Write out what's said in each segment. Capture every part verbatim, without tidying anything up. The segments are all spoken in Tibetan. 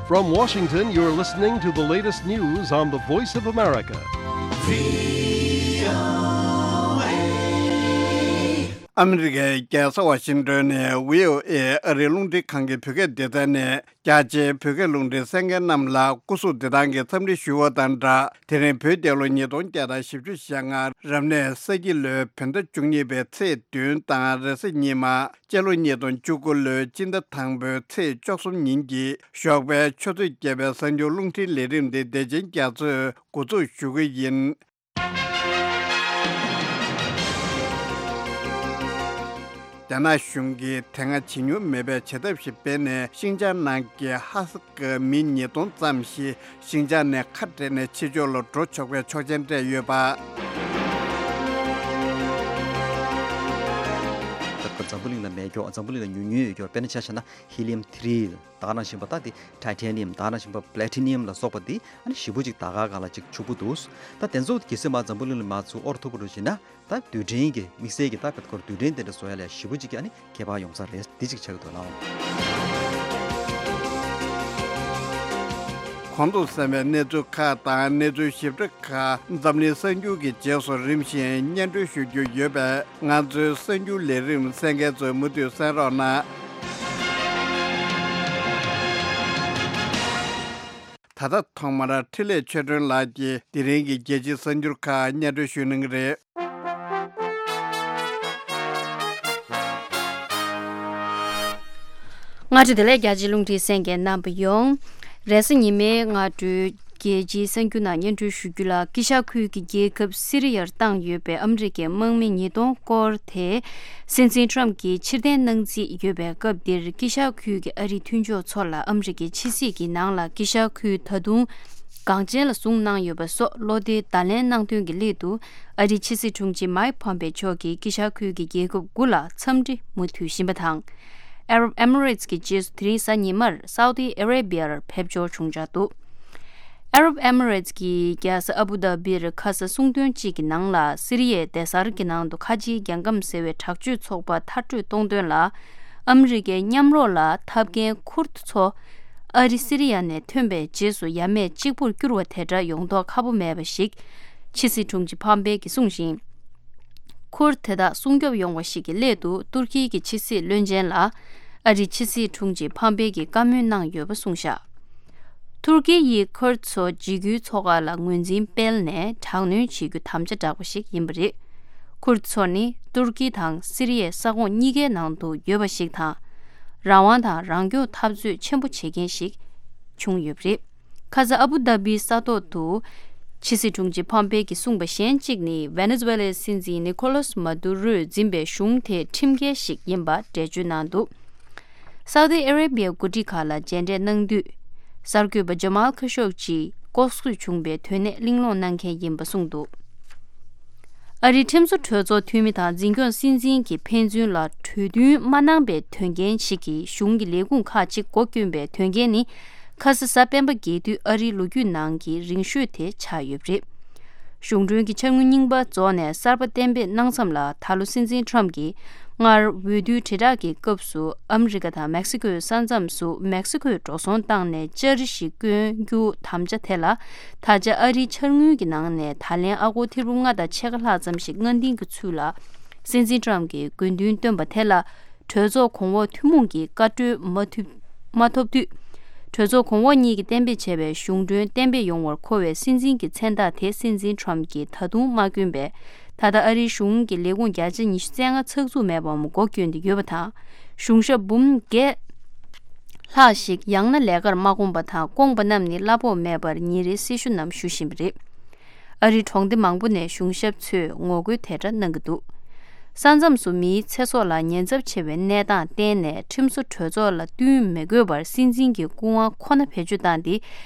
From Washington, you're listening to the latest news on the Voice of America. ཨ་མི་རི་ཀའི་རྒྱལ་ས་ཝ་ཤིང་ཏོན་ནས་བྷི་ཨོ་ཨེ་ཨ་རིའི་རླུང་འཕྲིན་ཁང་གི་བོད་སྐད་སྡེ་ཚན་ནས། རྒྱ་ཆེའི་བོད་སྐད་རླུང་འཕྲིན་གསན་མཁན་རྣམས་ལ་སྐུ་གཟུགས་བདེ་ཐང་གི་འཚམས་འདྲི་ཞུ་བ་དང་སྦྲགས། དེ་རིང་བོད་རྒྱལ་ལོ་ཉིས་སྟོང་བརྒྱ་དང་བཞི་བཅུ་ཞེ་ལྔ་རབ་གནས་ས་ཁྱི་ལོའི་བོད་ཟླ་བཅུ་གཉིས་པའི་ཚེས་བདུན་དང་རེས་གཟའ་ཉི་མ། སྤྱི་ལོ་ཉིས་སྟོང་བཅུ་དགུ་ལོའི་སྤྱི་ཟླ་དང་པོའི་ཚེས་བཅུ་གསུམ་ཉིན་གྱི་ཞོགས་པའི་ཆུ་ཚོད་བརྒྱད་པའི་གསར་འགྱུར་རླུང་འཕྲིན་ལས་རིམ་འདི་བདེ་ཆེན་རྒྱ་མཚོས་འགོ་འཛུགས་ཞུ་གི་ཡིན། རྒྱ་ནག་གཞུང་གིས་དེ་སྔ་བྱེད་མྱོང་མེད་པའི་བྱེད་ཐབས་ཤིག་སྤེལ་ནས། ཤིང་ཅང་ནང་གི་ཧ་སག་གི་མི་ཉིས་སྟོང་ཙམ་ཞིག་ཤིང་ཅང་ནས་ཁ་བྲལ་ནས་ཕྱི་ཕྱོགས་ལ་འགྲོ་ཆོག་པའི་ཆོག་མཆན་སྤྲད་ཡོད་པ། ད་སྐབས་འཛམ་བུ་གླིང་ལ་མེ་སྒྱོགས། འཛམ་བུ་གླིང་ལ་ཉུང་ཉུང་ཡོད་སྐྱོར། དཔེར་ན་ཆ་བཞག་ན་ཧི་ལི་ཡམ་ཐི་རི་ད་ག་ནང་བཞིན་པ། ད་དེ་ཊའི་ཊེ་ནི་ཡམ་ད་ག་ནང་བཞིན་པ་པ་ལེ་ཊི་ནི་ཡམ་ལ་སོགས་པ་དེ་ཨ་ནི་ཞེ་པོ་ཅིག་ད་ག་སྒང་ལ་ཅིག་ཕྱུག་པོ་འདུག་ད་དེ་ཚོ་གལ་སྲིད་མ་འཛམ་བུ་གླིང་ལ་མ་ཚུར་དབོར་ཐུབ་པ་འདྲ་ཞིག་ན། ད་རྡུལ་ཕྲན་གྱི་དམིགས་བསལ་གྱི་ད་ག་སྐོར་རྡུལ་ཕྲན་དེ་འདྲ་བཟོ་ཡ་ལ་ཞེ་པོ་ཅིག་གི་ཨ་ནི་ཁྱད་པར་ཡོང་ས་རེད། འདི་གཅིག་ཆགས་ཀྱི་འདུག་ལགས། གོང་དུ་གསན་པའི་གནས་ཚུལ་ཁག་དང་གནས་ཚུལ་ཞིབ་ཕྲ་ཁག་འཛམ་གླིང་གསར་འགྱུར་གྱི་རྗེས་སུ་རིམ་བཞིན་སྙན་སྒྲོན་ཞུ་རྒྱུ་ཡོད་པས། ང་ཚོའི་གསར་འགྱུར་ལས་རིམ་གསན་མཁན་ཚོས་མུ་མཐུད་གསན་རོགས་གནང་། ད་ལྟ་ཐོག་མར་འཕྲིན་ལས་ཆོས་སྒྲོན་ལགས་ཀྱིས་དེ་རིང་གི་རྒྱལ་སྤྱིའི་གསར་འགྱུར་ཁག་སྙན་སྒྲོན་ཞུ་གནང་གི་རེད། སྔ་དྲོ་བདེ་ལེགས། རྒྱ་ཆེའི་རླུང་འཕྲིན་གསན་མཁན་རྣམ་པ་ཡོངས། རེས་གཟའ་ཉི་མའི་སྔ་དྲོའི་རྒྱལ་སྤྱིའི་གསར་འགྱུར་ནང་སྙན་སྒྲོན་ཞུ་རྒྱུ་ལ། དཀྱིལ་ཤར་ཁུལ་གྱི་རྒྱལ་ཁབ་སི་རི་ཡར་བཏང་ཡོད་པའི་ཨ་མི་རི་ཀའི་དམག་མི་ཉིས་སྟོང་སྐོར་དེ། སྲིད་འཛིན་ཊམ་གྱིས་ཕྱིར་འཐེན་གནང་རྩིས་ཡོད་པའི་སྐབས་འདིར། དཀྱིལ་ཤར་ཁུལ་གྱི་ཨ་རིའི་མཐུན་ཕྱོགས་ཚོ་ལ་ཨ་མི་རི་ཀའི་ཕྱི་སྲིད་ཀྱི་ནང་ལ་དཀྱིལ་ཤར་ཁུལ་ད་དུང་འགངས་ཆེན་ལ་བཟུང་གནང་ཡོད་པ་སོགས་བློ་འདྲི་བརྡ་ལན་གནང་དོན་གྱི་སླད་དུ། ཨ་རིའི་ཕྱི་སྲིད་དྲུང་ཆེ་མའིག་ཕོམ་པེ་མཆོག་གིས་དཀྱིལ་ཤར་ཁུལ་གྱི་རྒྱལ་ཁབ་དགུ་ལ་འཚམས་འདྲི་མུ་མཐུད་ཕྱིན་པ་དང་། ཨ་རབ་ཨེ་མི་རེ་ཊི་ཀྱི་རྗེས་སུ་དེ་རིང་གཟའ་ཉི་མར་སའུ་ཏི་ཨ་རེ་བྷི་ཡར་ཕེབས་འབྱོར་བྱུང་འཆར་འདུག་ཨ་རབ་ཨེ་མི་རེ་ཊི་ཀྱི་རྒྱལ་ས་ཨ་བུ་དྷ་བིར་ཁ་ས་གསུང་དོན་གཅིག་གི་ནང་ལ། སི་རི་ཡའི་སྡེ་གཟར་གྱི་ནང་དུ་ཁ་ཆེའི་རྒྱལ་ཁམས་ཟེར་བའི་དྲག་སྤྱོད་ཚོགས་པ་མཐར་སྐྲོད་གཏོང་དོན་ལ། ཨ་མི་རི་ཀའི་མཉམ་རོགས་ལ་འཐབ་མཁན་ཁུར་ཐུ་ཚོ་ཨ་རི་སི་རི་ཡ་ནས་ཐོན་པའི་རྗེས་སུ་ཡ་མེད་གཅིག་པུར་གྱུར་བ་དེ་འདྲ་ཡོང་མདོག་ཁ་པོ་མེད་པ་ཞིག་ཕྱི་སྲིད་དྲུང་ཆེ་ཕམ་པེ་གིས་གསུངས་ཤིང་། ཁུར་དེ་དག་སྲུང་སྐྱོབ་ཡོང་བ་ཞིག་གི་སླད་དུ་ཏུར་ཀི་གི་ཕྱི་སྲིད་བློན་ཆེན་ལ་ཨ་རིའི་ཕྱི་སྲིད་དྲུང་ཆེ་ཕམ་པེ་གིས་བཀའ་མོལ་གནང་ཡོད་པ་གསུངས་བཞག་ཏུར་ཀི་ཡིས་ཁུར་ཚོ་འཇིགས་སྐུལ་ཚོགས་ཁག་ལ་ངོས་འཛིན་སྤེལ་ནས་དྲག་གནོན་བྱེད་རྒྱུ་དམ་བཅའ་བསྒྲགས་པ་ཞིག་ཡིན་པ་རེད། ཁུར་ཚོ་ནི་ཏུར་ཀི་དང་སི་རི་ཡའི་ས་ཁོངས་གཉིས་ཀའི་ནང་དུ་ཡོད་པ་ཞིག་དང་། རང་དབང་དང་རང་སྐྱོང་འཐབ་རྩོད་ཆེན་པོ་བྱེད་མཁན་ཞིག་བྱུང་ཡོད་པ་རེད། ཁ་ས་ཨ་བུ་དྷ་བིའི་ས་ཐོག་ཏུ་ཕྱི་སྲིད་དྲུང་ཆེ་ཕམ་པེ་གིས་གསུངས་པ་གཞན་གཅིག་ནི། ཝེ་ནེ་ཛུ་ཝེ་ལའི་སྲིད་འཛིན་ནི་ཁོ་ལོ་སི་མ་དུ་རོས་འཛིན་པའི་གཞུང་དེ་ཁྲིམས་འགལ་ཞིག་ཡིན་པ་འགྲེལ་བརྗོད་གནང་འདུག་སའུ་ཏི་ཨ་རེ་བྷི་ཡའི་འགོ་ཁྲིད་ཁག་ལ་མཇལ་འཕྲད་གནང་དུས། གསར་འགོད་པ་ཇ་མལ་ཁ་ཤོག་ཅིས་ལྐོག་གསོད་བྱུང་པའི་དོན་གནད་གླེང་སློང་གནང་མཁན་ཡིན་པ་གསུངས་འདུག་ཨ་རིའི་ཁྲིམས་བཟོ་གྲོས་ཚོགས་འཐུས་མི་དང་འཛིན་སྐྱོང་སྲིད་འཛིན་གྱིས་ཕན་ཚུན་ལ་གྲོས་མཐུན་མ་གནང་པའི་དོན་རྐྱེན་ཞིག་གིས་གཞུང་གི་ལས་ཁུངས་ཁག་ཅིག་སྒོ་བསྐྱོན་པའི་དོན་རྐྱེན་ནི། ཁ་ས་གཟའ་སྤེན་པ་རྒྱལ་དུས་ཨ་རིའི་ལོ་རྒྱུས་ནང་གི་རིང་ཤོས་དེ་ཆགས་ཡོད་པ་རེད། གཞུང་གྲོན་གྱི་འཆར་དངུལ་རྙིང་པ་རྫོགས་ནས་གསར་པ་གཏན་འབེབས་གནང་མཚམས་ལ། ད་ལོ་སྲིད་འཛིན་ཊམ་གྱིས་སྔར་འོས་བསྡུའི་དྲིལ་བསྒྲགས་ཀྱི་སྐབས་སུ་ཨ་མི་རི་ཀ་དང་མེག་སི་ཀོའི་ས་མཚམས་སུ་མེག་སི་ཀོས་འགྲོ་སོང་བཏང་ནས་ལྕགས་རི་ཞིག་བསྐོན་རྒྱུ་དམ་བཅའ་དེ་ལ། ད་ཆ་ཨ་རིའི་འཆར་དངུལ་གྱི་ནང་ནས་ད་ལན་ཨ་སྒོར་ཐེར་འབུམ་ལྔ་དང་ཕྱེད་ཀ་ལྷག་ཙམ་ཞིག་སྔ་འདིང་གི་ཚུལ་ལ། སྲིད་འཛིན་ཊམ་གྱིས་དགོས་འདུན་བཏོན་པ་དེ་ལ། གྲོས་ཚོགས་གོང་འོག་ཐུན་མོང་གི་བཀའ་འཁྲོལ་མ་ཐུབ་མ་ཐོབ་དུས། གྲོས་ཚོགས་གོང་འོག་གཉིས་ཀྱིས་གཏན་འབེབས་བྱས་པའི་གཞུང་གྲོན་གཏན་འབེབས་ཡོང་བར་མཁོ་བའི་སྲིད་འཛིན་གྱི་མཚན་རྟགས་དེ་སྲིད་འཛིན་ཊམ་གྱིས་ད་དུང་མ་བསྐྱོན་པས། ད་ལྟ་ཨ་རིའི་གཞུང་གི་ལས་ཁུངས་བརྒྱ་ཆ་ཉི་ཤུ་རྩ་ལྔ་ཚགས་ཚུད་མེད་པའམ་སྒོ་བསྐྱོན་ཏེ་ཡོད་པ་དང་། གཞུང་ཞབས་འབུམ་བརྒྱད་ལྷག་ཞིག་ཡང་ན་ལས་ཀར་མ་བསྐོངས་པ་དང་། བསྐོངས་པ་རྣམས་ནི་གླ་ཕོགས་མེད་པར་ཉིན་རེའི་སྲི་ཞུ་རྣམས་ཞུ་བཞིན་པ་རེད། ཨ་རིའི་གྲོང་སྡེ་མང་པོ་ནས་གཞུང་ཞབས་ཚོས་ངོ་རྒོལ་དེ་འདྲ་གནང་གི་འདུག་ས་མཚམས་སུ་མིའི་ཚེ་སྲོག་ལ་ཉེན་ཚབས་ཆེ་བའི་གནས་སྟངས་བརྟེན་ནས། ཁྲིམས་བཟོ་གྲོས་ཚོགས་ལ་བསྟུན་མི་དགོས་པར་སྲིད་འཛིན་གྱི་སྐུ་དབང་ཁོ་ན་བེད་སྤྱོད་བཏང་སྟེ།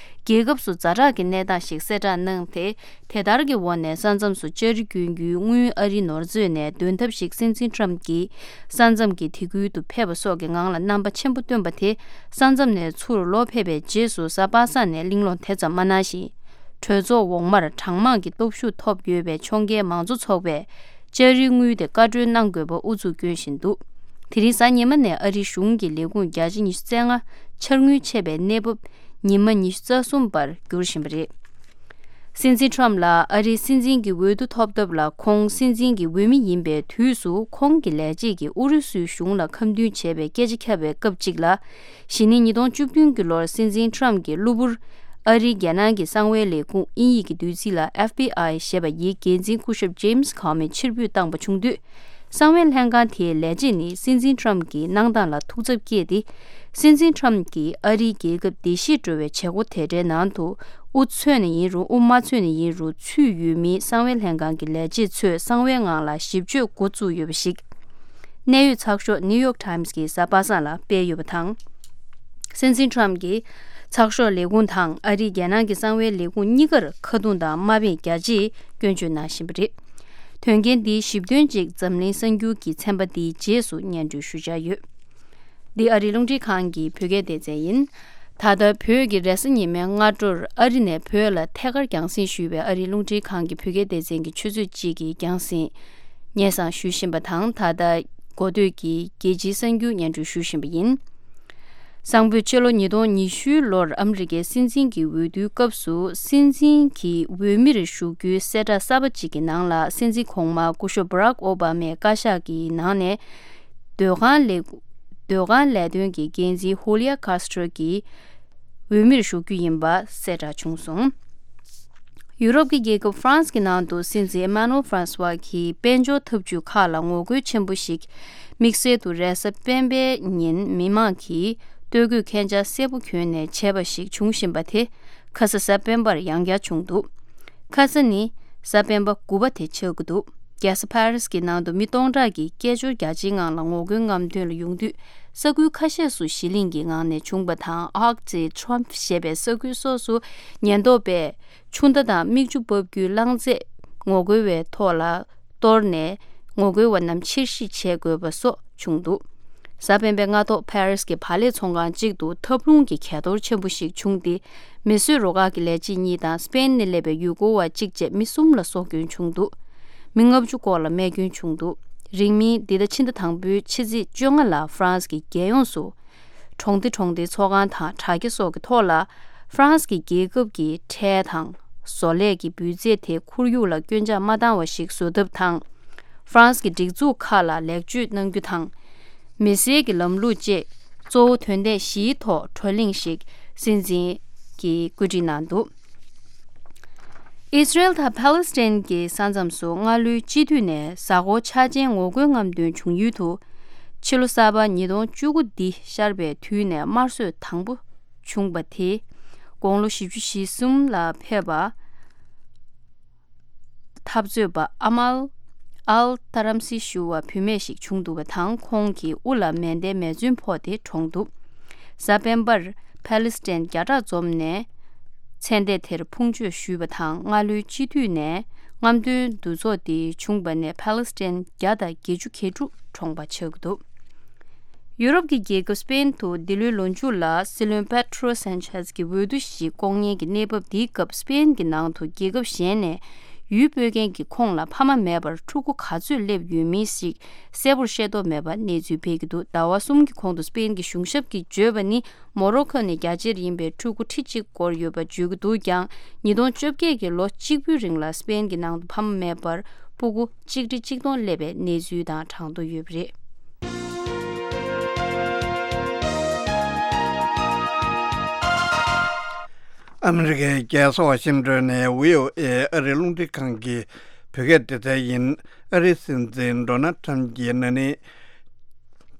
རྒྱལ་ཁབ་སུ་ཛ་དྲག་གི་གནས་སྟངས་ཤིག་གསལ་བསྒྲགས་གནང་སྟེ། དེ་ལྟར་གྱི་འོག་ནས་ས་མཚམས་སུ་ལྕགས་རི་བསྐྱོན་རྒྱུའི་དངུལ་ཨ་རིའི་ནོར་མཛོད་ནས་འདོན་ཐབས་ཤིག་སྲིད་འཛིན་ཊམ་གྱིས་ས་མཚམས་ཀྱི་དེ་ཁུལ་དུ་ཕེབས་པ་སོགས་ཀྱི་ངང་ལ་རྣམ་པ་ཆེན་པོ་བཏོན་པ་དེ། ས་མཚམས་ནས་ཚུར་ལོག་ཕེབས་པའི་རྗེས་སུ་གཟའ་པ་སངས་ནས་གླེང་སློང་དེ་ཙམ་མ་གནང་ཞིང་། གྲོས་ཚོགས་འོག་མར་གྲངས་མང་གི་སྟོབས་ཤུགས་ཐོབ་ཡོད་པའི་ཕྱོགས་འགལ་མང་གཙོ་ཚོགས་པས་ལྕགས་རིའི་དངུལ་དེ་བཀའ་འཁྲོལ་གནང་དགོས་པ་ཨུ་ཚུགས་བསྐྱོན་བཞིན་འདུག་དེ་རིང་གཟའ་ཉི་མ་ནས་ཨ་རིའི་གཞུང་གི་ལས་ཁུངས་བརྒྱ་ཆ་ཉི་ཤུ་རྩ་ལྔ་འཆར་དངུལ་ཆད་པའི་གནས་བབ་ ཉི་མ་ཉི་ཤུ་རྩ་གསུམ་བར་འགྱུར་བཞིན་པ་རེད། སྲིད་འཛིན་ཁྲམ་ལ་ཨ་རིའི་སྲིད་འཛིན་གྱི་འོས་བསྡུ་ཐོབ་ཐབས་ལ་ཁོང་སྲིད་འཛིན་གྱི་འོས་མི་ཡིན་པའི་དུས་སུ་ཁོང་གི་ལས་བྱེད་ཀྱིས་ཨུ་རུ་སུའི་གཞུང་ལ་ཁ་མཐུན་བྱས་པའི་སྐད་ཆ་ཁྱབ་པའི་སྐབས་གཅིག་ལ། གཞེས་ནིང་ཉིས་སྟོང་བཅུ་བདུན་གྱི་ལོར་སྲིད་འཛིན་ཁྲམ་གྱི་གློ་བུར་ཨ་རིའི་རྒྱལ་ནང་གི་གསང་བའི་ལས་ཁུངས་དབྱིན་ཡིག་གི་བསྡུས་ཚིག་ལ་ཨེཕ་བི་ཨའི་ཞེས་པ་ཡི་འགན་འཛིན་སྐུ་ཞབས་ཇེམ་སི་ཁོ་མི་ཕྱིར་འབུད་བཏང་པ་བྱུང་དུས། གསང་བའི་ལྷན་ཁང་དེའི་ལས་བྱེད་ནི་སྲིད་འཛིན་ཁྲམ་གྱི་གནང་སྟངས་ལ་ཐུགས་འཚབ་སྐྱེས་ཏེ། སྲིད་འཛིན་ཁྲམ་གྱིས་ཨ་རིའི་རྒྱལ་ཁབ་བདེ་སྐྱིད་སྒྲོལ་བའི་བྱེད་སྒོ་དེ་འདྲའི་ནང་དུ་དབུ་འཚོས་ནས་ཡིན་རུང་དབུ་མ་འཚོས་ནས་ཡིན་རུང་ཚུད་ཡོད་མིན་གསང་བའི་ལྷན་ཁང་གི་ལས་བྱེད་ཚོས་གསང་བའི་ངང་ལ་ཞིབ་དཔྱོད་འགོ་བཙུགས་ཡོད་པ་ཞིག་གནད་ཡོད་ཚགས་ཤོག་ནིའུ་ཡོག་ཊའིམ་སི་གི་གཟའ་པ་སངས་ལ་སྤེལ་ཡོད་པ་དང་། སྲིད་འཛིན་ཁྲམ་གྱིས་ཚགས་ཤོག་ལས་ཁུངས་དང་ཨ་རིའི་རྒྱལ་ནང་གི་གསང་བའི་ལས་ཁུངས་གཉིས་ཀར་ཁ་རྡུང་དང་དམའ་འབེབས་རྒྱ་ཆེའི་སྐྱོན་བརྗོད་གནང་བཞིན་པ་རེད། དོན་རྐྱེན་འདིའི་ཞིབ་དོན་གཅིག་འཛམ་གླིང་གསར་འགྱུར་གྱི་ཚན་པ་འདིའི་རྗེས་སུ་སྙན་སྒྲོན་ཞུ་འཆར་ཡོད། འདི་ཨ་རིའི་རླུང་འཕྲིན་ཁང་གི་བོད་སྐད་སྡེ་ཚན་ཡིན། ད་ལྟ་བོད་ཀྱི་རེས་གཟའ་ཉི་མའི་སྔ་དྲོར་ཨ་རི་ནས་བོད་ལ་ཐད་ཀར་རྒྱང་སྲིང་ཞུས་པའི་ཨ་རིའི་རླུང་འཕྲིན་ཁང་གི་བོད་སྐད་སྡེ་ཚན་གྱི་ཆུ་ཚོད་གཅིག་གི་རྒྱང་སྲིང་སྙན་སེང་ཞུ་བཞིན་པ་དང་། ད་ལྟ་འགོ་སྟོད་ཀྱི་རྒྱལ་སྤྱིའི་གསར་འགྱུར་སྙན་སྒྲོན་ཞུ་བཞིན་པ་ཡིན། གསང་ཕུད་ཕྱི་ལོ་ཉིས་སྟོང་ཉི་ཤུའི་ལོར་ཨ་མི་རི་ཀའི་སྲིད་འཛིན་གྱི་འོས་བསྡུའི་སྐབས་སུ་སྲིད་འཛིན་གྱི་འོས་མིར་ཞུགས་རྒྱུའི་གསལ་བསྒྲགས་གསར་པ་གཅིག་གི་ནང་ལ་སྲིད་འཛིན་གོང་མ་སྐུ་ཞབས་Barack Obamaའི་བཀའ་ཤག་གི་ནང་ནས་སྡོད་ཁང་ལས་སྡོད་ཁང་ལས་དོན་གྱི་འགན་འཛིན་Julia Castro་གྱིས་འོས་མིར་ཞུགས་རྒྱུ་ཡིན་པ་གསལ་བསྒྲགས་བྱུང་སོང་། ཡུ་རོབ་ཀྱི་རྒྱལ་ཁབ་ཧྥ་རན་སི་གི་ནང་དུ་སྲིད་འཛིན་Emmanuel Francois་གྱིས་དཔལ་འབྱོར་འཐབ་ཇུས་ཁག་ལ་ངོ་རྒོལ་ཆེན་པོ་ཞིག་དམིགས་བསལ་དུ་རེས་གཟའ་སྤེན་པའི་ཉིན་མི་མང་གིས་སྟོད་གོས་ཁན་ཆ་སེར་པོ་གྱོན་ནས་བྱས་པ་ཞིག་བྱུང་བཞིན་པ་དེ་ཁ་ས་གཟའ་སྤེན་པར་ཡང་བསྐྱར་བྱུང་འདུག་ཁ་ས་ནི་གཟའ་སྤེན་པ་དགུ་པ་དེ་ཆགས་ཀྱི་འདུག་རྒྱལ་ས་ཕ་རི་སི་གི་ནང་དུ་མི་སྟོང་ཕྲག་གིས་སྐད་ཅོར་རྒྱ་ཆེའི་ངང་ལ་ངོ་རྒོལ་རྔམ་སྟོན་ལ་ཡོང་དུས། ས་ཁུལ་ཁ་ཤས་སུ་ཞི་ལིང་གི་ངང་ནས་བྱུང་པ་དང་། Arc de Triomphe་ཞེས་པའི་ས་ཁུལ་སོགས་སུ་ཉེན་རྟོག་པས་ཆུ་མདའ་དང་མིག་ཆུ་འབབ་རྒྱུའི་རླངས་རྫས་ངོ་རྒོལ་བའི་ཐོག་ལ་གཏོར་ནས། ངོ་རྒོལ་བ་རྣམས་ཕྱིར་བཤིག་བྱེད་དགོས་པ་སོགས་བྱུང་འདུག་གཟའ་སྤེན་པའི་སྔ་ཐོག་ཕ་རི་སི་གི་བག་ལེབ་ཚོང་ཁང་གཅིག་ཏུ་ཐབས་ལུང་གི་གས་གཏོར་ཆེན་པོ་ཞིག་བྱུང་སྟེ། མེ་གསོད་རུ་ཁག་གི་ལས་བྱེད་གཉིས་དང་སྤེན་ནས་སླེབས་པའི་ཡུལ་སྐོར་བ་གཅིག་བཅས་མི་གསུམ་ལ་སྲོག་སྐྱོན་བྱུང་འདུག་མི་ལྔ་བཅུ་སྐོར་ལ་རྨས་སྐྱོན་བྱུང་འདུག་རིང་མིན་འདི་ཟླ་ཕྱི་ཟླ་དང་པོའི་ཕྱི་ཚེས་བཅོ་ལྔ་ལ་ཧྥ་རན་སི་གི་རྒྱལ་ཡོངས་སུ། གྲོང་སྡེ་གྲོང་སྡེའི་ཚོགས་ཁང་དང་དྲ་རྒྱ་སོགས་ཀྱི་ཐོག་ལ། ཧྥ་རན་སི་གི་རྒྱལ་ཁབ་ཀྱི་ཁྲལ་དང་བཟོ་ལས་ཀྱི་འབུལ་རྫས་དེ་ཁོར་ཡུག་ལ་སྐྱོན་ཆག་མ་བཏང་བ་ཞིག་བཟོ་ཐབས་དང་། ཧྥ་རན་སི་གི་སྒྲིག་འཛུགས་ཁག་ལ་ལེགས་བཅོས་གནང་རྒྱུ་དང་། མི་སེར་གྱི་ལམ་ལུགས་བཅས་གཙོ་བོ་དོན་ཚན་བཞིའི་ཐོག་བགྲོ་གླེང་ཞིག་སྲིད་འཛིན་གྱིས་བཀོད་སྒྲིག་གནང་འདུག་ཨི་སི་རེལ་དང་ཕཱ་ལེ་སི་ཐན་གྱི་ས་མཚམས་སུ་སྔ་ལོའི་སྤྱི་འཐུས་ནས་གཟའ་འཁོར་འཆར་ཅན་ངོ་རྒོལ་རྔམ་སྟོན་བྱུང་ཡུལ་དུ། ཕྱི་ལོ་གསར་པ་ཉིས་སྟོང་བཅུ་དགུ་འདི་ཤར་བའི་དུས་ནས་དམར་གསོད་དང་པོ་བྱུང་པ་དེ། དགུང་ལོ་བཞི་བཅུ་ཞེ་གསུམ་ལ་ཕེབས་པ། འཐབ་རྩོད་པ་ཨ་མལ་ཨལ་ཏ་རམ་སི་ཞུ་བ་བུད་མེད་ཞིག་བྱུང་འདུག་པ་དང་། ཁོང་གི་དབུ་ལ་མེ་མདའི་མེ་མཚོན་ཕོག་སྟེ་གྲོངས་འདུག་གཟའ་སྤེན་པར་ཕཱ་ལེ་སི་ཐན་བརྒྱ་ཕྲག་འཛོམས་ནས་མཚན་ལྟས་དེར་ཕུང་མཆོད་ཞུས་པ་དང་། སྔ་ལོའི་སྤྱི་འཐུས་ནས་རྔམ་སྟོན་འདུ་ཚོགས་དེ་བྱུང་པ་ནས་ཕཱ་ལེ་སི་ཐན་བརྒྱ་དང་བརྒྱད་ཅུ་གྱ་དྲུག་གྲོངས་པ་ཆགས་ཀྱི་འདུག་ཡུ་རོབ་ཀྱི་རྒྱལ་ཁབ་སྤེན་དུ་འདི་ལོའི་ལོ་མཇུག་ལ་སྲིད་བློན་པེ་ཏྲོ་སན་ཆེས་ཀྱི་འོས་བསྡུ་ཞིག་བསྐོང་མཁན་གྱི་གནས་བབ་འདིའི་སྐབས། སྤེན་གྱི་ནང་དུ་རྒྱལ་ཁབ་གཞན་ནས་ཡུལ་སྤོས་མཁན་གྱི་ཁོངས་ལ་ཕ་མ་མེད་པར་ཕྲུ་གུ་ག་ཚོད་སླེབས་ཡོད་མིན་ཞིག་གསལ་པོར་ཤེས་རྟོགས་མེད་པ་གནས་ཚུལ་སྤེལ་གྱི་འདུག་ཟླ་བ་གསུམ་གྱི་གོང་དུ་སྤེན་གྱི་གཞུང་ཞབས་ཀྱིས་བརྗོད་པ་ནི། མོ་རོ་ཁོ་ནས་རྒྱ་ཆེར་ཡིན་པའི་ཕྲུ་གུ་ཁྲི་གཅིག་བསྐོར་ཡོད་པ་བརྗོད་ཀྱི་འདུག་ཀྱང་། ཉིས་སྟོང་བཅོ་བརྒྱད་ཀྱི་ལོ་གཅིག་པུའི་རིང་ལ་སྤེན་གྱི་ནང་དུ་ཕ་མ་མེད་པར་སྤུ་གུ་གཅིག་ཁྲི་གཅིག་སྟོང་སླེབས་པའི་གནས་ཚུལ་དང་གྲངས་ཐོ་ཡོད་པ་རེད། ཨ་མི་རི་ཀའི་རྒྱལ་ས་ཝ་ཤིང་ཏོན་ནས་བྷི་ཨོ་ཨེ་ཨ་རིའི་རླུང་འཕྲིན་ཁང་གི་བོད་སྐད་སྡེ་ཚན་ཡིན། ཨ་རིའི་སྲིད་འཛིན་ཌོ་ནལ་ཁྲམ་གྱིས་ན་ནིང་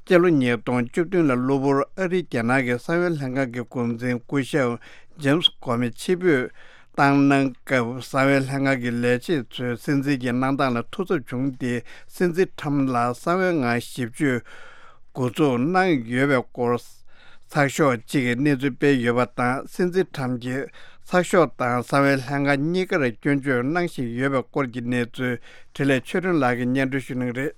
སྤྱི་ལོ་ཉིས་སྟོང་བཅུ་བདུན་ལ་གློ་བུར་ཨ་རིའི་རྒྱལ་ནང་གི་གསང་བའི་ལྷན་ཁང་གི་འགོ་འཛིན་སྐུ་ཞབས་ཇེམ་སི་ཀོ་མི་ཕྱིར་འབུད་བཏང་གནང་སྐབས། གསང་བའི་ལྷན་ཁང་གི་ལས་བྱེད་ཚོས་སྲིད་འཛིན་གྱི་གནང་སྟངས་ལ་ཐུགས་འཚབ་བྱུང་སྟེ། སྲིད་འཛིན་ཁྲམ་ལ་གསང་བའི་ངང་ཞིབ་དཔྱོད་འགོ་འཛུགས་གནང་ཡོད་པའི་སྐོར་ཚགས་ཤོག་གཅིག་གིས་གནས་ཚུལ་སྤེལ་ཡོད་པ་དང་། སྲིད་འཛིན་ཁྲམ་གྱིས་ཚགས་ཤོག་དང་གསང་བའི་ལྷན་ཁང་གཉིས་ཀར་སྐྱོན་བརྗོད་གནང་བཞིན་ཡོད་པའི་སྐོར་གྱི་གནས་ཚུལ་འཕྲིན་ལས་ཆོས་སྒྲོན་ལགས་ཀྱིས་སྙན་སྒྲོན་ཞུ་གནང་གི་རེད།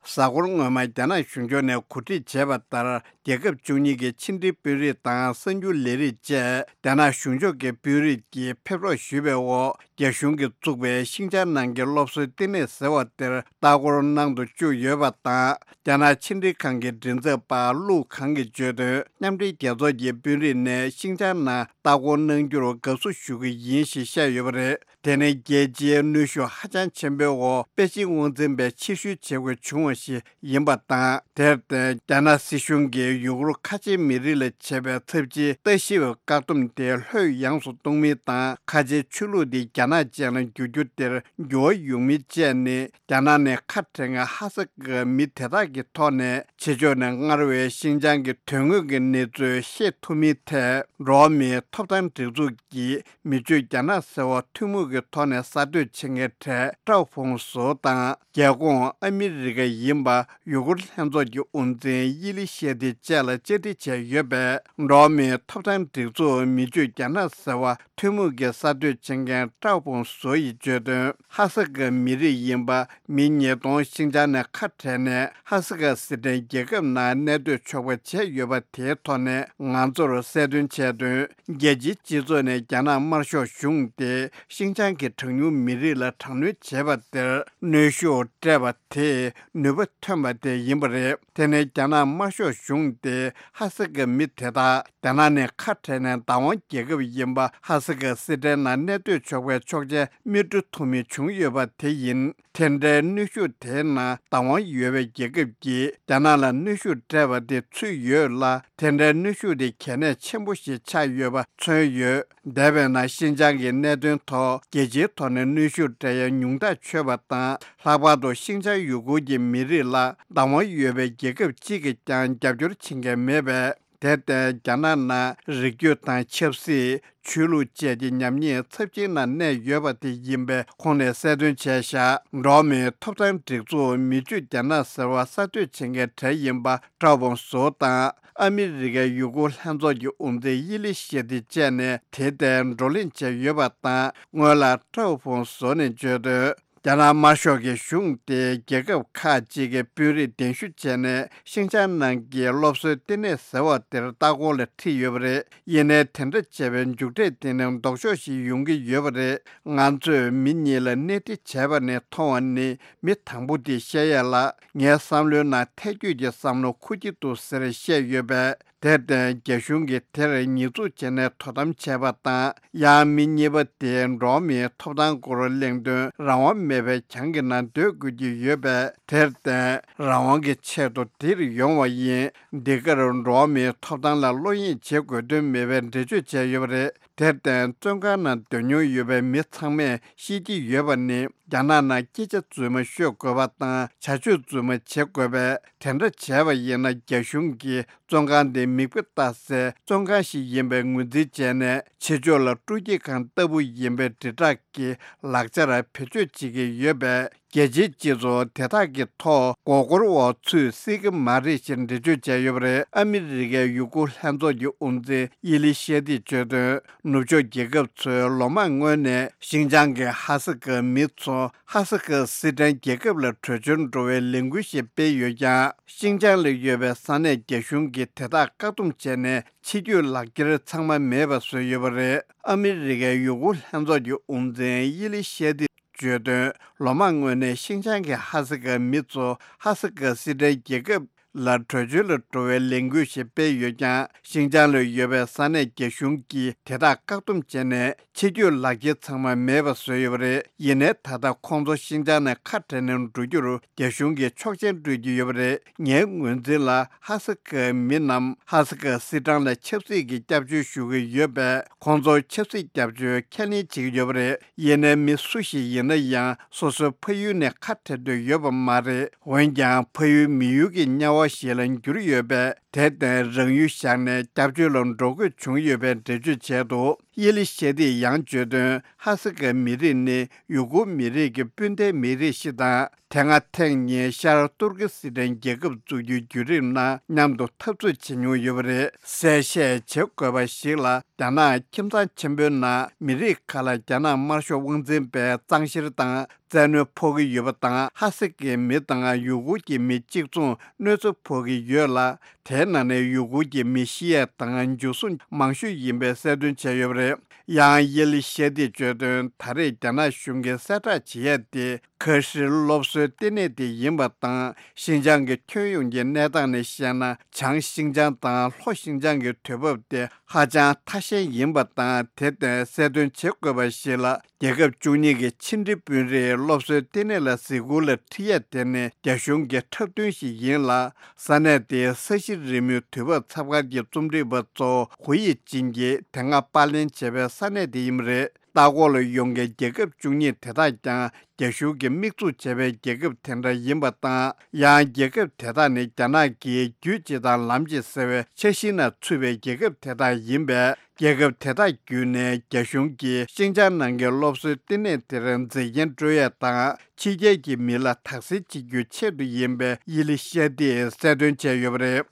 གཟའ་འཁོར་སྔོན་མ་རྒྱ་ནག་གཞུང་ཕྱོགས་ནས་གོ་སྒྲིག་བྱས་པ་ལྟར། རྒྱལ་ཁབ་བཅུ་གཉིས་ཀྱི་ཕྱི་འབྲེལ་དཔོན་རིགས་དང་གསར་འགྱུར་ལས་རིགས་བཅས་རྒྱ་ནག་གཞུང་ཕྱོགས་ཀྱི་དཔོན་རིགས་ཀྱིས་ཕེབས་རོགས་ཞུས་པའི་འོག་རྒྱ་གཞུང་གིས་བཙུགས་པའི་ཤིང་ཅང་ནང་གི་སློབ་གསོའི་ལྟེ་གནས་ཟེར་བ་དེར་ལྟ་སྐོར་གནང་དུ་བཅུག་ཡོད་པ་དང་། རྒྱ་ནག་ཕྱི་འབྲེལ་ཁང་གི་མགྲིན་ཚབ་པ་ལུའུ་ཁང་གིས་བརྗོད་དོན། མཉམ་འབྲེལ་རྒྱལ་ཚོགས་ཀྱི་དཔོན་རིགས་ནས་ཤིང་ཅང་ནང་ལྟ་སྐོར་གནང་རྒྱུར་དགའ་བསུ་ཞུ་གི་ཡིན་ཞེས་བཤད་ཡོད་པ་རེད། དེ་ནི་རྒྱལ་སྤྱིའི་གནོན་ཤུགས་ཧ་ཅང་ཆེན་པོའི་འོག་པེ་ཅིང་དབང་འཛིན་པས་ཕྱིར་བཤོལ་བྱེད་དགོས་བྱུང་བ་ཞིག་ཡིན་པ་དང་། དེར་བརྟེན། རྒྱ་ནག་སྲིད་གཞུང་གིས་ཡུ་གུར་ཁ་ཆེའི་མི་རིགས་ལ་བྱས་པའི་ཚབས་ཆེའི་ལྟ་ཞིབ་བཀག་སྡོམ་དེ་ལྷོད་ཡངས་སུ་གཏོང་མིན་དང་། ཁ་ཆེའི་ཆོས་ལུགས་དེ་རྒྱ་ནག་ཅན་ལ་འགྱུར་རྒྱུ་དེར་འགྱུར་བ་ཡོང་མིན་བཅས་ནི། རྒྱ་ནག་ནས་ཁ་བྲལ་མཁན་ཧ་སག་གི་མི་དེ་དག་གི་ཐོག་ནས་ཕྱི་ཕྱོགས་ནས་སྔར་བས་ཤིན་ཅང་གི་དོན་དངོས་ཀྱི་གནས་ཚུལ་ཤེས་ཐུབ་མིན་ཐད། འགྲོ་བ་མིའི་ཐོབ་ཐང་སྒྲིག་འཛུགས་ཀྱི་མི་ཆོས་རྒྱ་ནག་ཟེར་བ་ཐུན་མོང་གི་ཐོག་ནས་གསར་གཏོད་བྱེད་མཁན་གྲས་ཀྲའོ་ཕུང་སུའུ་དང་། རྒྱལ་ཁོངས་ཨ་མི་རི་ཀ་ཡིན་པ་ཡུ་གུར་ལྷན་ཚོགས་ཀྱི་དབུ་འཛིན་ཡི་ལི་ཤེ་ཏི་བཅས་ལ་བཅར་འདྲི་བྱས་ཡོད་པས། འགྲོ་བ་མིའི་ཐོབ་ཐང་སྒྲིག་འཛུགས་མི་ཆོས་རྒྱ་ནག་ཟེར་བ་ཐུན་མོང་གི་གསར་གཏོད་བྱེད་མཁན་ཀྲའོ་ཕུང་སུའུ་ཡིས་བརྗོད་དོན། ཧ་སག་གི་མི་རིགས་ཡིན་པ་མི་ཉིས་སྟོང་ཤིན་ཅང་ནས་ཁ་བྲལ་ནས། ཧ་སག་གི་སི་ཁྲོན་རྒྱལ་ཁབ་ནང་གནས་སྡོད་ཆོག་པ་བྱས་ཡོད་པ་དེའི་ཐོག་ནས་ང་ཚོར་གསལ་སྟོན་བྱས་དོན། རྒྱལ་སྤྱིའི་སྤྱི་ཚོགས་ནས་རྒྱ་ནག་དམར་ཤོག་གཞུང་དེ་ཤིན་ཅང་གི་གྲངས་ཉུང་མི་རིགས་ལ་དྲག་གནོན་བྱས་པ་དེར་གནོན་ཤུགས་སྤྲད་པ་དེས་ནུས་པ་ཐོན་པ་དེ་ཡིན་པ་རེད། དེ་ནི་རྒྱ་ནག་དམར་ཤོག་གཞུང་དེ་ཧ་སག་གི་མི་དེ་དག་རྒྱ་ནག་ནས་ཁ་བྲལ་ནས་བདག་དབང་རྒྱལ་ཁབ་ཡིན་པ་ཧ་སག་གི་སི་ཁྲོན་ནང་གནས་སྡོད་ཆོག་པའི་ཆོག་མཆན་མི་སྤྲོད་ཐུབ་མིན་བྱུང་ཡོད་པ་དེ་ཡིན། དེ་འདྲའི་གནོན་ཤུགས་དེའི་ནང་བདག་དབང་ཡོད་པའི་རྒྱལ་ཁབ་ཀྱིས་རྒྱ་ནག་ལ་གནོན་ཤུགས་སྤྲད་པ་དེ་ཚུད་ཡོད་ལ། དེ་འདྲའི་གནོན་ཤུགས་དེ་གལ་གནད་ཆེན་པོ་ཞིག་ཆགས་ཡོད་པ་མཚོན་ཡོད། འདས་པའི་ནང་ཤིན་ཅང་གི་གནད་དོན་ཐོག་རྒྱལ་སྤྱིའི་ཐོག་ནས་གནོན་ཤུགས་སྤྲད་ཡ་ཉུང་ཐག་ཆོད་པ་དང་། ལྷག་པར་དུ་ཤིན་ཅང་ཡུ་གུར་གྱི་མི་རིགས་ལ་བདག་དབང་ཡོད་པའི་རྒྱལ་ཁབ་གཅིག་གིས་ཀྱང་རྒྱབ་སྐྱོར་བྱེད་མཁན་མེད་པས། དེར་བརྟེན། རྒྱ་ནག་ནང་རིགས་རྒྱུད་དང་ཆབ་སྲིད། ཆོས་ལུགས་བཅས་ཀྱི་ཉམས་ཉེས་ཚབས་ཆེན་ནང་གནས་ཡོད་པ་དེ་ཡིན་པའི་ཁོང་ནས་གསལ་སྟོན་བྱས་བཞག་འགྲོ་བ་མིའི་ཐོབ་ཐང་སྒྲིག་འཛུགས་མི་ཆོས་རྒྱ་ནག་ཟེར་བ་གསར་གཏོད་བྱེད་མཁན་གྲས་ཡིན་པ་ཀྲའོ་ཕུང་སུའུ་དང་། ཨ་མི་རི་ཀའི་ཡུ་གུར་ལྷན་ཚོགས་ཀྱི་དབུ་འཛིན་ཡི་ལི་ཤེ་ཏི་བཅས་ནས་དེ་ལྟའི་བགྲོ་གླེང་བྱས་ཡོད་པ་དང་། སྔོན་ལ་ཀྲའོ་ཕུང་སུའུ་ནས་བརྗོད་དོན། རྒྱ་ནག་དམར་ཤོག་གི་གཞུང་དེས་རྒྱལ་ཁབ་ཁག་ཅིག་གི་དཔོན་རིགས་གདན་ཞུ་བྱས་ནས་ཤིང་ཅང་ནང་གི་སློབ་གསོའི་ལྟེ་གནས་ཟེར་བ་དེར་ལྟ་སྐོར་ལ་ཁྲིད་ཡོད་པ་རེད། ཡིན་ནའི་དེ་འདྲ་བྱས་པའི་མཇུག་འབྲས་དེ་ནི་ལྡོག་ཕྱོགས་ཤིག་ཡོང་གི་ཡོད་པ་རེད། ང་ཚོས་མི་གཉིས་ལ་གནས་འདྲི་བྱས་པ་ནས་མཐོང་བ་ནི་མི་དང་པོ་དེས་བཤད་ཡས་ལ་ངའི་བསམ་བློའི་ནང་ཐལ་འགྱུར་གྱི་བསམ་བློ་འཁོར་གྱི་འདུག་ཟེར་བཤད་ཡོད་པས། དེར་བརྟེན་རྒྱ་གཞུང་གིས་དེར་ཉེས་འཛུགས་བྱས་ནས་དོ་དམ་བྱས་པ་དང་། ཡང་མི་གཉིས་པ་དེས་འགྲོ་བ་མིའི་ཐོབ་ཐང་སྐོར་གླེང་དོན་རང་དབང་མེད་པའི་གྱང་གི་ནང་སྡོད་དགོས་ཀྱི་ཡོད་པས། དེར་བརྟེན་རང་དབང་གི་ཆེད་དུ་འདིར་ཡོང་བ་ཡིན། འདི་གར་འགྲོ་བ་མིའི་ཐོབ་ཐང་ལ་བློ་གཡེང་བྱེད་དགོས་དོན་མེད་པའི་འགྲེལ་བརྗོད་བྱས་ཡོད་པ་རེད། དེར་བརྟེན་བཙོན་ཁང་ནང་སྡོད་མྱོང་ཡོད་པའི་མི་ཚང་མས་ཤེས་ཀྱི་ཡོད་པ་ནི། རྒྱ་ནག་ནང་སྐད་ཆ་རྫུན་མ་ཤོད་དགོས་པ་དང་བྱ་སྤྱོད་རྫུན་མ་བྱེད་དགོས་པས། དེ་འདྲ་བྱས་པ་ཡིན་ན་རྒྱ་གཞུང་གིས་བཙོན་ཁང་དེ་མིག་དཔེ་ལྟ་སའི་བཙོན་ཁང་ཞིག་ཡིན་པའི་ངོས་འཛིན་བྱས་ནས། ཕྱི་ཕྱོགས་ལ་སྤྲོ་སྐྱིད་ཁང་ལྟ་བུ་ཡིན་པའི་དྲིལ་བསྒྲགས་ཀྱི་ལག་ཆར་བེད་སྤྱོད་བྱེད་ཀྱི་ཡོད་པས། རྒྱལ་སྤྱིའི་སྤྱི་ཚོགས་དེ་དག་གི་ཐོག་མགོ་སྐོར་འོག་ཚུད་སྲིད་ཀྱི་མ་རེད་ཞེས་འགྲེལ་བརྗོད་བྱས་ཡོད་པ་རེད། ཨ་མི་རི་ཀའི་ཡུ་གུར་ལྷན་ཚོགས་ཀྱི་དབུ་འཛིན་ཡི་ལི་ཤེ་ཏིས་བརྗོད་དོན། ནུབ་ཕྱོགས་རྒྱལ་ཁབ་ཚོས་ལོ་མང་སྔོན་ནས་ཤིན་ཅང་གི་ཧ་སག་གི་མི་ཚོ་ཧ་སག་གི་སི་ཁྲོན་རྒྱལ་ཁབ་ལ་བྲོས་བྱོལ་འགྲོ་བའི་ལས་འགུལ་ཞིག་སྤེལ་ཡོད་ཀྱང་། ཤིན་ཅང་ལ་ཡོད་པའི་ས་གནས་རྒྱ་གཞུང་གིས་དེ་དག་བཀག་སྡོམ་བྱས་ནས་ཕྱི་སྐྱོད་ལག་འཁྱེར་ཚང་མ་མེད་པ་བཟོས་ཡོད་པ་རེད། ཨ་མི་རི་ཀའི་ཡུ་གུར་ལྷན་ཚོགས་ཀྱི་དབུ་འཛིན་ཡི་ལི་ཤེ་ཏི་བརྗོད་དོན། ལོ་མང་སྔོན་ནས་ཤིན་ཅང་གི་ཧ་སག་གི་མི་ཚོ་ཧ་སག་གི་སི་ཁྲོན་རྒྱལ་ཁབ་ལ་བྲོས་བྱོལ་ལ་འགྲོ་བའི་ལས་འགུལ་ཞིག་སྤེལ་ཡོད་ཀྱང་། ཤིན་ཅང་ལ་ཡོད་པའི་ས་གནས་རྒྱ་གཞུང་གིས་དེ་དག་བཀག་སྡོམ་བྱས་ནས་ཕྱི་སྐྱོད་ལག་འཁྱེར་ཚང་མ་མེད་པ་བཟོས་ཡོད་པ་རེད། ཡིན་ནའི་ད་ལྟ་ཁོང་ཚོ་ཤིན་ཅང་ནས་ཁ་བྲལ་ནས་འགྲོ་རྒྱུར་རྒྱ་གཞུང་གིས་ཆོག་མཆན་སྤྲོད་ཀྱི་ཡོད་པ་རེད། ངའི་ངོས་འཛིན་ལ་ཧ་སག་གི་མི་རྣམས་ཧ་སག་གི་སི་ཁྲོན་ལ་ཆབ་སྲིད་ཀྱི་སྐྱབས་བཅོལ་ཞུ་གི་ཡོད་པས། ཁོང་ཚོར་ཆབ་སྲིད་སྐྱབས་བཅོལ་ཁས་ལེན་བྱེད་ཀྱི་ཡོད་པ་རེད། ཡིན་ནའི་མི་སུ་ཞིག་ཡིན་ན་ཡང་སོ་སོའི་ཕ་ཡུལ་ནས་ཁ་བྲལ་འདོད་ཡོད་པ་མ་རེད། འོན་ཀྱང་ཕ་ཡུལ་མི་ཡུལ་གྱི་དམྱལ་བ་ཞིག་ལ་འགྱུར་ཡོད་པས། དེར་བརྟེན་རང་ཡུལ་བཞག་ནས་སྐྱབས་བཅོལ་ལ་འགྲོ་དགོས་བྱུང་ཡོད་པའི་འགྲེལ་བརྗོད་བྱས་འདུག་ཡེ་ལི་ཤེ་ཏིས་ཡང་བརྗོད་དོན། ཧ་སི་ཀའི་མི་རིགས་ནི་ཡུ་གུར་མི་རིགས་ཀྱི་སྤུན་ཟླའི་མི་རིགས་ཤིག་དང་། དེ་སྔ་ཐེངས་གཉིས་ཤར་ཏུར་ཀི་སི་ཐན་རྒྱལ་ཁབ་འཛུགས་རྒྱུའི་བརྒྱུད་རིམ་ནང་མཉམ་དུ་འཐབ་རྩོད་བྱེད་མྱོང་ཡོད་པ་རེད། གསལ་བཤད་བྱེད་དགོས་པ་ཞིག་ལ། རྒྱ་ནག་ཁྱིམ་ཚང་ཆེན་པོའི་ནང་མི་རིགས་ཁག་ལ་རྒྱ་ནག་དམར་ཤོག་དབང་འཛིན་པས་གཙང་བཤེར་དང་། བཙན་གནོན་ཕོག་གི་ཡོད་པ་དང་། ཧ་སི་ཀའི་མི་དང་ཡུ་གུར་གྱི་མི་གཅིག་མཚུངས་གནོད་འཚེ་ཕོག་གི་ཡོད་ལ། དེའི་ནང་ནས་ཡུ་གུར་གྱི་མི་ཤི་ཡས་དང་འཇུ་བཟུང་མང་ཤོས་ཡིན་པའི་གསལ་སྟོན་བྱས་ཡོད་པ་རེད། ཡང་ཡེ་ལི་ཤེ་ཏིས་བརྗོད་དོན། ད་རེས་རྒྱ་ནག་གཞུང་གིས་གསལ་བསྒྲགས་བྱེད་ཡས་དེ་ཁ་ཧྲིལ་སློབ་གསོའི་ལྟེ་གནས་དེ་ཡིན་པ་དང་། ཤིན་ཅང་གི་ཁྱོན་ཡོངས་ཀྱི་གནས་སྟངས་ནས་བཤད་ན། བྱང་ཤིན་ཅང་དང་ལྷོ་ཤིན་ཅང་གི་དུས་བབ་དེ་ཧ་ཅང་ཐ་ཞན་ཡིན་པ་དང་། དེར་བརྟེན་གསལ་སྟོན་བྱེད་དགོས་པ་ཞིག་ལ། རྒྱལ་ཁབ་བཅུ་གཉིས་ཀྱི་ཕྱི་འབྲེལ་དཔོན་རིགས་སློབ་གསོའི་ལྟེ་གནས་ལ་གཟིགས་སྐོར་ལ་ཁྲིད་ཡས་དེ་ནི་རྒྱ་གཞུང་གི་འཁྲབ་སྟོན་ཞིག་ཡིན་ལ། ས་གནས་དེའི་ས་གཞི་རི་མོའི་དུས་བབ་ཚབ་སྒར་གྱི་རྩོམ་སྒྲིག་པ་གཙོ་བོ་ཧུའུ་ཡི་ཅིན་གྱིས་དེ་སྔ་པར་ལེན་བྱས་པའི་ས་གནས་དེ་ཡིན་པ་རེད། ལྟ་སྐོར་ལ་ཡོང་མཁན་རྒྱལ་ཁབ་བཅུ་གཉིས་དེ་དག་ཀྱང་རྒྱ་གཞུང་གིས་དམིགས་འཛུགས་བྱས་པའི་རྒྱལ་ཁབ་དེ་འདྲ་ཡིན་པ་དང་། ཡང་རྒྱལ་ཁབ་དེ་དག་ནི་རྒྱ་ནག་གིས་རྒྱུད་གཅིག་དང་ལམ་གཅིག་ཟེར་བའི་འཆར་གཞིའི་ནང་ཚུད་པའི་རྒྱལ་ཁབ་དེ་དག་ཡིན་པས། རྒྱལ་ཁབ་དེ་དག་བརྒྱུད་ནས་རྒྱ་གཞུང་གིས་ཤིན་ཅང་ནང་གི་སློབ་གསོའི་ལྟེ་གནས་དེར་མཛེས་རྒྱན་སྤྲོད་ཡས་དང་། ཕྱི་རྒྱལ་གྱི་མི་ལ་དག་སེལ་བྱེད་རྒྱུའི་ཆེད་དུ་ཡིན་པའི་ཡེ་ལི་ཤེ་ཏིས་གསལ་སྟོན་བྱས་ཡོད་པ་རེད།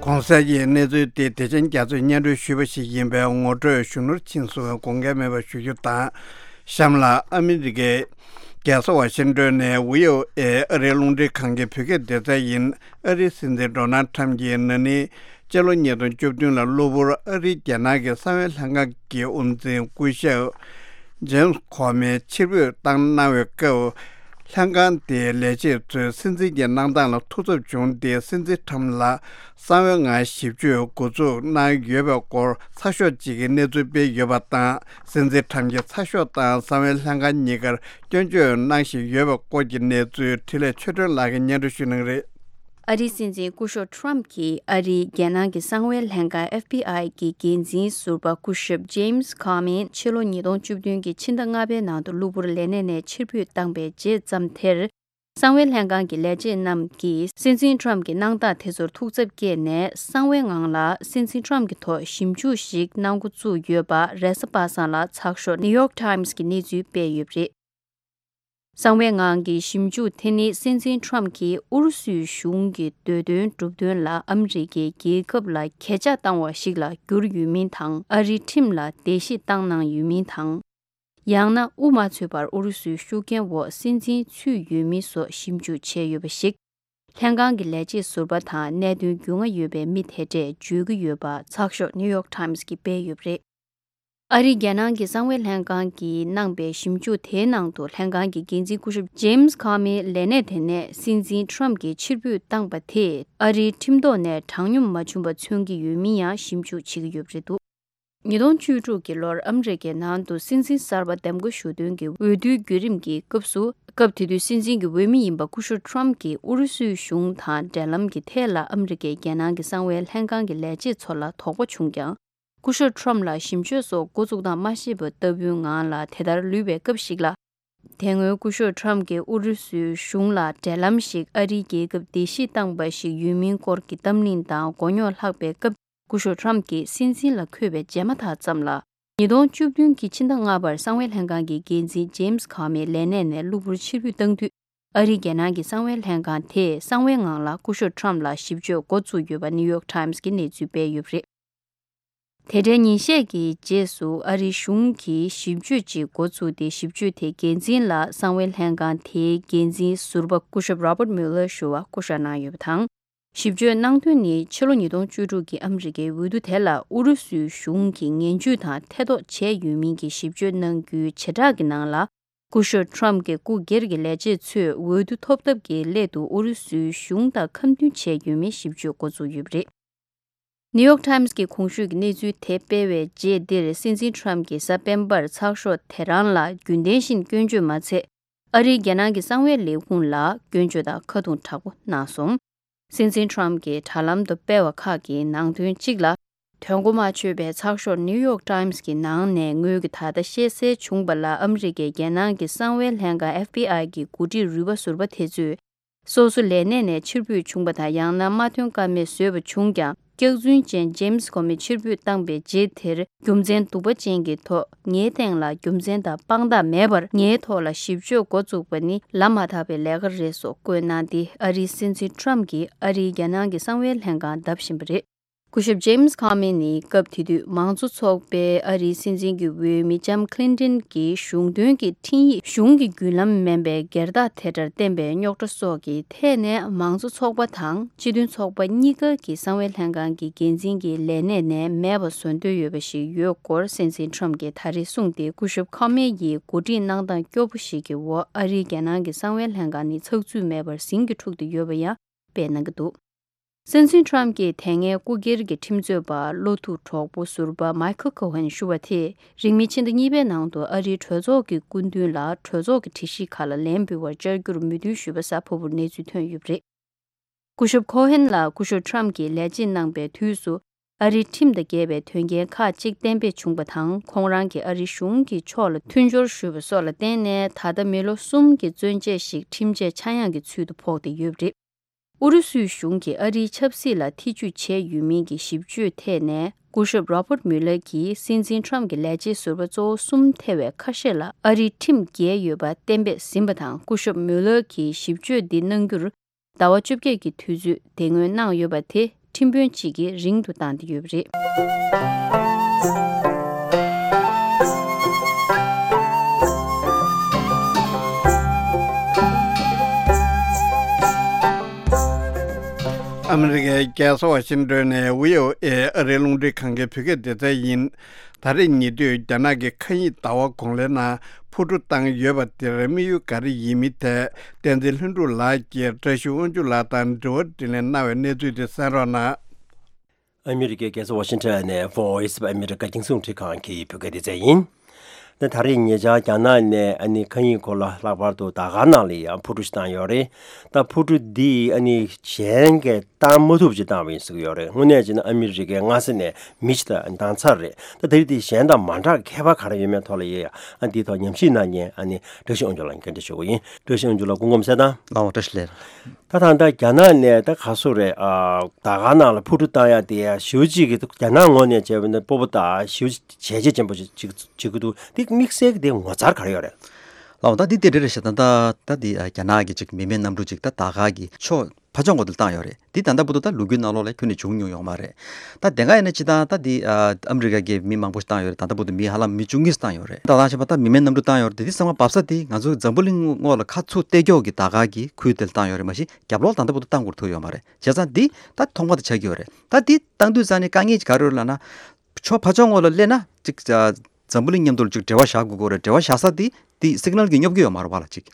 གོང་གསལ་གྱི་གནས་ཚུལ་དེ་བདེ་ཆེན་རྒྱ་མཚོས་སྙན་སྒྲོན་ཞུས་པ་ཞིག་ཡིན་པས། ངོ་སྤྲོད་གཞོན་ནུར་ཕྱིན་སོང་བས་དགོངས་འགལ་མེད་པར་ཞུ་རྒྱུ་དང་། གཤམ་ལ་ཨ་མི་རི་ཀའི་རྒྱལ་ས་ཝ་ཤིང་ཏོན་ནས་བྷི་ཨོ་ཨེ་ཨ་རིའི་རླུང་འཕྲིན་ཁང་གི་བོད་སྐད་སྡེ་ཚན་ཡིན། ཨ་རིའི་སྲིད་འཛིན་ཌོ་ནལ་ཁྲམ་གྱིས་ན་ནིང་སྤྱི་ལོ་ཉིས་སྟོང་བཅུ་བདུན་ལ་གློ་བུར་ཨ་རིའི་རྒྱལ་ནང་གི་གསང་བའི་ལྷན་ཁང་གི་དབུ་འཛིན་སྐུ་ཞབས་ཇེམ་སི་ཁོ་མི་ཕྱིར་འབུད་བཏང་གནང་བའི་སྐབས། ལྷན་ཁང་དེའི་ལས་བྱེད་ཚོས་སྲིད་འཛིན་གྱི་གནང་སྟངས་ལ་ཐུགས་འཚབ་བྱུང་སྟེ། སྲིད་འཛིན་ཁྲམ་ལ་གསང་བའི་ངང་ཞིབ་དཔྱོད་འགོ་འཛུགས་གནང་ཡོད་པའི་སྐོར་ཚགས་ཤོག་ཅིག་གི་གནས་ཚུལ་སྤེལ་ཡོད་པ་དང་། སྲིད་འཛིན་ཁྲམ་གྱིས་ཚགས་ཤོག་དང་གསང་བའི་ལྷན་ཁང་གཉིས་ཀར་སྐྱོན་བརྗོད་གནང་བཞིན་ཡོད་པའི་སྐོར་གྱི་གནས་ཚུལ་འཕྲིན་ལས་ཆོས་སྒྲོན་ལགས་ཀྱིས་སྙན་སྒྲོན་ཞུ་གནང་གི་རེད། ཨ་རིའི་སྲིད་འཛིན་སྐུ་ཞབས་ཁྲམ་གྱིས་ཨ་རིའི་རྒྱལ་ནང་གི་གསང་བའི་ལྷན་ཁང་ཨེཕ་བི་ཨའི་གི་འགན་འཛིན་ཟུར་པ་སྐུ་ཞབས་ཇེམ་སི་ཁོ་མི་ཕྱི་ལོ་ཉིས་སྟོང་བཅུ་བདུན་གྱི་ཕྱི་ཟླ་ལྔ་པའི་ནང་དུ་གློ་བུར་ལས་གནས་ནས་ཕྱིར་འབུད་བཏང་པའི་རྗེས་ཙམ་དེར། གསང་བའི་ལྷན་ཁང་གི་ལས་བྱེད་རྣམས་ཀྱིས་སྲིད་འཛིན་ཁྲམ་གྱི་གནང་སྟངས་དེ་ཚོར་ཐུགས་འཚབ་སྐྱེས་ནས། གསང་བའི་ངང་ལ་སྲིད་འཛིན་ཁྲམ་གྱི་ཐོག་ཞིབ་འཇུག་ཞིག་གནང་འགོ་བཙུགས་ཡོད་པ་རེས་གཟའ་པ་སངས་ལ་ཚགས་ཤོག་ནིའུ་ཡོག་ཊའིམ་སི་གིས་གནས་ཚུལ་སྤེལ་ཡོད་པ་རེད། གསང་བའི་ངང་གི་ཞིབ་འཇུག་དེ་ནི་སྲིད་འཛིན་ཁྲམ་གྱིས་ཨུ་རུ་སུའི་གཞུང་གི་འདོད་དོན་སྒྲུབ་དོན་ལ་ཨ་མི་རི་ཀའི་རྒྱལ་ཁབ་ལ་གྱེས་ཕྱག་བཏང་བ་ཞིག་ལ་གྱུར་ཡོད་མིན་དང་། ཨ་རིའི་ཁྲིམས་ལ་བརྡལ་བཤིག་བཏང་གནང་ཡོད་མིན་དང་། ཡང་ན་དབུ་མ་ཚུད་པར་ཨུ་རུ་སུའི་ཤུགས་རྐྱེན་འོག་སྲིད་འཛིན་ཚུད་ཡོད་མིན་སོགས་ཞིབ་འཇུག་བྱས་ཡོད་པ་ཞིག་ལྷན་ཁང་གི་ལས་བྱེད་ཟུར་པ་དང་གནད་དོན་རྒྱུས་མངའ་ཡོད་པའི་མི་དེ་འདྲས་བརྗོད་ཀྱི་ཡོད་པ་ཚགས་ཤོག་ནིའུ་ཡོག་ཊའིམ་སི་གིས་སྤེལ་ཡོད་པ་རེད། ཨ་རིའི་རྒྱལ་ནང་གི་གསང་བའི་ལྷན་ཁང་གིས་གནང་པའི་ཞིབ་འཇུག་དེའི་ནང་དུ་ལྷན་ཁང་གི་འགན་འཛིན་སྐུ་ཞབས་ཇེམ་སི་ཁོ་མིའི་ལས་གནས་དེ་ནས་སྲིད་འཛིན་ཁྲམ་གྱིས་ཕྱིར་འབུད་བཏང་པ་དེས་ཨ་རིའི་ཁྲིམས་ཐོག་ནས་དྲང་སྙོམས་མ་བྱུང་བ་མཚོན་གྱི་ཡོད་མིན་ཡང་ཞིབ་འཇུག་བྱེད་ཀྱི་ཡོད་པ་རེད་འདུག་ཉིས་སྟོང་བཅུ་དྲུག་གི་ལོར་ཨ་མི་རི་ཀའི་ནང་དུ་སྲིད་འཛིན་གསར་པ་འདེམས་བསྐོ་ཞུ་དོན་གྱི་འོས་བསྡུའི་བརྒྱུད་རིམ་གྱི་སྐབས་སུ། སྐབས་དེ་དུས་སྲིད་འཛིན་གྱི་འོས་མི་ཡིན་པ་སྐུ་ཞབས་ཁྲམ་གྱིས་ཨུ་རུ་སུའི་གཞུང་དང་འབྲེལ་ལམ་གྱི་ཐད་ལ་ཨ་མི་རི་ཀའི་རྒྱལ་ནང་གི་གསང་བའི་ལྷན་ཁང་གི་ལས་བྱེད་ཚོ་ལ་དོགས་པ་བྱུང་ཀྱང་། སྐུ་ཞབས་ཁྲམ་ལ་ཞིབ་དཔྱོད་སོགས་འགོ་བཙུགས་སྟངས་མ་ཤེས་པ་ལྟ་བུའི་ངང་ལ་དེ་ལྟར་ལུས་པའི་སྐབས་ཤིག་ལ། དེ་སྔོན་སྐུ་ཞབས་ཁྲམ་གྱིས་ཨུ་རུ་སུའི་གཞུང་ལ་འབྲེལ་ལམ་ཞིག་ཨ་རིའི་རྒྱལ་ཁབ་བརྡལ་བཤིག་བཏང་པ་ཞིག་ཡོད་མིན་སྐོར་གྱི་གཏམ་གླེང་དང་མགོ་རྙོག་ལྷགས་པའི་སྐབས། སྐུ་ཞབས་ཁྲམ་གྱིས་སྲིད་འཛིན་ལ་འཁོད་པའི་རྗེས་མ་ཐག་ཙམ་ལ། ཉིས་སྟོང་བཅུ་བདུན་གྱི་ཕྱི་ཟླ་ལྔ་པར་གསང་བའི་ལྷན་ཁང་གི་འགན་འཛིན་ཇེམ་སི་ཁོ་མི་ལས་གནས་ནས་གློ་བུར་ཕྱིར་འབུད་བཏང་དུས། ཨ་རིའི་རྒྱལ་ནང་གི་གསང་བའི་ལྷན་ཁང་དེས་གསང་བའི་ངང་ལ་སྐུ་ཞབས་ཁྲམ་ལ་ཞིབ་དཔྱོད་འགོ་བཙུགས་ཡོད་པ་ནིའུ་ཡོག་ཊའིམ་སི་གིས་གནས་ཚུལ་སྤེལ་ཡོད་པ་རེད། དེ་འདྲའི་ཉིན་ཤས་ཀྱི་རྗེས་སུ་ཨ་རིའི་གཞུང་གིས་ཞིབ་དཔྱོད་ཅིག་འགོ་བཙུགས་ཏེ། ཞིབ་དཔྱོད་དེའི་འགན་འཛིན་ལ་གསང་བའི་ལྷན་ཁང་དེའི་འགན་འཛིན་ཟུར་པ་སྐུ་ཞབས་Robert Mueller ཞུ་བ་བསྐོ་བཞག་གནང་ཡོད་པ་དང་། ཞིབ་དཔྱོད་གནང་དོན་ནི་ཕྱི་ལོ་ཉིས་སྟོང་བཅུ་དྲུག་གི་ཨ་མི་རི་ཀའི་འོས་བསྡུ་དེ་ལ་ཨུ་རུ་སུའི་གཞུང་གིས་ངན་ཇུས་དང་ཐེ་གཏོགས་བྱས་ཡོད་མིན་གྱི་ཞིབ་དཔྱོད་གནང་རྒྱུའི་བྱེ་བྲག་གི་ནང་ལ། སྐུ་ཞབས་ཁྲམ་གྱི་སྐུ་སྒེར་གྱི་ལས་བྱེད་ཚོས་འོས་བསྡུ་ཐོབ་ཐབས་ཀྱི་སླད་དུ་ཨུ་རུ་སུའི་གཞུང་དང་ཁ་མཐུན་བྱས་ཡོད་མེད་ཞིབ་དཔྱོད་འགོ་བཙུགས་ཡོད་པ་རེད། ནིའུ་ཡོག་ཊའིམ་སི་གིས་གོང་ཞུས་ཀྱི་གནས་ཚུལ་དེ་སྤེལ་བའི་རྗེས་འདིར། སྲིད་འཛིན་ཁྲམ་གྱིས་གཟའ་སྤེན་པར་ཚགས་ཤོག་དེ་རང་ལ་རྒྱུན་ལྡན་བཞིན་སྐྱོན་བརྗོད་མ་ཚད། ཨ་རིའི་རྒྱལ་ནང་གི་གསང་བའི་ལས་ཁུངས་ལ་སྐྱོན་བརྗོད་དང་ཁ་རྡུང་དྲག་པོ་གནང་སོང་། སྲིད་འཛིན་ཁྲམ་གྱིས་དྲ་ལམ་དུ་སྤེལ་བ་ཁག་གི་ནང་དོན་གཅིག་ལ། དོན་གོ་མ་ཆོད་པའི་ཚགས་ཤོག་New York Times གྱི་ནང་ནས་ངོས་ཀྱིས་ད་ལྟ་ཤེས་གསལ་བྱུང་བ་ལ། ཨ་མི་རི་ཀའི་རྒྱལ་ནང་གི་གསང་བའི་ལྷན་ཁང་FBI གི་འགོ་ཁྲིད་རུས་པ་ཟུར་པ་དེ་ཚོས། སོ་སོ་ལས་གནས་ནས་ཕྱིར་འབུད་བྱུང་བ་དང་། ཡང་ན་མ་ཐོན་ཀ་མེད་བཟོས་པ་བྱུང་ཀྱང་། སྐྱག་རྫུན་ཅན་ཇེམ་སི་ཁོ་མི་ཕྱིར་འབུད་བཏང་པའི་རྗེས་དེར། རྒྱུ་མཚན་གཏུག་པ་ཅན་གྱི་ཐོག་ངའི་སྟེང་ལ་རྒྱུ་མཚན་དང་དཔང་རྟགས་མེད་པར། ངའི་ཐོག་ལ་ཞིབ་དཔྱོད་འགོ་བཙུགས་པ་ནི་ལབ་མ་ཐག་པའི་ལས་ཀ་རེད་སོགས་བཀོད་གནང་སྟེ། ཨ་རིའི་སྲིད་འཛིན་ཊམ་གྱིས་ཨ་རིའི་རྒྱལ་ནང་གི་གསང་བའི་ལྷན་ཁང་བརྡབ་བཞིན་པ་རེད། སྐུ་ཞབས་ཇེམ་སི་ཁོ་མི་ནི་སྐབས་དེ་དུས་མང་གཙོ་ཚོགས་པའི་ཨ་རིའི་སྲིད་འཛིན་གྱི་འོས་མི་ལྕམ་ཁི་ལིན་ཏོན་གྱི་གཞུང་དོན་གྱི་འཕྲིན་ཡིག་གཞུང་གི་བརྒྱུད་ལམ་མིན་པའི་སྒེར་བདག་དེ་འདྲར་བསྟན་པའི་རྙོག་དྲ་སོགས་ཀྱི་ཐད་ནས། མང་གཙོ་ཚོགས་པ་དང་སྤྱི་མཐུན་ཚོགས་པ་གཉིས་ཀ་གི་གསང་བའི་ལྷན་ཁང་གི་འགན་འཛིན་གྱི་ལས་གནས་ནས་མེད་པ་བཟོ་འདོད་ཡོད་པ་ཞིག་ཡོད་སྐོར་སྲིད་འཛིན་ཊམ་གྱིས་ད་རེས་གསུངས་ཏེ། སྐུ་ཞབས་ཁོ་མི་ཡིས་གོ་སྒྲིག་གནང་སྟངས་སྐྱོ་པོ་ཞིག་གི་འོག་ཨ་རིའི་རྒྱལ་ནང་གི་གསང་བའི་ལྷན་ཁང་ནི་ཚགས་ཚུད་མེད་པར་ཟིང་གིས་འཁྲུག་བསྡད་ཡོད་པ་ཡང་སྤེལ་གནང་གི་འདུག། སྲིད་འཛིན་ཊམ་གྱིས་དེ་སྔའི་སྐུ་སྒེར་གྱི་ཁྲིམས་རྩོད་པ་བློ་ཐུག་གྲོགས་པོ་ཟུར་པ་མའི་ཁལ་ཁོ་ཧན་ཞུ་བ་དེས། རིང་མིན་ཕྱི་ཟླ་གཉིས་པའི་ནང་དུ་ཨ་རིའི་གྲོས་ཚོགས་ཀྱི་སྐུ་མདུན་ལ་གྲོས་ཚོགས་ཀྱི་སྒྲིག་གཞི་ཁག་ལ་ལན་འབུལ་བར་བཅར་རྒྱུར་མོས་མཐུན་ཞུས་པ་གཟའ་ཕུར་བུར་གནས་ཚུལ་ཐོན་ཡོད་པ་རེད། སྐུ་ཞབས་ཁོ་ཧན་ལ་སྐུ་ཞབས་ཊམ་གྱིས་ལས་བྱེད་གནང་པའི་དུས་སུ། ཨ་རིའི་ཁྲིམས་དང་འགལ་བའི་དོན་རྐྱེན་ཁག་ཅིག་གཏན་འབེབས་བྱུང་བ་དང་། ཁོང་རང་གིས་ཨ་རིའི་གཞུང་གི་ཕྱོགས་ལ་མཐུན་སྦྱོར་ཞུས་པ་སོགས་ལ་བརྟེན་ནས། ད་ལྟ་མི་ལོ་གསུམ་གྱི་བཙོན་ཆས་ཤིག་ཁྲིམས་ཆད་ཆག་ཡང་གི་ཚུལ་དུ་ཕོག་བསྡད་ཡོད་པ་རེད། ཨུ་རུ་སུའི་གཞུང་གིས་ཨ་རིའི་ཆབ་སྲིད་ལ་ཐེ་ཇུས་བྱས་ཡོད་མིན་གྱི་ཞིབ་དཔྱོད་ཐད་ནས། སྐུ་ཞབས་རོ་བྷར་ཊི་མུ་ལར་གྱིས་སྲིད་འཛིན་ཊམ་གྱི་ལས་བྱེད་ཟུར་པ་གཙོ་བོ་གསུམ་ཐེ་བའི་ཁ་ཤས་ལ་ཨ་རིའི་ཁྲིམས་འགལ་ཡོད་པ་གཏན་འབེབས་ཟིན་པ་དང་། སྐུ་ཞབས་མུ་ལར་གྱིས་ཞིབ་དཔྱོད་འདི་གནང་རྒྱུར། ཟླ་བ་བཅོ་བརྒྱད་ཀྱི་དུས་ཚོད་བདེ་མངོན་གནང་ཡོད་པ་དེ། ཁྲིམས་དཔོན་གཅིག་གིས་རིང་དུ་བཏང་སྟེ་ཡོད་པ་རེད། ཨ་མི་རི་ཀའི་རྒྱལ་ས་ཝ་ཤིང་ཏོན་ནས་བྷི་ཨོ་ཨེ་ཨ་རིའི་རླུང་འཕྲིན་ཁང་གི་བོད་སྐད་སྡེ་ཚན་ཡིན། ད་རེས་ཉེ་དུས་རྒྱ་ནག་གི་མཁའ་དབྱིངས་ཟླ་བ་གོང་ལའི་ནང་འཕུར་གྲུ་བཏང་ཡོད་པ་དེར་དམིགས་ཡུལ་ག་རེ་ཡིན་མིན་ཐད། བསྟན་འཛིན་ལྷུན་གྲུབ་ལགས་ཀྱིས་བཀྲ་ཤིས་དབང་ཕྱུག་ལགས་དང་དྲི་བ་དྲིས་ལན་གནང་བའི་གནས་ཚུལ་དེ་གསན་རོགས་གནང་། ཨ་མི་རི་ཀའི་རྒྱལ་ས་ཝ་ཤིང་ཊོན་ནས་Voice of America རྒྱང་སྲིང་རླུང་འཕྲིན་ཁང་གི་བོད་སྐད་སྡེ་ཚན་ཡིན། ད་ད་རེས་ཉེ་ཆར་རྒྱ་ནག་ནས་ཨ་ནི་མཁའ་དབྱིངས་སྐོར་ལ་ལྷག་པར་དུ་ཟླ་དཀར་ནང་ལ་ཡང་འཕུར་གྲུ་ཞིག་བཏང་ཡོད་རེད། ད་འཕུར་གྲུ་འདི་ཨ་ནི་གཞན་གྱིས་བཏང་མ་ཐུབ་ཅིག་བཏང་བ་ཡིན་ཟེར་གྱི་ཡོད་རེད། དངོས་གནས་བྱས་ན་ཨ་མི་རི་ཀའི་མངའ་སྡེ་ནས་མི་ཞིག་ད་བཏང་ཚར་རེད། ད་དེ་རིགས་དེ་གཞན་དང་མ་འདྲ་ཁྱད་པར་ག་རེ་ཡོད་མེད་ཐོག་ལ་ཡ་ཡ་ཨ་འདིའི་ཐོག་ཉམས་ཞིབ་གནང་མཁན་ཨ་ནི་བཀྲ་ཤིས་དབང་ཕྱུག་ལགས་ལ་བཀའ་འདྲི་ཞུ་གི་ཡིན། བཀྲ་ཤིས་དབང་ཕྱུག་ལགས་སྐུ་ཁམས་བཟང་། ལགས་འོང་། བཀྲ་ཤིས་བདེ་ལེགས། ད་ད་ལྟ་རྒྱ་ནག་ནས་ད་ག་སོ་རེད། ཨ་ཟླ་དཀར་ནང་ལ་འཕུར་གྲུ་བཏང་ཡ་དེ་ཞེ་པོ་ཅིག་གི་རྒྱ་ནག་ངོས་ནས་བྱས་པ་ན་སྤོབས་པ་དང་ཞེ་པོ་བྱས་རྗེས་ཅན་པོ་ཅིག་ཅིག་བྱེད་ཀྱི་འདུག། དེ་དམིགས་བསལ་གྱི་དེ་ངོ་མཚར་ག་རེ་ཡོད་རེད། ལགས་འོང་། ད་འདི་དེ་འདྲ་རེད་ཤག། ད་ད་ད་འདི་ཨ་རྒྱ་ནག་གི་ཅིག་མི་མེད་གནམ་གྲུ་ཅིག་ད་ཟླ་དཀར་གྱི་ཕྱོགས་ཕར་ཕྱོགས་ངོས་དེ་བཏང་ཡོད་རེད། འདི་ད་ལྟ་བར་དུ་ད་ལོ་རྒྱུས་ནང་ལོགས་ལ་ཁྱོན་ནས་བྱུང་མྱོང་ཡོད་མ་རེད། ད་དེ་སྔ་ཡིན་ན་སྤྱིར་བཏང་ད་འདི་ཨ་ཨ་མི་རི་ཀ་གི་མི་མང་པོ་ཞིག་བཏང་ཡོད་རེད། ད་ལྟ་བར་དུ་མི་ཧ་ལམ་མི་བཅུ་གཉིས་བཏང་ཡོད་རེད། ད་ད་ཆ་པ་ད་མི་མེད་གནམ་གྲུ་བཏང་ཡོད་རེད། དེ་འདི་ཚང་མ་བབས་ས་དེ་ང་ཚོ་འཛམ་བུ་གླིང་ངོས་ལ་ཁ་ཚུར་གཏད་རྒྱུ་གི་ཟླ་དཀར་གྱི་ཁུལ་དེ་ལ་བཏང་ཡོད་རེད། མ་གཞི་རྒྱབ་ལོགས་ད་ལྟ་བར་དུ་བཏང་དགོས་ཐུག་ཡོད་མ་རེད། བྱས་ཙང་འདི་ད་ཐོག་མ་དེ་ཆགས་ཀྱི་ཡོད་རེད། ད་འདི་བཏང་དུས་ཙང་ནས་དཀའ་ངལ་ག་རེ་ཡོད་ལབ་ན། ཕྱོགས་ཕར་ཕྱོགས་ངོས་ལ་སླེབས་ན་ཅིག་ཨ་འཛམ་བུ་གླིང་མཉམ་དུ་ཅིག་འབྲེལ་བ་བཞག་དགོས་ཀྱི་ཡོད་རེད། འབྲེལ་བ་བཞག་ས་དེ་དེ་སིག་ནལ་གྱིས་སྙོབ་ཀྱི་ཡོད་མ་རེད་པ་ལགས་ཅིག།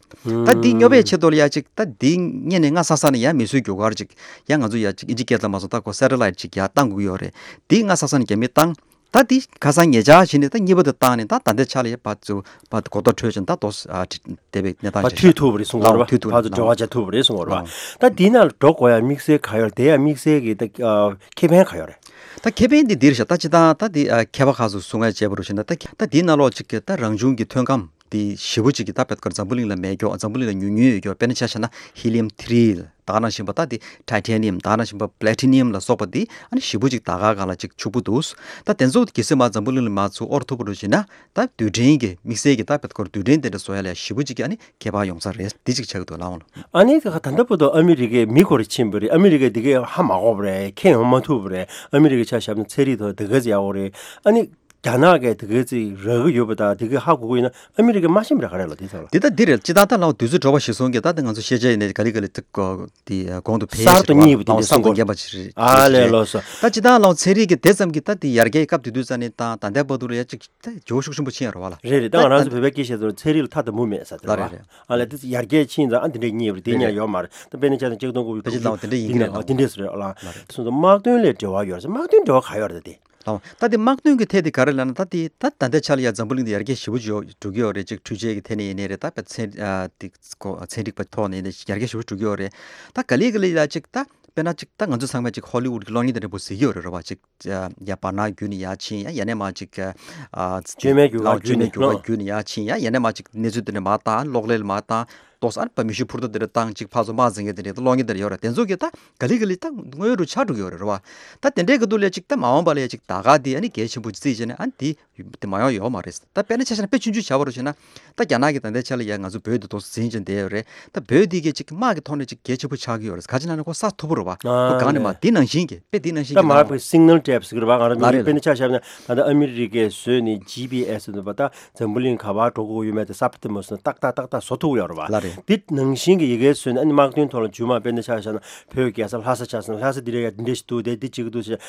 ད་འདི་སྙོབ་པའི་ཆེད་དུ་ལ་ཡ་ཅིག་ད་འདི་སྔོན་ནས་སྔ་ས་ས་ནས་ཡ་མི་གསོད་རྒྱུ་གར་ཅིག་ཡ་ང་ཚོ་ཡ་ཅིག་ཨིན་ཇི་སྐད་ལ་མ་སོང་ད་ཁོ་སེ་ཊི་ལའིཊ་ཅིག་ཡ་བཏང་དགོས་ཀྱི་ཡོད་རེད། འདི་སྔ་ས་ས་ནས་རྒྱ་མིས་བཏང་། ད་འདི་ཁ་སང་ཉེ་ཆར་བྱས་ནས་ད་གཉིས་པ་དེ་བཏང་ནས་ད་ད་ལྟའི་ཆ་ལ་ཡ་ཕར་ཚུར་ཕར་གོ་རྟོགས་འཕྲོད་ཅིང་ད་དོ་ཨ་བདེ་བའི་གནས་སྟངས་ཕར་ཅིག་མཐུད་ཐུབ་པ་རེད་གསུང་གི་ཡོད་རེད་པ། མཐུད་ཐུབ་ཕར་ཚུར་འབྲེལ་བ་བྱ་ཐུབ་པ་རེད་གསུང་གི་ཡོད་རེད་པ། ད་འདི་ནང་ལ་འགྲོ་དགོས་ཡ་དམིགས་བསལ་ག་ཡོད་རེད། དེ་ཡ་དམིགས་བསལ་གྱི་ད་ཨ་ཁེ་ཕན་ག་ཡོད་རེད། ད་ཁེ་ཕན་འདི་འདིར་བཞག་ད་ཅི་ད་ད་འདི་ཨ་མཁས་པ་ཁག་ཚོས་གསུང་ཡ་བྱས་པ་རུ་བྱས་ན་ད་ད་འདི་ནང་ལོགས་ཅིག་གི་ད་རང་བྱུང་གི་ཐོན་སྐམ་འདི་ཞེ་པོ་ཅིག་གི་ད་བད་ཀར་འཛམ་བུ་གླིང་ལ་མེད་ཀྱོག། འཛམ་བུ་གླིང་ལ་ཉུང་ཉུང་ཡོད་ཀྱོག། དཔེར་ན་ཆ་བཞག་ན་ཧི་ལི་ཡམ་ཐི་རི་ད་ག་ནང་བཞིན་པ་ད་འདི་ཊའི་ཊེ་ནི་ཡམ་ད་ག་ནང་བཞིན་པ་པི་ལེ་ཊི་ནི་ཡམ་ལ་སོགས་པ་འདི་ཨ་ནི་ཞེ་པོ་ཅིག་ད་ག་ག་ལ་ཅིག་ཕྱུག་པོ་འདུག། ད་དེ་ཚོ་གལ་སྲིད་མ་འཛམ་བུ་གླིང་ལ་མ་ཚུར་དབོར་ཐུབ་པ་རུ་བྱས་ན་ད་རྡུལ་ཕྲན་གྱི་དམིགས་བསལ་གྱི་ད་བད་ཀར་རྡུལ་ཕྲན་དེ་འདྲ་བཟོ་ཡ་ལ་ཞེ་པོ་ཅིག་གི་ཨ་ནི་ཁྱད་པར་ཡོང་ས་རེད། འདི་གཅིག་ཆགས་ཀྱི་འདུག་ལགས་འོང་། ཨ་ནི་ད་ལྟ་བར་དུ་ཨ་མི་རི་ཀའི་མི་ཁོ་རེ་ཕྱིན་པ་རེད། ཨ་མི་རི་ཀས་འདི་གའི་ཧ་མ་གོ་བ་རེད། ཁྱེད་ཡོང་མ་ཐུབ་པ་རེད། ཨ་མི་རི་ཀའི་ཆ་བཞག་ན་ཚན་རིག་ཐོག་དེ་ག་ཚོད་ཡག་པོ་རེད། ཨ་ནི་རྒྱ་ནག་གིས་དེ་ག་ཚོད་རག་གི་ཡོད་པ་དང་དེ་གའི་ཧ་གོ་གི་ཡོད་ན་ཨ་མི་རི་ཀས་མ་ཤེས་པ་རེད། ག་རེ་ལ་དེ་ཚོ་ལ། འདི་ད་འདི་རེད། སྤྱིར་བཏང་ད་ལའང་དུས་ཚོད་འགྲོ་བ་གཞིར་བཟུང་གིས་ད་ལྟ་ང་ཚོ་ཤེས་བྱ་ཡིན་ནའི་ག་ལེ་ག་ལེ་ཅིག་གོ་དེ་གོང་དུ་འཕེལ་གསར་དུ་རྙེད་པ་དེ་འདྲ་གསུང་གསར་དུ་དགོས་རེད། རྙེད་པ་ཞིག་རེད། ཨ་ལས་ལགས་སོ། ད་སྤྱིར་བཏང་ལའང་ཚན་རིག་གི་དེ་ཙམ་གྱིས་ད་དེ་ཡར་རྒྱས་སྐབས་དེ་དུས་ཙམ་ནས་ད་ད་ལྟའི་བར་དུ་ལ་ཡ་ཅིག་ད་ཇོ་ཤུགས་ཆེན་པོ་ཕྱིན་ཡ་རེད་བ་ལ། རེད་རེད། ད་ང་རང་ཚོ་བོད་པའི་སྐད་བཤད་ཚོར་ཚན་རིག་ལ་ཐ་དང་པོ་མེད་ས་དེ་རེད་བ། ལ་རེད་རེད། ཨ་ལས་དེ་ཡར་རྒྱས་ཕྱིན་ཙང་ཨ་འདི་འདྲས་རྙེད་པ་རེད། དེ་ཉར་ཡོད་མ་རེད། ད་དཔེར་ན་ཆ་ཚང་ཆིག་སྟོང་དགུ་བརྒྱ་དཔེ་ཅིག་ལའང་དེ་འདྲས་ཡིན་གྱི་རེད། འདི་འདྲས་རེད་ཨ་ལ། ད་སོང་ཙང་དམག་དོན་ལས་འབྲེལ་བ་ཡོད་རེད། དམག་དོན་འབྲེལ་བ་ག་ཡོད་རེད་དེ། ལའང་ད་དེ་དམག་དོན་གྱི་ཐད་དེ་ག་རེ་ལབ་ན་ད་དེ་ད་ད་ལྟའི་ཆ་ལ་ཡ་འཛམ་བུ་གླིང་དེ་ཡར་རྒྱས་ཞེ་པོ་ཅིག་ཡོད་འགྲོ་གི་ཡོད་རེད། ཅིག་འཕྲུལ་ཆས་ཀྱི་ཐད་ནས་ཡིན་ནའི་རེད། ད་དཔེ་ཚན་ཨ་དེ་ཚན་རིག་པ་ཐོག་ནས་ཡིན་ནའི་ཡར་རྒྱས་ཞེ་པོ་འགྲོ་གི་ཡོད་རེད། ད་ག་ལེ་ག་ལེ་ཡ་ཅིག་ད། དཔེར་ན་ཅིག་ད་ང་ཚོ་ཚང་མས་ཅིག་ཧོ་ལི་ཝུད་ཀྱི་གློག་བརྙན་དེ་འདྲ་པོ་གཟིགས་ཡོད་རེད་རེད་བ། ཅིག་ཡ་བར་ནག་བརྒྱུད་ནས་ཡར་ཕྱིན་ཡ། ཡ་ནས་མར་ཅིག་ཨ་བཅོས་མའི་རྒྱུ་སྐར་ལའོ་བཅོས་མའི་རྒྱུ་སྐར་བརྒྱུད་ནས་ཡར་ཕྱིན་ཡ། ཡ་ནས་མར་ཅིག་གནས་ཚུལ་དེ་འདྲ་མར་བཏང་། གློག་ཀླད་མར་བཏང་། ཏོག་ཙམ་ཨ་ནི་ཕར་མེ་ཤུགས་འཕུར་མདའ་དེ་འདྲ་བཏང་། ཅིག་ཕར་ཚུར་དམག་འཛིང་མཁན་དེ་འདྲ་ད་གློག་བརྙན་དེ་འདྲ་ཡོད་རེད། དེ་ཚོ་གི་ད་ག་ལེ་ག་ལེ་ད་དངོས་ཡོད་རུ་ཆགས་འགྲོ་གི་ཡོད་རེད་རེད་བ། ད་དེ་འདྲའི་གི་འདུག་ལས་ཅིག་ད་མ་འོངས་པ་ལ་ཅིག་ད་ག་དེ་ཨ་ནི་གལ་ཆེན་པོ་བརྩིས་བྱས་ནས་ཨ་ནི་དེ་དེ་མ་ཡོང་ཡོད་མ་རེད། ད་དཔེར་ན་ཆ་བཞག་ན་དཔེ་ཆུང་ཆུང་བྱ་བ་རུ་བྱས་ན། ད་རྒྱ་ནག་གི་ད་ལྟའི་ཆ་ལ་ཡ་ང་ཚོ་བོད་འདི་ཏོག་ཙམ་འཛིན་བྱས་བསྡད་ཡོད་རེད། ད་བོད་འདི་གས་ཅིག་དམག་གི་ཐོག་ནས་ཅིག་གལ་ཆེན་པོ་ཆགས་ཀྱི་ཡོད་རེད། ག་ཅི་ལབ་ན་ཁོ་གསར་མཐོ་པོ་རེད་བ། ཨ་ཁོ་གང་ནས་མ་ལས། འདི་ནང་བཞིན་གྱི་དཔེ་འདི་ནང་བཞིན་ད་གྱི་མར་ལབ་པའི་སིག་ནལ་ཊེབ་ཟེར་གི་རེད་བ། ང་རང་ལ་མི་རེད་དཔེར་ན་ཆ་བཞག་ན་ད་ལྟ་ཨ་མི་རི་ཀའི་བཟོས་ནས་ཇི་པི་ཨེས་ཟེར་འདུག་པ། ད་འཛམ་བུ་གླིང་ག་པར་འགྲོ་དགོས་ཡོད་མེད་དེ་གསར་པ་དེ་མ་སོང་ན་ཏག་ཏག་ཏག་ཏག་བཟོ་ཐུབ་ཡོད་རེད་བ། ལགས་རེད། འདི་ནང་བཞིན་གྱི་ཡི་གེ་བཟོས་ནས་ཨ་ནི་དམག་དོན་ཐོག་ལ་མཇུག་མ་དཔེར་ན་ཆ་བཞག་ན་བོད་རྒྱལ་ས་ལྷ་ས་ཆ་བཞག་ན་ལྷ་ས་འདི་འདྲ་ཡ་འདི་འདྲ་ཞིག་འདུག་དེ་འདི་གཅིག་གི་འདུག་ཟེར།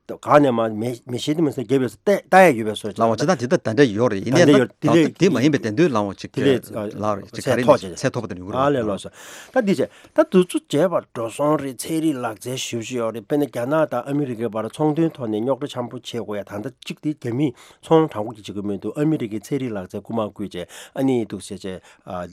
ག་ནས་མ་མེ་མེ་ཤེལ་དེ་མ་ཟེར་རྒྱབ་ཡོད་ས་ལྟ་ལྟ་ཡ་ཡོད་པའི་བཟོ་ཅིག་ལགས་འོང་། ཅི་ད་དེ་ད་ད་འདྲ་ཡོད་རེད། ཡིན་ད་ནའི་འདྲ་ད་ཡོད་དེ་ད་ལས་དེ་མ་ཡིན་པའི་དེ་འདུག་ལགས་འོང་། ཅིག་དེ་ལས་ལགས་རེད། ཅིག་ག་ཚད་རེ་ཐོག་ཅིག་ཚད་ཐོག་པ་དེ་ཡོང་གི་རེད། ཨ་ལས་ལགས་སོ། ད་འདི་བྱས་ད་དུས་ཚོད་བརྗེས་པ་འགྲོ་སོང་རེད། ཚན་རིག་ལག་རྩལ་ཞེ་པོ་ཅིག་ཡོད་རེད། དཔེར་ན་རྒྱ་ནག་དང་ཨ་མི་རི་ཀའི་བར་ཚོང་དོན་ཐོག་ནས་རྙོག་དྲ་ཆེན་པོ་བྱེད་དགོས་ཡ། ད་ལྟ་གཅིག་དེ་རྒྱ་མིས་ཚོང་དྲང་པོ་ཅིག་བྱེད་ཀྱི་མི་འདུག་ཨ་མི་རི་ཀའི་ཚན་རིག་ལག་རྩལ་རྐུ་མ་བརྐུས་བྱས་ཨ་ནི་འདུག་ཟེར་བྱས་ཨ།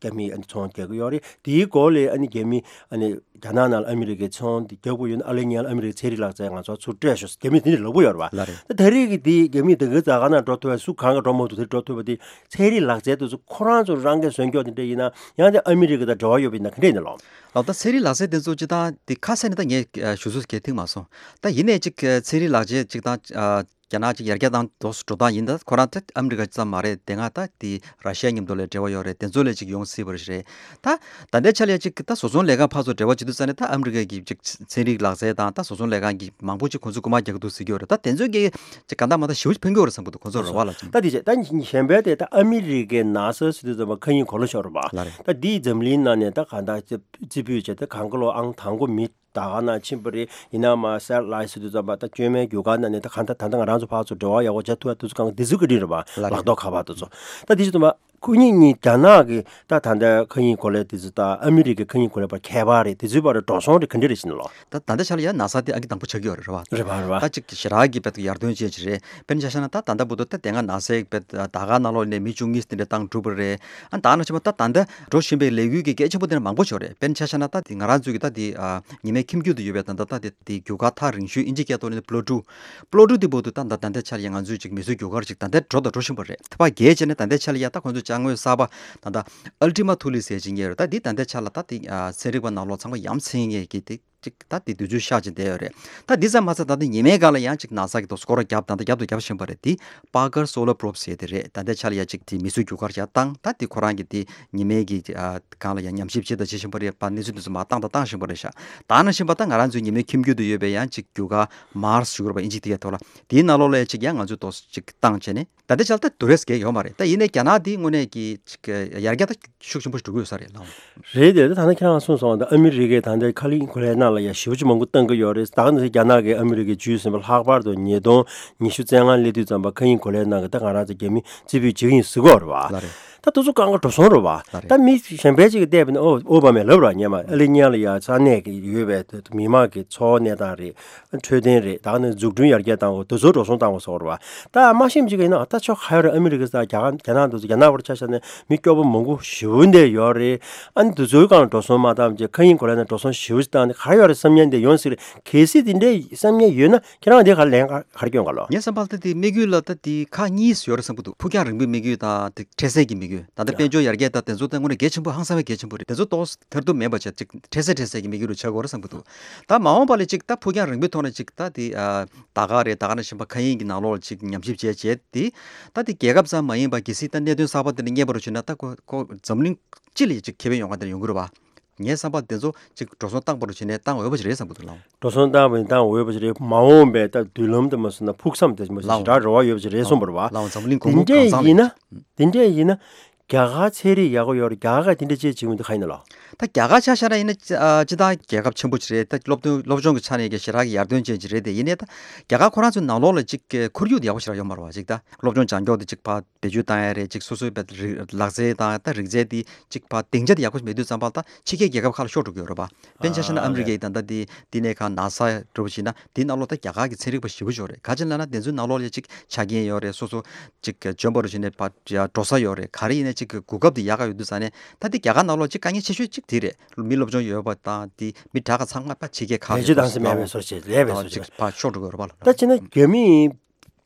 རྒྱ་མིས་ཨ་ནི་ཚོང་རྒྱག་གི་ཡོད་རེད། དེའི་འགོ་ལས་ཨ་ནི་རྒྱ་མི་ཨ་ནི་རྒྱ་ནག་ནང་ལ་ཨ་མི་རི་ཀའི་ཚོང་འདི་རྒྱག་དགོས་ཡོད་ན་ཨ་ལེ་ཉལ་ཨ་མི་རི་ཀའི་ཚན་རིག་ལག་རྩལ་ང་ཚོ་ཚུར་སྤྲད་ཤོག་རྒྱ་མིས་དེ་འདྲ་ལབ་ཀྱི་ཡོད་རེད་བ། ལགས་རེད། ད་ད་རེས་ཀྱི་འདི་རྒྱ་མིས་དེ་གའི་ཛ་དཀར་ནང་འགྲོ་ཐུབ་པ་སུ་གང་ག་འགྲོ་མ་ཐུབ། དེ་འགྲོ་ཐུབ་པ་དེ་ཚན་རིག་ལག་རྩལ་དེ་ཚོ་ཁོ་རང་ཚོ་རང་གིས་བཟོས་འཇོག་དེ་འདྲ་ཡིན་ན་ཡང་དེ་ཨ་མི་རི་ཀ་དང་འབྲེལ་བ་ཡོད་པ་ཡིན་ན་ག་འདྲ་ཡིན་ན་ལགས། ལགས། ད་ཚན་རིག་ལག་རྩལ་དེ་ཚོ་སྤྱིར་བཏང་དེ་ཁ་གསལ་ནས་ད་ངས་ཞུ་ཚོད་གས་ཐིག་མ་སོང་། ད་ཡིན་ནའི་ཅིག་ཚན་རིག་ལག་རྩལ་ཅིག་དང་། རྒྱ་ནག་ཅིག་ཡར་རྒྱས་བཏང་དུས་འགྲོ་སྟངས་ཡིན་ད། ཁོ་རང་ད་ཨ་མི་རི་ཀ་ཙམ་མ་རེད། དེ་སྔ་ད་དེ་ར་ཤི་ཡ་མཉམ་དུ་ལ་འབྲེལ་བ་ཡོད་རེད། དེ་ཚོ་ལ་ཅིག་ཡོང་སྲིད་པ་རེད། ད་ད་ལྟའི་ཆ་ལ་ཅིག་ད་བཟོ་ཚོང་ལས་ཁང་ཕར་ཚུར་འབྲེལ་བ་བྱེད་དུས་ཙ་ནས་ད་ཨ་མི་རི་ཀ་གི་ཅིག་ཚན་རིག་ལག་རྩལ་དང་ད་བཟོ་ཚོང་ལས་ཁང་གི་མང་པོ་ཅིག་ཁོང་ཚོས་རྐུ་མ་རྒྱག་གི་འདུག་ཟེར་གྱི་ཡོད་རེད། ད་དེ་ཚོ་གི་ཅིག་གང་ལྟར་མ་ལྟར་ཞེ་པོ་ཕན་གྱི་ཡོད་རེད་བསམ་གྱི་འདུག་ཁོང་ཚོ་རེ་བ་ལ་ཅིག་ད་དེ་བྱས་ད་གཞན་པའི་དེ་ད་ཨ་མི་རི་ཀའི་ནཱ་སཱ་ཟེར་དུས་ཙམ་པ་མཁའ་དབྱིངས་གོ་ལ་ཤོར་བ། ལགས་རེད། ད་དེའི་འཛམ་གླིང་ནང་ནས་ད་གང་ལྟར་རྩིས་རྩིས་སྤྲོད་བྱས་ད་གང་ག་ལོ་ཨང་དང་པོ་མི་ད་ག་ནང་ཕྱིན་པ་རེད། ཡིན་ན་མ་སེ་ཊི་ལའེ་ཊི་ཟེར་དུས་ཙམ་པ་ད་བཅོས་མའི་རྒྱུ་སྐར་ནང་ནས་ད་གང་ལྟར་ད་ལྟ་ང་རང་ཚོ་ཕར་ཚུར་འབྲེལ་བ་ཡག་པོ་བྱ་ཐུབ་ཡ་དུས་ཚོད་གང་ག་དེ་ཚོ་གི་སྒྲིག་རེད་པ། ལགས་རེད། ལག་ཐོག་ཁ་པར་དེ་ཚོ། ད་དེ་བྱེད་དུས་ཙམ་པ་ཁོ་གཉིས་གཉིས་རྒྱ་ནག་གི་ད་ད་ལྟ་མཁའ་དབྱིངས་གོ་ལའི་དེ་ཚོ་ད་ཨ་མི་རི་ཀའི་མཁའ་དབྱིངས་གོ་ལའི་བར་ཁྱད་པར་རེད། དེ་ཚོའི་བར་འགྲོ་སོང་རེད་ག་འདྲ་རེད་ཟེར་ན་ལོ། ད་ད་ལྟ་ཆ་ལ་ཡ་ནཱ་སཱ་དེ་ཨང་ཀི་དང་པོ་ཆགས་ཀྱི་ཡོད་རེད་རེད་བ། རེད་པ་རེད་པ། ད་ཅིག་ཞེ་དྲག་གི་དཔེ་ཡར་ཐོན་ཅན་ཅིག་རེད། དཔེར་ན་ཆ་བཞག་ན་ད་ད་ལྟ་བར་དུ་ད་དེ་སྔ་ནཱ་སཱའི་དཔེ་ད་ག་ནང་ལོགས་ནས་མི་བཅུ་གཉིས་དེ་འདྲ་བཏང་གྲུབ་པ་རེད། ཨ་ད་ནང་བཞིན་པ་ད་ད་ལྟ་འགྲོ་བཞིན་པའི་ལས་འགུལ་གྱི་གལ་ཆེན་པོ་དེ་འདྲ་མང་པོ་ཞིག་རེད། དཔེར་ན་ཆ་བཞག་ན་ད་དེ་ང་རང་ཚོའི་གི་ད་དེ་ཨ་ཉི་མའི་ཁྱིམ་རྒྱུད་དུ་ཡོད་པའི་ད་ད་ད་དེ་དེ་རྒྱུ་སྐར་ཐག་རིང་ཤོས་ཨིན་ཇི་སྐད་ཐོག་ནས་པུ་ལུ་ཊོ། པུ་ལུ་ཊོ་དེ་བར་དུ་ད་ད་ད་ལྟའི་ཆར་ཡང་ང་ཚོའི་ཅིག་མིག་སྔའི་རྒྱུ་སྐར་ཅིག་ད་ལྟ་འགྲོ་དང་འགྲོ་བཞིན་པ་རེད། ད་ཕར་བརྒལ་བྱས་ནས་ད་ལྟའི་ཆར་ཡ་ད་ཁོང་ཚོ་ཅ་དངོས་གསར་པ་ད་ད་ཨལ་ཊི་མ་ཐུ་ལི་ཟེར་ཅིག་རྙེད་ཡོད་རེད། ད་འདི་ད་ལྟའི་ཆར་ལ་ད་དེ་ཨ་ཚན་རིག་པ་ནང་ལོགས་ཚང་མ་ཡ་མཚན་ངེས་ཀྱི་དེ། ཅིག་ད་དེ་དུས་ཚོད་ཤར་ཅིག་བསྡད་ཡོད་རེད། ད་འདི་ཙམ་མ་ཟད་ད་ལྟ་ཉི་མའི་སྒང་ལ་ཡང་ཅིག་ནཱ་སཱ་གི་ཏོག་སྐོར་ར་བརྒྱབ་ད་ལྟ་བརྒྱབ་དང་བརྒྱབ་བཞིན་པ་རེད། དེ་Parker Solar Probe ཟེར་དེ་རེད། ད་ལྟའི་ཆ་ལ་ཡ་ཅིག་དེ་མིག་སྔའི་རྒྱུ་སྐར་ཡ་བཏང་། ད་དེ་ཁོ་རང་གི་དེ་ཉི་མའི་གི་ཨ་སྒང་ལ་ཡ་ཉམས་ཞིབ་བྱེད་དང་བྱེད་བཞིན་པ་རེད་པ། གནས་ཚུལ་དེ་ཚོ་མར་བཏང་དང་བཏང་བཞིན་པ་རེད་ཤག་ད་ནང་བཞིན་པ་ད་ང་རང་ཚོའི་ཉི་མའི་ཁྱིམ་རྒྱུད་དུ་ཡོད་པའི་ཡང་ཅིག་རྒྱུ་སྐར་Mars ཞུ་དགོས་རེད་པ། ཨིན་ཇི་དེ་གའི་ཐོག་ལ་དེའི་ནང་ལོགས་ལ་ཡ་ཅིག་ཡང་ང་ཚོས་ཏོག་ཙམ་ཅིག་བཏང་བྱས་ནས། ད་ལྟའི་ཆར་ད་དུས་རེས་བརྒལ་ཡོད་མ་རེད། ད་ཡིན་ནའི་རྒྱ་ནག་འདི་དངོས་གནས་ཀྱི་ཅིག་ཡར་རྒྱས་ད་ཤུགས་ཆེན་པོ་ཞིག་འགྲོ་གི་ཡོད་ས་རེད་ལགས། རེད་དེ། ད་ནི་ཁྱེད་རང་གསུངས་སོང་། ད་ཨ་མི་རི་ཀས་ད་ལྟའི་མཁའ་དབྱིངས་གོ་ལའི་ནང་ལ་ཡ་ཞེ་པོ་ཅིག་མང་པོ་བཏང་གི་ཡོད་རེད། ད་ག་ནང་བཞིན་རྒྱ་ནག་གིས་ཨ་མི་རི་ཀའི་ཇུས་ཟིན་པ་ལྷག་པར་དུ་ཉིས་སྟོང་ཉི་ཤུ་རྩ་ལྔ་སླེབས་དུས་ཙམ་པ་མཁའ་དབྱིངས་གོ་ལའི་ནང་གི་ད་ང་རང་ཚོ་རྒྱ་མི་རྩིས་སྤྲོད་བྱེད་ཀྱི་ཡིན་ཟེར་གྱི་ཡོད་རེད་པ། ལགས་རེད། ད་དེ་ཚོ་གང་ག་འགྲོ་སོང་རེད་པ། ལགས་རེད། ད་མི་གཞན་པ་ཅིག་གིས་བལྟས་པ་ཡིན་ན་ཨོ་ཨོ་བྷ་མས་ལབ་ར། སྔོན་མ་ཨ་ལེ་ཉ་ལ་ཡ་ས་གནས་ཀྱི་ཡོད་པའི་མི་དམངས་ཀྱི་འཚོ་བ་གནས་སྟངས་རེད། འཕྲོད་བསྟེན་རེད། ད་ག་ནས་འཛུགས་སྐྲུན་ཡར་རྒྱས་བཏང་དགོས། དེ་ཚོ་འགྲོ་སོང་བཏང་དགོས་ཟེར་བ་རེད་པ། ད་མ་ཤེས་ཅིག་ཡིན་ན་ད་ཆོ་ག་ཡོད་རེད། ཨ་མི་རི་ཀ་ས་རྒྱ་གར་རྒྱ་ནག་དེ་ཚོ་རྒྱ་ནག་བར་ཆ་བཞག་ནས་མི་སྐྱོ་པོ་མང་པོ་ཞེ་པོ་འདི་ཡོད་རེད། ཨ་ནི་དེ་ཚོའི་སྒང་འགྲོ་སོང་མ་བཏང་བྱས་མཁའ་དབྱིངས་གོ་ལའི་ནང་འགྲོ་སོང་ཞེ་པོ་ཞིག་བཏང་ནས་ག་རེ་ཡོད་རེད་བསམ་མཁན་དེ་ཡོང་སྲིད་རེད། གལ་སྲིད་དེ་འདྲའི་བསམ་མཁན་ཡོད་ན་ཁྱེད་རང་དེ་ག་ལན་ག་ག་རེ་སྐྱོན་ག་ལོ། ངའི་བསམ་པར་ད་དེ་དམིགས་ཡུལ་ལ་ད་དེ་ཁག་གཉིས་ཡོད་རེད་བསམ་གྱི་འདུག་ཕུགས་རྒྱང་རིང་པོའི་དམིགས་ཡུལ་དང་དེ་འཕྲལ་སེལ་གྱི་དམིགས་ཡུལ། ད་ལྟ་དཔལ་འབྱོར་ཡར་རྒྱས་དང་དེ་ཚོ་ད་དངོས་གནས་གལ་ཆེན་པོ་ཧང་སང་བའི་གལ་ཆེན་པོ་རེད། དེ་ཚོ་ཏོག་ཙམ་ཐེར་འདོན་མེད་པ་བྱས་ཅིག་འཕྲལ་སེལ་འཕྲལ་སེལ་གྱི་དམིགས་ཡུལ་རུ་ཆགས་དགོས་རེད་བསམ་གྱི་འདུག་ད་མ་འོངས་པ་ལ་ཅིག་ད་ཕུགས་རྒྱང་རིང་པོའི་ཐོག་ནས་ཅིག་ད་དེ་ཨ་ད་ག་རེད། ད་ག་ནང་བཞིན་པ་མཁའ་དབྱིངས་ཀྱི་ནང་ལོགས་ལ་ཅིག་ཉམས་ཞིབ་བྱས་བྱས་དེ་ད་དེ་རྒྱལ་ཁབ་ཙམ་མ་ཡིན་པ་གལ་སྲིད་ད་གནད་དོན་གསར་པ་དེ་འདྲ་རྙེད་པ་རུ་བྱུང་ན་ད་ཁོ་ཁོ་འཛམ་གླིང་སྤྱི་ལ་ཅིག་ཁེ་ཕན་ཡོང་ག་དེ་འདྲ་ཡོང་གི་རེད་བ། ངའི་བསམ་པར་དེ་ཚོ་ཅིག་འགྲོ་སོང་བཏང་པ་རུ་བྱས་ནས་བཏང་འོས་པ་ཞིག་རེད་བསམ་གྱི་འདུག་ལགས། འགྲོ་སོང་བཏང་བ་ཡིན་བཏང་འོས་པ་ཞིག་རེད། མ་འོངས་པའི་ད་མདུན་ལམ་དུ་མ་སོང་ན་ཕུགས་བསམ་དེ་མ་སོང་ཞེ་དྲག་རེ་བ་ཡོད་པ་ཞིག་རེད་གསུངས་པ་རེད་བ། ལགས་འོང་། འཛམ་གླིང་གོང་བུ་གང་ཚང་ལ་ཡིན་ན། དེ་འདྲས་ཡིན་ན། རྒྱ་གར་ཚན་རིག་ཡག་པོ་ཡོད་རེད། རྒྱ་གར་ག་དེ་འདྲས་ཅིག་བྱེད་ཀྱི་འདུག་ག་ཡིན་ན་ལགས། ད་རྒྱ་གར་ཆ་བཞག་ན་ཡིན་ན་ཅི་ཨ་སྤྱིར་བཏང་རྒྱལ་ཁབ་ཆེན་པོ་ཅིག་རེད། ད་སློབ་སྟོན་སློབ་སྦྱོང་གི་ཆ་ནས་ཀྱང་ཞེ་དྲག་གི་ཡར་ཐོན་ཅན་ཅིག་རེད། དེ་ཡིན་ནའི་ད་རྒྱ་གར་ཁོ་རང་ཚོའི་ནང་ལོགས་ལ་ཅིག་ཁོར་ཡུག་དེ་ཡག་པོ་ཞེ་དྲག་ཡོད་མ་རེད་བ། ཅིག་ད་སློབ་སྦྱོང་སྦྱང་ཕྱོགས་དེ་ཅིག་ཕར་བེད་སྤྱོད་བཏང་ཡ་རེད། ཅིག་སོ་སོའི་བེད་རིག་ལག་རྩལ་དང་ད་རིག་རྩལ་དེ་ཅིག་ཕར་སྡིངས་ཆ་དེ་ཡག་པོ་ཞིག་མེད་དུས་ཙམ་པ་ལ་ད་ཕྱི་རྒྱལ་རྒྱལ་ཁབ་ཁག་ལ་ཤོར་འགྲོ་གི་ཡོད་རེད་པ། དཔེར་ན་ཆ་བཞག་ན་ཨ་མི་རི་ཀའི་ད་ལྟ་དེ་དེ་ནས་ཁ་ནཱ་སཱ་འདྲ་པོ་བྱས་ན་དེའི་ནང་ལོགས་ད་རྒྱ་གར་གྱི་ཚན་རིག་པ་ཞེ་པོ་ཅིག་ཡོད་རེད། ག་ཅི་ལབ་ན་དེ་ཚོའི་ནང་ལོགས་ལ་ཅིག་ཆ་རྐྱེན་ཡོད་རེད། སོ་སོ་ཅིག་འཇོན་པ་རུ་བྱས་ནས་ཕར་འགྲོ་ས་ཡོད་རེད། ག་རེ་ཡིན་ན། གཅིག་གི་གོ་སྐབས་དེ་ཡག་ག་ཡོད་དུས་ཙང་ནས། ད་དེ་རྒྱ་གར་ནང་ལོགས་གཅིག་དཀའ་ངལ་ཆེ་ཤོས་གཅིག་དེ་རེད། མི་སློབ་སྦྱོང་ཡོད་པ་དང་དེ་མི་དྲག་ག་ཚང་མ་ཕར་ཕྱི་རྒྱལ་ཁག་ལས་ལས་བྱེད་དང་སེམས་མེད་པའི་བཟོ་བྱེད་ལས་པའི་བཟོ་བྱེད་ཅིག་ཕར་ཤོར་འགྲོ་གི་རེད་པ་ལ། ད་བྱས་ན་རྒྱ་མི་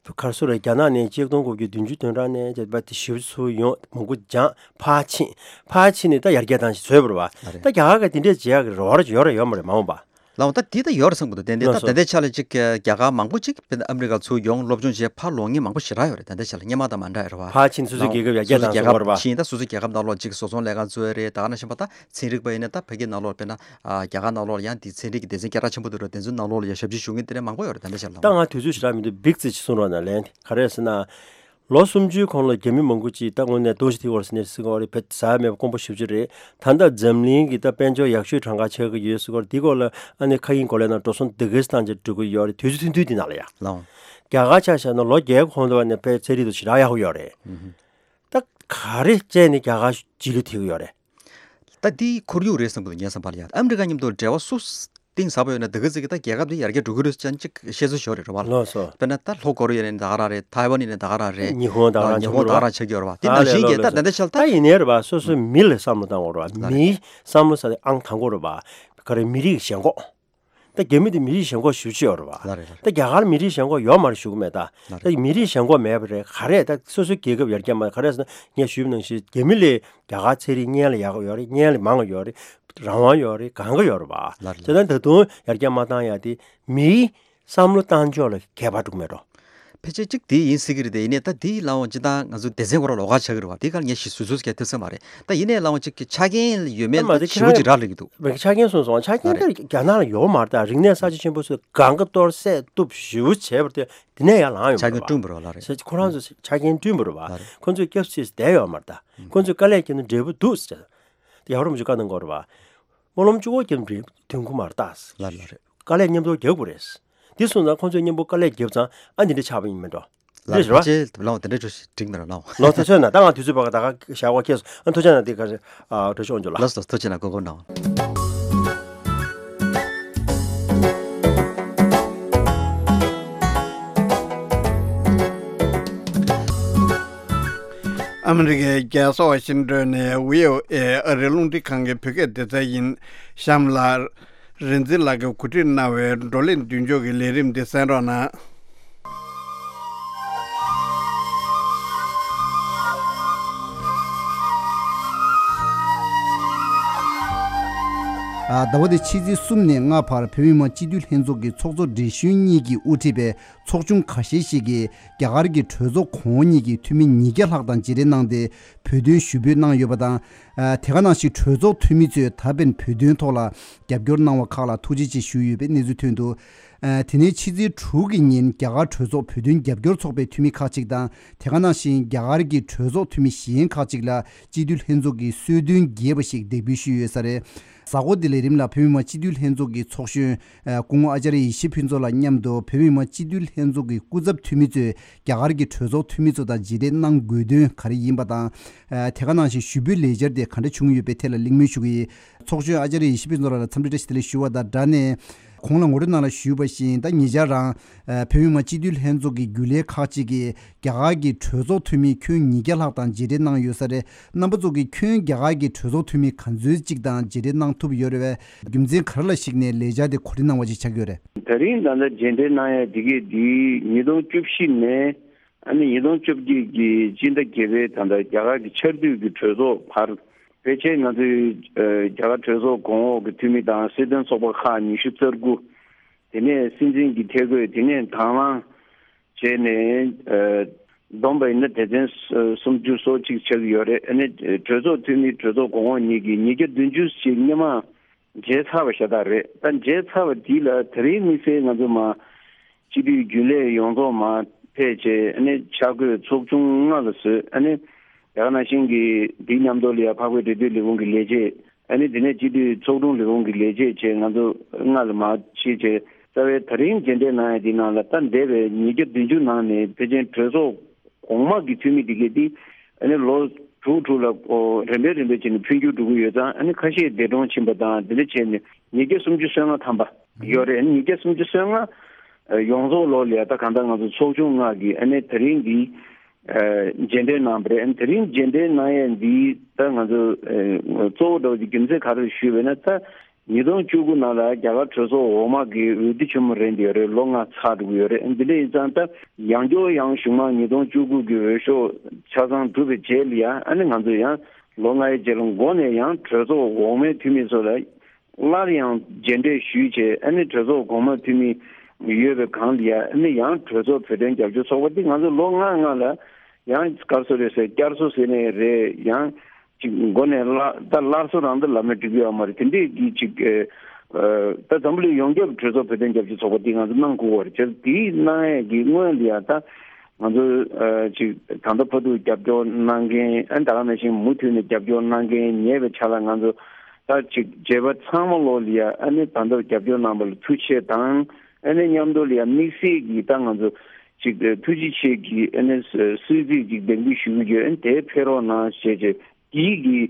གར་སོ་རེད། རྒྱ་ནག་ནས་ཆིག་སྟོང་དགུ་བརྒྱ་བདུན་ཅུ་དོན་གྲངས་ནས་བྱས་པ་དེ་ཞིབ་ཚུལ་ཡོང་མང་པོ་སྦྱངས་ཕར་ཕྱིན་ཕར་ཕྱིན་ནས་ད་ཡར་རྒྱས་བཏང་ཞིག་བཟོས་པ་རེད་པ། ད་རྒྱ་གར་ག་དེ་འདྲས་བྱེད་ཡག་གི་རེ་བ་རེ་ཡོད་རེད་ཡོད་མ་རེད་མ་འོངས་པ། ལའོ། ད་འདི་ད་ཡོད་རེད་བསམ་གི་འདུག་དེ་འདི་ད་ལགས་སོ། ད་ལྟའི་ཆ་ལ་ཅིག་རྒྱ་གར་མང་པོ་ཅིག་དཔེར་ན་ཨ་མི་རི་ཀ་ཚུར་ཡོང་སློབ་སྦྱོང་བྱས་ཕར་ལོག་མཁན་མང་པོ་ཞེ་དྲག་ཡོད་རེད། ད་ལྟའི་ཆ་ལ་སྔོན་མ་དང་མ་འདྲ་ཡོད་རེད་པ། ཕར་ཕྱིན་སོ་སོའི་རྒྱལ་ཁབ་ཡར་རྒྱས་བཏང་བསམ་གི་རེད་པ། ཕྱིན་ད་སོ་སོའི་རྒྱལ་ཁབ་ནང་ལོགས་ཅིག་བཟོ་ཚོང་ལས་ཁང་བཙུགས་རེད། ད་ག་ནང་བཞིན་པ་ད་ཚན་རིག་པ་ཡིན་ན་ད་ཕ་གི་ནང་ལོགས་དཔེར་ན་རྒྱ་གར་ནང་ལོགས་ལ་ཡང་དེ་ཚན་རིག་གི་སྡེ་ཚན་སྐད་གྲགས་ཆེན་པོ་འདུག་རེད། དེ་ཚོའི་ནང་ལོགས་ལ་ཡང་ཞབས་ཕྱི་ཞུ་མཁན་དེ་འདྲ་མང་པོ་ཡོད་རེད། ད་ལྟའི་ཆ་ལ་ད་ལའོ། ང་དུས་ཚོད་ཞེ་དྲག་མི་འདུག་བིག་ཙི་ཅིག་གསུང་རོགས་གནང་ལན། ག་རེ་ཟེར་ན། ལོ་སུམ་ཅུའི་གོང་ལ་རྒྱ་མི་མང་པོ་ཅིག་ད་དངོས་གནས་ཏོག་ཞི་ཐི་ཝར་སི་ནས་སི་གོ་རི་བེད་ཟ་མེད་པ་དཀོན་པོ་ཞེ་པོ་ཅིག་རེད། ད་ལྟ་འཛམ་གླིང་གི་ད་དཔལ་འབྱོར་ཡག་ཤོས་གྲངས་ཀ་ཆགས་ཀྱི་ཡོད་སི་གོ་རི་འདི་སྐོར་ལ་ཨ་ནི་ཁ་ཡིན་གོ་ལའི་ནང་འགྲོ་སོང་དེ་གས་བཏང་བྱས་འགྲོ་གི་ཡོད་རེད། དུས་ཚོད་ཐུང་ཐུང་འདི་ནང་ལ་ཡ། ལའོ། རྒྱ་གར་ཆ་བཞག་ན་ལོ་བརྒྱད་གོང་དུ་བ་ནས་དཔེ་ཚན་རིག་ཏུ་ཞེ་དྲག་ཡག་པོ་ཡོད་རེད། ད་ག་རེ་བྱས་ནས་རྒྱ་གར་རྗེས་ལུས་ཐེབས་ཀྱི་ཡོད་རེད། ད་འདི་ཁོར་ཡུག་རེད་བསམ་གི་འདུག་ངའི་བསམ་པ་ལ་ཡ། ཨ་མི་རི་ཀ་མཉམ་དུ་འབྲེལ་བ་སུ་གཏིང་ཟབ་པོ་ཡོད་ན་དེ་ག་ཅིག་གིས་ད་རྒྱལ་ཁབ་འདི་ཡར་རྒྱས་འགྲོ་གི་རེད་ཅན་ཅིག་བཤད་ཚུལ་ཞིག་ཡོད་རེད་རེད་པ་ལ། ལགས་སོ། དཔེར་ན་ད་ལྷོ་ཀོ་རི་ཡ་ཡིན་ན་ད་ག་རང་རེད། ཐའེ་ཝན་ཡིན་ན་ད་ག་རང་རེད། ཉི་ཧོང་ད་ག་རང་ཉི་ཧོང་ད་ག་རང་ཆགས་ཀྱི་ཡོད་རེད་པ། དེ་ནང་བཞིན་གྱི་ད་ད་ལྟའི་ཆ་ལ་ད་ད་ཡིན་ནའི་རེད་པ། སོ་སོའི་མི་ལ་བསམ་བློ་བཏང་དགོས་རེད་པ། ལགས་རེད། མིའི་བསམ་བློ་ཟེར་དེ་ཨང་དང་པོ་རེད་པ། ག་རེ་མི་རིགས་ཞེན་ཁོག་ད་རྒྱ་མི་དེ་མི་རིགས་ཞེན་ཁོག་ཞེ་པོ་ཅིག་ཡོད་རེད་པ། ལགས་རེད་ལགས་རེད། ད་རྒྱ་གར་མི་རིགས་ཞེན་ཁོག་ཡོད་མ་རེད་ཞུ་གི་མེད་ད། ལགས་རེད། ད་མི་རིགས་ཞེན་ཁོག་མེད་པ་རེད། ག་རེ་ད་སོ་སོའི་རྒྱལ་ཁབ་ཡར་རྒྱས་མ་ག་རེ་ཟེར་ན་ངས་ཞུས་པ་ནང་བཞིན་རྒྱ་མི་ལས་རྒྱ་གར་ཚན་རིག་སྔོན་ལ་ཡག་གི་ཡོད་རེད། སྔོན་ལ་མང་གི་ཡོད་རེད། རང་དབང་ཡོད་རེད། གང་ག་ཡོད་རེད་པ། ལགས་རེད། དེ་ལྟར་ད་དུང་ཡར་རྒྱས་མ་བཏང་ཡ་དེ་མིའི་བསམ་བློ་བཏང་ཕྱོགས་ལ་ཁྱད་པར་འདུག་མེད་འགྲོ། ཕལ་ཆེར་གཅིག་དེ་ཡིན་སྲིད་ཀྱི་རེད་དེ། ཡིན་ནའི་ད་དེའི་ལམ་འོང་སྤྱི་བཏང་ང་ཚོ་སྡེ་ཚན་ཁོ་རང་ལོགས་ཀ་ཆགས་ཀྱི་རེད་པ། དེ་ག་ལ་ངས་ཞིག་ཟུར་ཟུར་གྱི་ཐེབས་ས་མ་རེད། ད་ཡིན་ནའི་ལམ་འོང་གཅིག་གི་ཆ་རྐྱེན་ཡོད་མེད་ད་ལ་ད་ཁྱེད་ཞེ་པོ་རང་ཅིག་རག་ལས་ཀྱི་འདུག་མི་ཆ་རྐྱེན་གསུངས་སོང་། ཆ་རྐྱེན་ད་རྒྱ་ནག་ལ་ཡོད་མ་རེད། ད་རིག་གནས་གསར་བརྗེ་ཆེན་པོ་ཚོས་གང་ག་གཏོར་བསྲེག་གཏུབ་ཞེ་པོ་བྱས་པ་དེ་དེ་ནས་ཡར་ལངས་ཡོང་གི་རེད་པ། ཆ་རྐྱེན་བསྐྲུན་པ་རེད་པ་ལ་རེད། ཁོ་རང་ཚོ་ཆ་རྐྱེན་བསྐྲུན་པ་རེད་པ། ལ་རེད། ཁོ་ཚོས་སྐྱབས་སུ་བསྡད་ཡོད་མ་རེད་ད། ཁོ་ཚོས་དཀའ་ལས་བརྒྱབ་ན་འབྲས་བུ་འདུག་ཟེར། དེ་ཡག་རོགས་མ་བྱུང་བཀའ་གནང་དགོས་རེད་པ། སྨོན་ལམ་གཅིག་པོ་བརྒྱབ་ན་འབྲས་བུ་ཐོན་གི་མ་རེད་ད། ལ་རེད་ལ་རེད། དཀའ་ལས་མཉམ་དུ་རྒྱག་དགོས་རེད། དེ་སོང་ཙང་ཁོང་ཚོས་མཉམ་པོ་དཀའ་ལས་བརྒྱབ་ཙང་ཨ་འདི་འདྲ་ཆགས་པ་ཡིན་མིན་འགྲོ། ལགས་རེད་རེད་པ། ཕལ་ཆེར་ལའོ་དེ་འདྲ་ཅིག་འགྲིག་མེད་ར་ལའོ། ལོ་ཐུགས་ཆེ་གནང་། ད་ང་དུས་ཚོད་བར་ད་ག་བཞག་པ་ཁེལ་སོང་། ཨ་ཐུགས་རྗེ་གནང་། དེ་ག་རེ་ཨ་འགྲོ་ཆོག་འཇོག་ལ། ལགས་སོ། ཐུགས་རྗེ་གནང་། གོ་སྐབས་གནང་། ཨ་མི་རི་ཀའི་རྒྱལ་ས་ཝ་ཤིང་ཏོན་ནས་བྷི་ཨོ་ཨེ་ཨ་རིའི་རླུང་འཕྲིན་ཁང་གི་བོད་སྐད་སྡེ་ཚན་ཡིན། གཤམ་ལ། རིག་འཛིན་ལགས་ཀྱིས་གོ་སྒྲིག་གནང་བའི་བགྲོ་གླེང་མདུན་ལྕོག་གི་ལས་རིམ་འདི་གསན་རོགས་གནང་། ཟླ་བ་འདིའི་ཕྱི་ཚེས་གསུམ་ནས་ལྔ་བར་བོད་མི་མང་སྤྱི་འཐུས་ལྷན་ཚོགས་ཀྱི་ཚོགས་གཙོ་བགྲེས་གཞོན་གཉིས་ཀྱིས་དབུ་ཁྲིད་པའི་ཚོགས་ཆུང་ཁ་ཤས་ཤིག་གིས་རྒྱ་གར་གྱི་གྲོས་ཚོགས་གོང་འོག་གཉིས་ཀྱི་འཐུས་མི་ཉིས་བརྒྱ་ལྷག་དང་མཇལ་འཕྲད་གནང་སྟེ། བོད་དོན་ཞུ་འབོད་གནང་ཡོད་པ་དང་། ཨ་དེ་ག་ནང་བཞིན་གྲོས་ཚོགས་འཐུས་མི་ཚོས་ད་ཕན་བོད་དོན་ཐོག་ལ་རྒྱབ་སྐྱོར་གནང་བ་ཁག་ལ་ཐུགས་རྗེ་ཆེ་ཞུས་ཡོད་པའི་གནས་ཚུལ་ཐོན་འདུག་ཨ་དེ་ནས་ཕྱི་ཚེས་དྲུག་གི་ཉིན་རྒྱ་གར་གྲོས་ཚོགས་བོད་དོན་རྒྱབ་སྐྱོར་ཚོགས་པའི་འཐུས་མི་ཁག་ཅིག་དང་། དེ་ག་ནང་བཞིན་རྒྱ་གར་གྱི་གྲོས་ཚོགས་འཐུས་མི་གཞན་ཁག་ཅིག་ལ་སྤྱི་འཐུས་ལྷན་ཚོགས་ཀྱིས་གསོལ་སྟོན་རྒྱས་པ་ཞིག་འདེགས་འབུལ་ཞུས་ཡོད་ས་རེད། གཟའ་འཁོར་འདི་ལས་རིམ་ལ་བོད་མི་མང་སྤྱི་འཐུས་ལྷན་ཚོགས་ཀྱི་ཚོགས་གཞོན་སྐུ་ངོ་ཨ་ཅཱརྱ་ཡེ་ཤེས་ཕུན་ཚོགས་ལགས་མཉམ་དུ་བོད་མི་མང་སྤྱི་འཐུས་ལྷན་ཚོགས་ཀྱི་སྐུ་ཚབ་འཐུས་མི་ཚོས་རྒྱ་གར་གྱི་གྲོས་ཚོགས་འཐུས་མི་ཚོ་དང་མཇལ་འཕྲད་གནང་དགོས་དོན་ག་རེ་ཡིན་པ་དང་། དེ་ག་ནང་བཞིན་ཞུ་འབོད་ལས་འཆར་དེ་ག་འདྲ་བྱུང་ཡོད་པའི་ཐད་ལ་གླེང་མོལ་ཞུ་གི་ཡིན། ཚོགས་གཞོན་ཨ་ཅཱརྱ་ཡེ་ཤེས་ཕུན་ཚོགས་ལགས་ལ་འཚམས་འདྲི་བཀྲ་ཤིས་བདེ་ལེགས་ཞུ་བ་དང་སྦྲགས་ནས། གོང་ལ་ངོ་སྤྲོད་གནང་ལ་ཞུས་པ་བཞིན། ད་ཉེ་ཆར་རང་བོད་མི་མང་སྤྱི་འཐུས་ལྷན་ཚོགས་ཀྱི་རྒྱུན་ལས་ཁག་ཅིག་གིས་རྒྱ་གར་གྱི་གྲོས་ཚོགས་འཐུས་མི་ཁྱོན་ཉིས་བརྒྱ་ལྷག་དང་མཇལ་འཕྲད་གནང་ཡོད་ས་རེད། རྣམ་པ་ཚོ་གིས་ཁྱོན་རྒྱ་གར་གྱི་གྲོས་ཚོགས་འཐུས་མི་ག་ཚོད་ཅིག་དང་མཇལ་འཕྲད་གནང་ཐུབ་ཡོད་རེད་པས། རྒྱུ་མཚན་ག་རེ་ལ་གཞིགས་ནས་ལས་འཆར་དེ་གོ་སྒྲིག་གནང་བ་ཞིག་ཆགས་ཀྱི་ཡོད་རེད། ད་རིང་ད་ལྟ་མཇལ་འཕྲད་གནང་ཡ་དེ་གས་དེ་ཉིས་སྟོང་བཅུ་བཞི་ནས་ཨ་ནི་ཉིས་སྟོང་བཅོ་བརྒྱད་ཀྱི་སྤྱི་ཟླ་བརྒྱད་པའི་ད་ལྟ་རྒྱ་གར་གྱི་ཆར་དུས་ཀྱི་གྲོས་ཚོགས་བར། ཕལ་ཆེར་ང་ཚོའི་ཨ་རྒྱ་གར་གྲོས་ཚོགས་གོང་འོག་གི་འཐུས་མི་དང་སྲིད་དོན་ཚོགས་པ་ཁག་ཉི་ཤུ་རྩ་དགུ། དེ་ནས་སྲིད་འཛིན་གྱི་ཐད་བསྐོས། དེ་ནས་དང་བླངས་བྱས་ནས་ཨ་བསྡོམས་པ་ཡིན་ན་སྡེ་ཚན་སུམ་ཅུ་སོ་གཅིག་ཆགས་ཀྱི་ཡོད་རེད། ཨ་ནི་གྲོས་ཚོགས་འཐུས་མི་གྲོས་ཚོགས་གོང་འོག་གཉིས་ཀྱི་ཉིས་བརྒྱ་བདུན་ཅུ་ཞིག་སྔོན་མ་མཇལ་ཚར་བ་ཤ་སྟག་རེད། ད་མཇལ་ཚར་བ་དེ་ལ་དེ་རིང་དམིགས་བསལ་ང་ཚོ་མ་སྤྱི་འཐུས་རྒྱུན་ལས་ཡོངས་རྫོགས་མ་ཕེབས་བྱས། ཨ་ནི་ཆ་བགོས་ཚོགས་ཆུང་ལྔ་ལ་བཟོས། ཨ་ནི་ད་ག་ནང་བཞིན་གྱི་འདི་མཉམ་དུ་ལ་ཡ་འཕགས་པའི་འབྲེལ་མཐུད་ལས་ཁུངས་ཀྱི་ལས་བྱེད། ཨ་ནི་དེ་ནས་སྤྱི་འཐུས་ཚོགས་དྲུང་ལས་ཁུངས་ཀྱི་ལས་བྱེད་བཅས་ང་ཚོ་ལྔ་ལ་མ་ཕྱེ་བྱས། རྩ་བའི་ད་རིང་མཇལ་འཕྲད་གནང་ཡ་འདི་ནང་ལ་ད་འདས་པའི་ཉིས་བརྒྱ་བདུན་ཅུ་ནང་ནས་ཕལ་ཆེར་གྲོས་ཚོགས་གོང་མ་གི་འཐུས་མི་འདི་གས་འདི་ཨ་ནི་ལོ་དྲུག་དྲུག་ལ་ཨོ་རིམ་པས་རིམ་པས་བྱས་ནས་འཕོ་འགྱུར་འགྲོ་གི་ཡོད་ཙང་། ཨ་ནི་ཁ་ཤས་འདས་གྲོངས་ཕྱིན་པ་དང་དེ་འདྲ་བྱས་ནས་ཉིས་བརྒྱ་སུམ་ཅུ་སོ་ལྔ་ཐམ་པ་ཡོད་རེད། ཨ་ནི་ཉིས་བརྒྱ་སུམ་ཅུ་སོ་ལྔ་ཡོངས་རྫོགས་ལོ་ལ་ཡ་ད་གང་ལྟར་ང་ཚོ་ཚོགས་ཆུང་ལྔ་གིས་ཨ་ནི་ད་རིང་འདི་ མཇལ་འཕྲད་གནང་བ་རེད། དེ་རིང་མཇལ་འཕྲད་གནང་ཡས་འདི་ད་ང་ཚོ་གཙོ་བོ་འདྲ་བོ་ཅིག་རྒྱུ་མཚན་ག་རེ་ཞུས་པས་ན། ད་ཉིས་སྟོང་བཅུ་དགུ་ནང་ལ་རྒྱ་གར་གྲོས་ཚོགས་འོག་མ་གི་འོས་བསྡུ་ཆེན་མོ་རན་ཡོད་རེད། ལོ་ལྔ་ཚར་འགྲོ་གི་ཡོད་རེད། འདི་འདྲ་ཡིན་ཙང་ད་ཡང་བསྐྱར་ཡང་གཞུག་མ་ཉིས་སྟོང་བཅུ་དགུ་གི་འོས་ཤོག་ཆ་ཚང་གྲུབ་པའི་རྗེས་ལ་ཡང་ཨ་ནི་ང་ཚོ་ཡང་ལོ་ལྔའི་རྗེས་ལ་མགོ་ནས་ཡང་གྲོས་ཚོགས་འོག་མའི་འཐུས་མི་ཚོ་ལ་སླར་ཡང་མཇལ་འཕྲད་ཞུས་བྱས། ཨ་ནི་གྲོས་ཚོགས་གོང་མ་འཐུས་མི་ཡོད་པའི་སྒང་ལ་ཡ་ཨ་ནི་ཡང་གྲོས་ཚོགས་བོད་དོན་རྒྱབ་སྐྱོར་ཚོགས་པ་འདི་ང་ཚོ་ལོ་ལྔ་ལྔ་ལ་ཡང་སྐར་སོ་རེད་ཟེར། བསྐྱར་གསོ་ཟེར་ནས་རེད། ཡང་ཅིག་མགོ་ནས་སླར་ད་སླར་གསོ་རང་ད་ལབ་ན་འགྲིག་གི་ཡོད་མ་རེད། དེ་འདྲས་ཀྱི་ཅིག་ཨ་ད་འཛམ་བུ་གླིང་ཡོངས་ཁྱབ་གྲོས་ཚོགས་བོད་དོན་རྒྱབ་སྐྱོར་ཚོགས་པ་འདི་ང་ཚོ་གནང་དགོས་པ་རེད། བྱས་ཙང་འདི་གནང་ཡས་ཀྱི་སྔོན་ལ་ཡ་ད་ང་ཚོ་ཨ་ཅིག་ད་ལྟ་བར་དུ་རྒྱབ་སྐྱོར་གནང་མཁན། ཨ་ད་ག་ནང་བཞིན་མུ་མཐུད་ནས་རྒྱབ་སྐྱོར་གནང་མཁན་ཉེ་བའི་ཆར་ལ་ང་ཚོ་ད་ཅིག་མཇལ་བ་ཚང་མ་ལོ་ལ་ཡ་ཨ་ནི་ད་ལྟ་རྒྱབ་སྐྱོར་གནང་བ་ལ་ཐུགས་རྗེ་ཆེ་དང་། ཨ་ནི་མཉམ་དུ་ལ་ཡ་དམིགས་བསལ་གྱིས་ད་ང་ཚོ་ཅིག་ཐུགས་རྗེ་ཆེ་གི་ཨ་ནི་གསོལ་ཚིགས་ཅིག་འདེགས་འབུལ་ཞུ་གི་ཡོད། ཨ་ནི་དེ་ཕེབས་རོགས་གནང་ཞེས་བྱས་འདི་གི་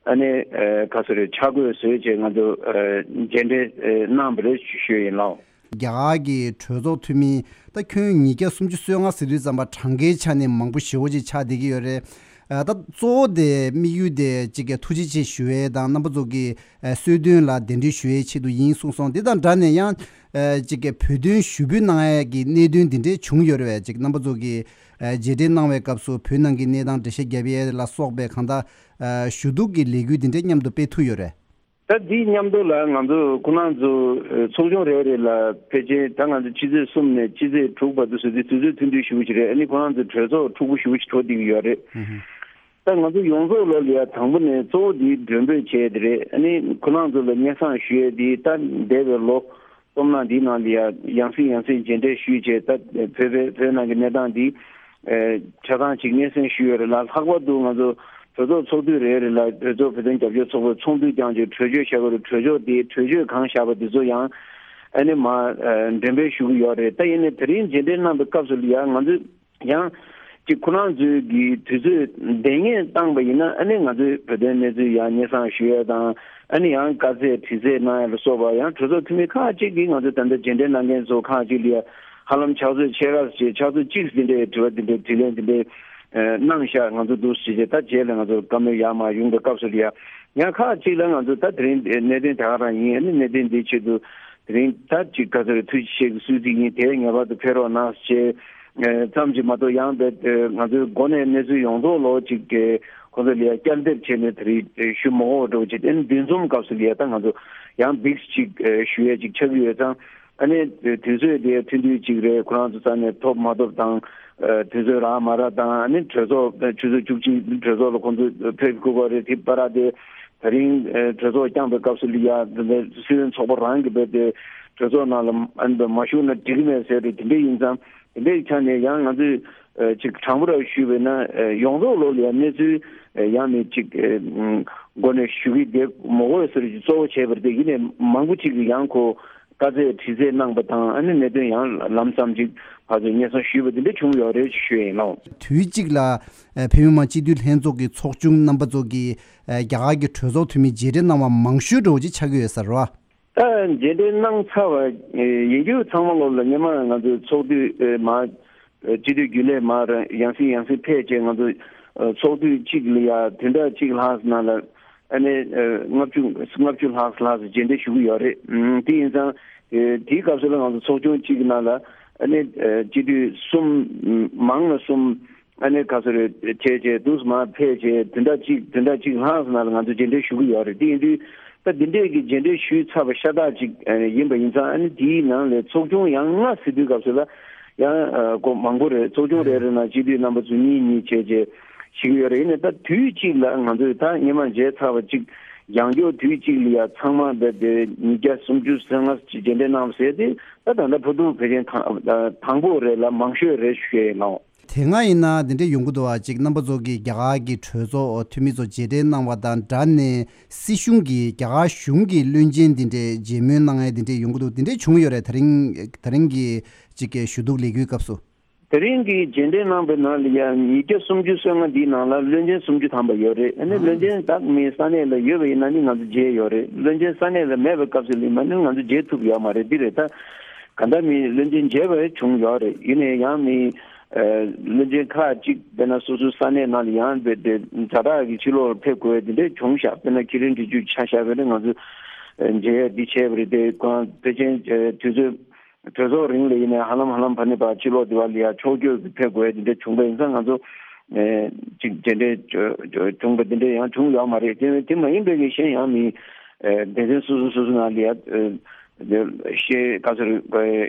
ཨ་ནི་ཨ་ག་ཚོད་རེད། ཕྱག་དགོས་བཟོས་བྱས་ང་ཚོ་ཨ་མཇལ་འཕྲད་ཨ་གནང་བ་རེད་ཞུ་ཞུ་ཡིན་ལགས། རྒྱ་གར་གྱི་གྲོས་ཚོགས་འཐུས་མི་ད་ཁྱོན་ཉིས་བརྒྱ་སུམ་ཅུ་སོ་ལྔ་ཟེར་དུས་ཙམ་པ་གྲངས་ཀའི་ཆ་ནས་མང་པོ་ཞེ་པོ་ཅིག་ཆགས་བསྡད་ཀྱི་ཡོད་རེད། ཨ་ད་གཙོ་བོ་དེ་དམིགས་ཡུལ་དེ་ཅིག་གི་ཐུགས་རྗེ་ཆེ་ཞུ་ཡས་དང་རྣམ་པ་ཚོ་གི་ཨ་གསོལ་སྟོན་ལ་གདན་འདྲེན་ཞུ་ཡས་ཆེད་དུ་ཡིན་གསུངས་སོང་། དེ་དང་སྦྲགས་ནས་ཡང་ཨ་ཅིག་གི་བོད་དོན་ཞུ་འབོད་གནང་ཡས་ཀྱི་གནད་དོན་འདི་འདྲས་བྱུང་ཡོད་རེད་པས། ཅིག་རྣམ་པ་ཚོ་གི་ཨ་མཇལ་འཕྲད་གནང་བའི་སྐབས་སུ་བོད་ནང་གི་གནས་སྟངས་འགྲེལ་བཤད་རྒྱབ་ཡས་ལ་སོགས་པའི་གང་ལྟར་ཨ་ཞུ་གཏུག་གི་ལས་འགུལ་འདི་འདྲས་མཉམ་དུ་སྤེལ་ཐུབ་ཡོད་རེད། ད་འདི་མཉམ་དུ་ལ་ང་ཚོ་ཁོ་རང་ཚོ་ཨ་ཚོགས་ཆུང་རེ་རེ་ལ་ཕལ་ཆེར་ད་ང་ཚོ་ཕྱི་ཚེས་གསུམ་ནས་ཕྱི་ཚེས་དྲུག་བར་དུ་ཟེར་དུས་དུས་ཚོད་ཐུང་ཐུང་ཞེ་པོ་ཅིག་རེད། ཨ་ནི་ཁོ་རང་ཚོ་གྲོས་ཚོགས་འཁྲུག་པོ་ཞེ་པོ་ཅིག་འགྲོ་བསྡད་ཀྱི་ཡོད་རེད། ད་ང་ཚོ་ཡོངས་རྫོགས་ལོ་ལ་ཡ་དང་པོ་ནས་གཙོ་བོ་འདི་མགྲོན་འབོད་བྱས་དེ་རེད། ཨ་ནི་ཁོ་རང་ཚོ་ལ་སྙན་སེང་ཞུ་ཡས་འདི་ད་འདས་པའི་ལོ་སྟོང་ནང་འདི་ནང་ལ་ཡ་ཡང་སེ་ཡང་སེ་མཇལ་འཕྲད་ཞུས་བྱས། ད་བོད་པའི་བོད་ནང་གི་གནས་སྟངས་འདི་ཨེ་ཆ་ཚང་ཅིག་སྙན་སེང་ཞུས་ཡོད་རེད་ལ། ལྷག་པར་དུ་ང་ཚོ་གྲོས་ཚོགས་ཚོགས་དུས་རེ་རེ་ལ་གྲོས་ཚོགས་བོད་དོན་རྒྱབ་སྐྱོར་ཚོགས་པའི་ཚོགས་འདུ་བསྐྱངས་བྱས་གྲོས་ཆོད་བཞག་གི་རེད། གྲོས་ཆོད་དེ་གྲོས་ཆོད་གང་བཞག་པ་དེ་ཚོ་ཡང་ཨ་ནི་མར་ཨེ་འགྲེམས་སྤེལ་ཞུ་གི་ཡོད་རེད། ད་ཡིན་ནའི་དེ་རིང་མཇལ་འཕྲད་གནང་བའི་སྐབས་སུ་ལ་ཡང་ང་ཚོས་ཡང་ཅིག་ཁོ་རང་ཚོའི་གི་དུས་ཚོད་འདང་ངེས་བཏང་པ་ཡིན་ན། ཨ་ནི་ང་ཚོའི་བོད་དོན་གནས་ཚུལ་ཡང་སྙན་སེང་ཞུ་ཡས་དང་། ཨ་ནི་ཡང་དཀའ་ཚེགས་དྲི་རྩད་གནང་ཡས་ལ་སོགས་པ། ཡང་གྲོས་ཚོགས་འཐུས་མི་ཁག་ཅིག་གིས་ང་ཚོ་ད་ལྟ་མཇལ་འཕྲད་གནང་མཁན་ཚོ་ཁག་ཅིག་ལ་ཡ་ཧ་ལམ་ཕྱག་ཚོད་ཕྱེད་ཀ་ཙམ་ཅིག་ཕྱག་ཚོད་གཅིག་འདི་འདྲའི་དྲི་བ་འདི་འདྲའི་དྲིས་ལན་འདི་འདྲའི་ཨ་གནང་ཤག་ང་ཚོ་འདུག་ཟེར་བྱས། ད་རྗེས་ལ་ང་ཚོ་བཀའ་མོལ་ཡར་མར་ཡོང་པའི་སྐབས་སུ་ལ་ཡ་ཡང་ཁག་ཅིག་ལ་ང་ཚོ་ད་དེ་རིང་གནད་དོན་དེ་ག་རང་ཡིན། ཨ་ནི་གནད་དོན་འདིའི་ཆེད་དུ་དེ་རིང་ད་ཅིག་ག་ཚོད་རེད། ཐུགས་རྗེ་ཆེ་གི་གསོལ་ཚིགས་ཡིན། དེ་ངེས་པར་དུ་ཕེབས་རོགས་གནང་ཞེས་ཨ་ཙམ་ཅིག་མ་གཏོགས། ཡང་དེ་ང་ཚོའི་འགོ་ནས་གནས་ཚུལ་ཡོངས་རྫོགས་ལོ་ཅིག་གི་ཁོང་ཚོ་ལ་ཡ་བསྐྱར་འདེབས་བྱས་ནས་དེ་རིང་ཞུ་མ་དགོས་འགྲོ་བྱས། དེ་ནི་འདུ་འཛོམས་སྐབས་སུ་ལ་ཡ་ད་ང་ཚོ་ཡང་འདི་ཅིག་ཨ་ཞུ་ཡས་ཅིག་ཆགས་ཀྱི་ཡོད་ཙང་། ཨ་ནི་དུས་ཚོད་དེ་ཐུང་ཐུང་ཅིག་རེད། ཁོ་རང་ཚོ་རྩ་ནས་ཐོབ་མ་ཐོབ་དང་། ཨ་དུས་ཚོད་རག་མ་རག་དང་། ཨ་ནི་གྲོས་ཚོགས་ཆུ་ཚོད་བཅུ་གཅིག་གྲོས་ཚོགས་ལ་ཁོང་ཚོ་ཕེབས་དགོས་པ་རེད། དེ་བར་དེ་དེ་རིང་ཨ་གྲོས་ཚོགས་བསྐྱངས་པའི་སྐབས་སུ་ལ་ཡ་སྲིད་བློན་ཚོགས་པ་རང་གིས་རྦད་དེ་གྲོས་ཚོགས་ནང་ལ་ཨ་ནི་མ་ཞུགས་ན་འགྲིག་གི་མེད་ཟེར་རེད། དེ་འདྲ་ཡིན་ཙང་དེ་འདྲའི་ཆ་ནས་ཡང་ང་ཚོས་ཨ་ཅིག་དྲང་པོ་ར་ཞུས་པས་ན། ཨ་ཡོངས་རྫོགས་ལོ་ལ་ཡ་གནས་ཚུལ་ཨ་ཡང་ནས་ཅིག་ཨ་མགོ་ནས་ཞུ་གི་བསྡད་མ་དགོས་ཟེར་གྱི་གཙོ་བོ་བྱས་པ་རེད། དེ་ཡིན་ནའི་མང་པོ་ཅིག་གིས་ཡང་ཁོ་དཀའ་ཚེགས་དྲི་རྩད་གནང་པ་དང་། ཨ་ནི་གནད་དོན་ཡང་ལམ་སང་ཅིག་ཕར་ཚུར་སྙན་སེང་ཞུས་པ་དེ་འདྲ་བྱུང་ཡོད་རེད་ཅེས་ཞུ་ཡ་ཡིན་ལགས། དུས་གཅིག་ལ་ཨ་བོད་མི་མང་སྤྱི་འཐུས་ལྷན་ཚོགས་ཀྱི་ཚོགས་ཆུང་རྣམ་པ་ཚོ་གིས་ཨ་རྒྱ་གར་གྱི་གྲོས་ཚོགས་འཐུས་མི་མཇལ་འཕྲད་གནང་བ་མང་ཤོས་འདྲ་བོ་ཅིག་ཆགས་ཀྱི་ཡོད་ས་རེད་བ། ད་མཇལ་འཕྲད་གནང་ཚར་བ་ཡིན་རྒྱུ་ཚང་མ་ལོ་ལ་སྔོན་མ་ང་ཚོའི་ཚོགས་དུས་མར་སྤྱི་འཐུས་རྒྱུན་ལས་མར་ཡང་སེ་ཡང་སེ་ཕེབས་བྱས། ང་ཚོ་ཚོགས་དུས་གཅིག་ལ་ཡ་བདུན་ཕྲག་གཅིག་ལྷག་ཙམ་ནང་ལ་ཨ་ནི་ལྔ་བཅུ་ལྔ་བཅུ་ལྷག་ཙམ་ལྷག་ཙམ་མཇལ་འཕྲད་ཞུ་གི་ཡོད་རེད། དེ་ཡིན་ཙང་དེའི་སྐབས་སུ་ལ་ང་ཚོ་ཚོགས་ཆུང་གཅིག་གི་ནང་ལ་ཨ་ནི་སྤྱི་འཐུས་གསུམ། མང་ལ་གསུམ། ཨ་ནི་ཁ་སོ་རེ་བྱས་བྱས་འདུག་སེ་མར་ཕེབས་བྱས་བདུན་ཕྲག་གཅིག་བདུན་ཕྲག་གཅིག་ལྷག་ཙམ་ནང་ལ་ང་ཚོ་མཇལ་འཕྲད་ཞུ་གི་ཡོད་རེད། དེ་ཡིན་དུས་ད་འདི་འདྲས་ཀྱི་མཇལ་འཕྲད་ཞུས་ཚར་བ་ཤ་སྟག་ཅིག་ཨ་ནི་ཡིན་པ་ཡིན་ཙང་། ཨ་ནི་དེའི་ནང་ལས་ཚོགས་ཆུང་ཡང་ལྔ་ཟེར་དུས་སྐབས་སུ་ལ་ཡང་ཨ་སྐོར་མང་པོ་རེད། ཚོགས་ཆུང་རེ་རེ་ནང་སྤྱི་འཐུས་རྣམ་པ་ཚོ་གཉིས་གཉིས་བྱས་བྱས་ཞུ་གི་ཡོད་རེད། ཡིན་ནའི་ད་དུས་གཅིག་ལ་ང་ཚོས་ད་སྔོན་མ་མཇལ་ཚར་བ་ཅིག་ཡང་བསྐྱར་དུས་གཅིག་ལ་ཡ་ཚང་མ་རྦད་དེ་ཉིས་བརྒྱ་སུམ་ཅུ་སོ་ལྔ་ཅིག་མཇལ་འཕྲད་གནང་བ་ཟེར་དེ་ད་ད་ལྟ་བར་དུ་ཕལ་ཆེར་དང་དང་པོ་རེད་ལ་མང་ཤོས་རེད་ཞུ་ཡ་ཡིན་ལགས། དེ་སྔ་ཡིན་ན་འདི་འདྲས་ཡོང་གི་འདུག་བ། ཅིག་རྣམ་པ་ཚོ་གིས་རྒྱ་གར་གྱི་གྲོས་ཚོགས་འཐུས་མི་ཚོ་མཇལ་འཕྲད་གནང་བ་དང་སྦྲགས་ནས་སྲིད་གཞུང་གིས་རྒྱ་གར་གཞུང་གི་བློན་ཆེན་འདི་འདྲས་མཇལ་མོལ་གནང་ཡས་འདི་འདྲས་ཡོང་གི་འདུག། འདི་འདྲས་བྱུང་ཡོད་རེད། དེ་རིང་དེ་རིང་གི་ཅིག་གི་ཞུ་གཏུག་ལས་འགུལ་སྐབས་སུ། དེ་རིང་གི་མཇལ་འཕྲད་གནང་པའི་ནང་ལ་ཡང་ཉིས་བརྒྱ་སུམ་ཅུ་སོ་ལྔ་འདིའི་ནང་ལ་བློན་ཆེན་སུམ་ཅུ་ཐམ་པ་ཡོད་རེད། ཨ་ནི་བློན་ཆེན་དག་མི་ས་གནས་ལ་ཡོད་པ་ཡིན་ན་ནི་ང་ཚོ་མཇལ་ཡོད་རེད། བློན་ཆེན་ས་གནས་ལ་མེད་པའི་སྐབས་སུ་ལ་མ་ནི་ང་ཚོ་མཇལ་ཐུབ་ཡོད་མ་རེད། འདི་རེད། ད་ག་འདྲ་མི་བློན་ཆེན་མཇལ་བ་བྱུང་ཡོད་རེད། ཡིན་ནའི་ཡང་མི་ བློན་ཆེན་ཁག་ཅིག་དཔེར་ན་སོ་སོའི་ས་གནས་ནང་ལ་ཡང་དེ་དེ་ཛ་དྲག་གི་ཕྱིར་ལོག་ཕེབས་དགོས་དེ་འདྲ་བྱུང་ཤག་དཔེར་ན་ཁི་རིན་འདྲི་རྒྱུ་ཆ་བཞག་པ་ཡིན་ན་ང་ཚོ་མཇལ་ཡ་འདི་བྱས་པ་རེད། དེ་གང་ཕལ་ཆེར་དུས་ཚོད་གྲོས་ཚོགས་རིང་ལ་ཡིན་ནའི་ཧ་ལམ་ཧ་ལམ་ཕ་ནི་པ་ཕྱིར་ལོག་དེ་བ་ལ་ཡ་ཕྱོགས་བསྐྱོད་ཀྱི་ཕེབས་དགོས་དེ་འདྲ་བྱུང་པ་ཡིན་ཙང་ང་ཚོ་ཅིག་དེ་འདྲ་བྱུང་པ་དེ་འདྲ་ཡང་བྱུང་ཡོད་མ་རེད། དེ་དེ་མ་ཡིན་པའི་གི་གཞན་ཡང་མི་སྡེ་ཚན་སོ་སོ་སོ་སོ་ནང་ལ་ཡ། ཤེས་ག་ཚོད་རེད།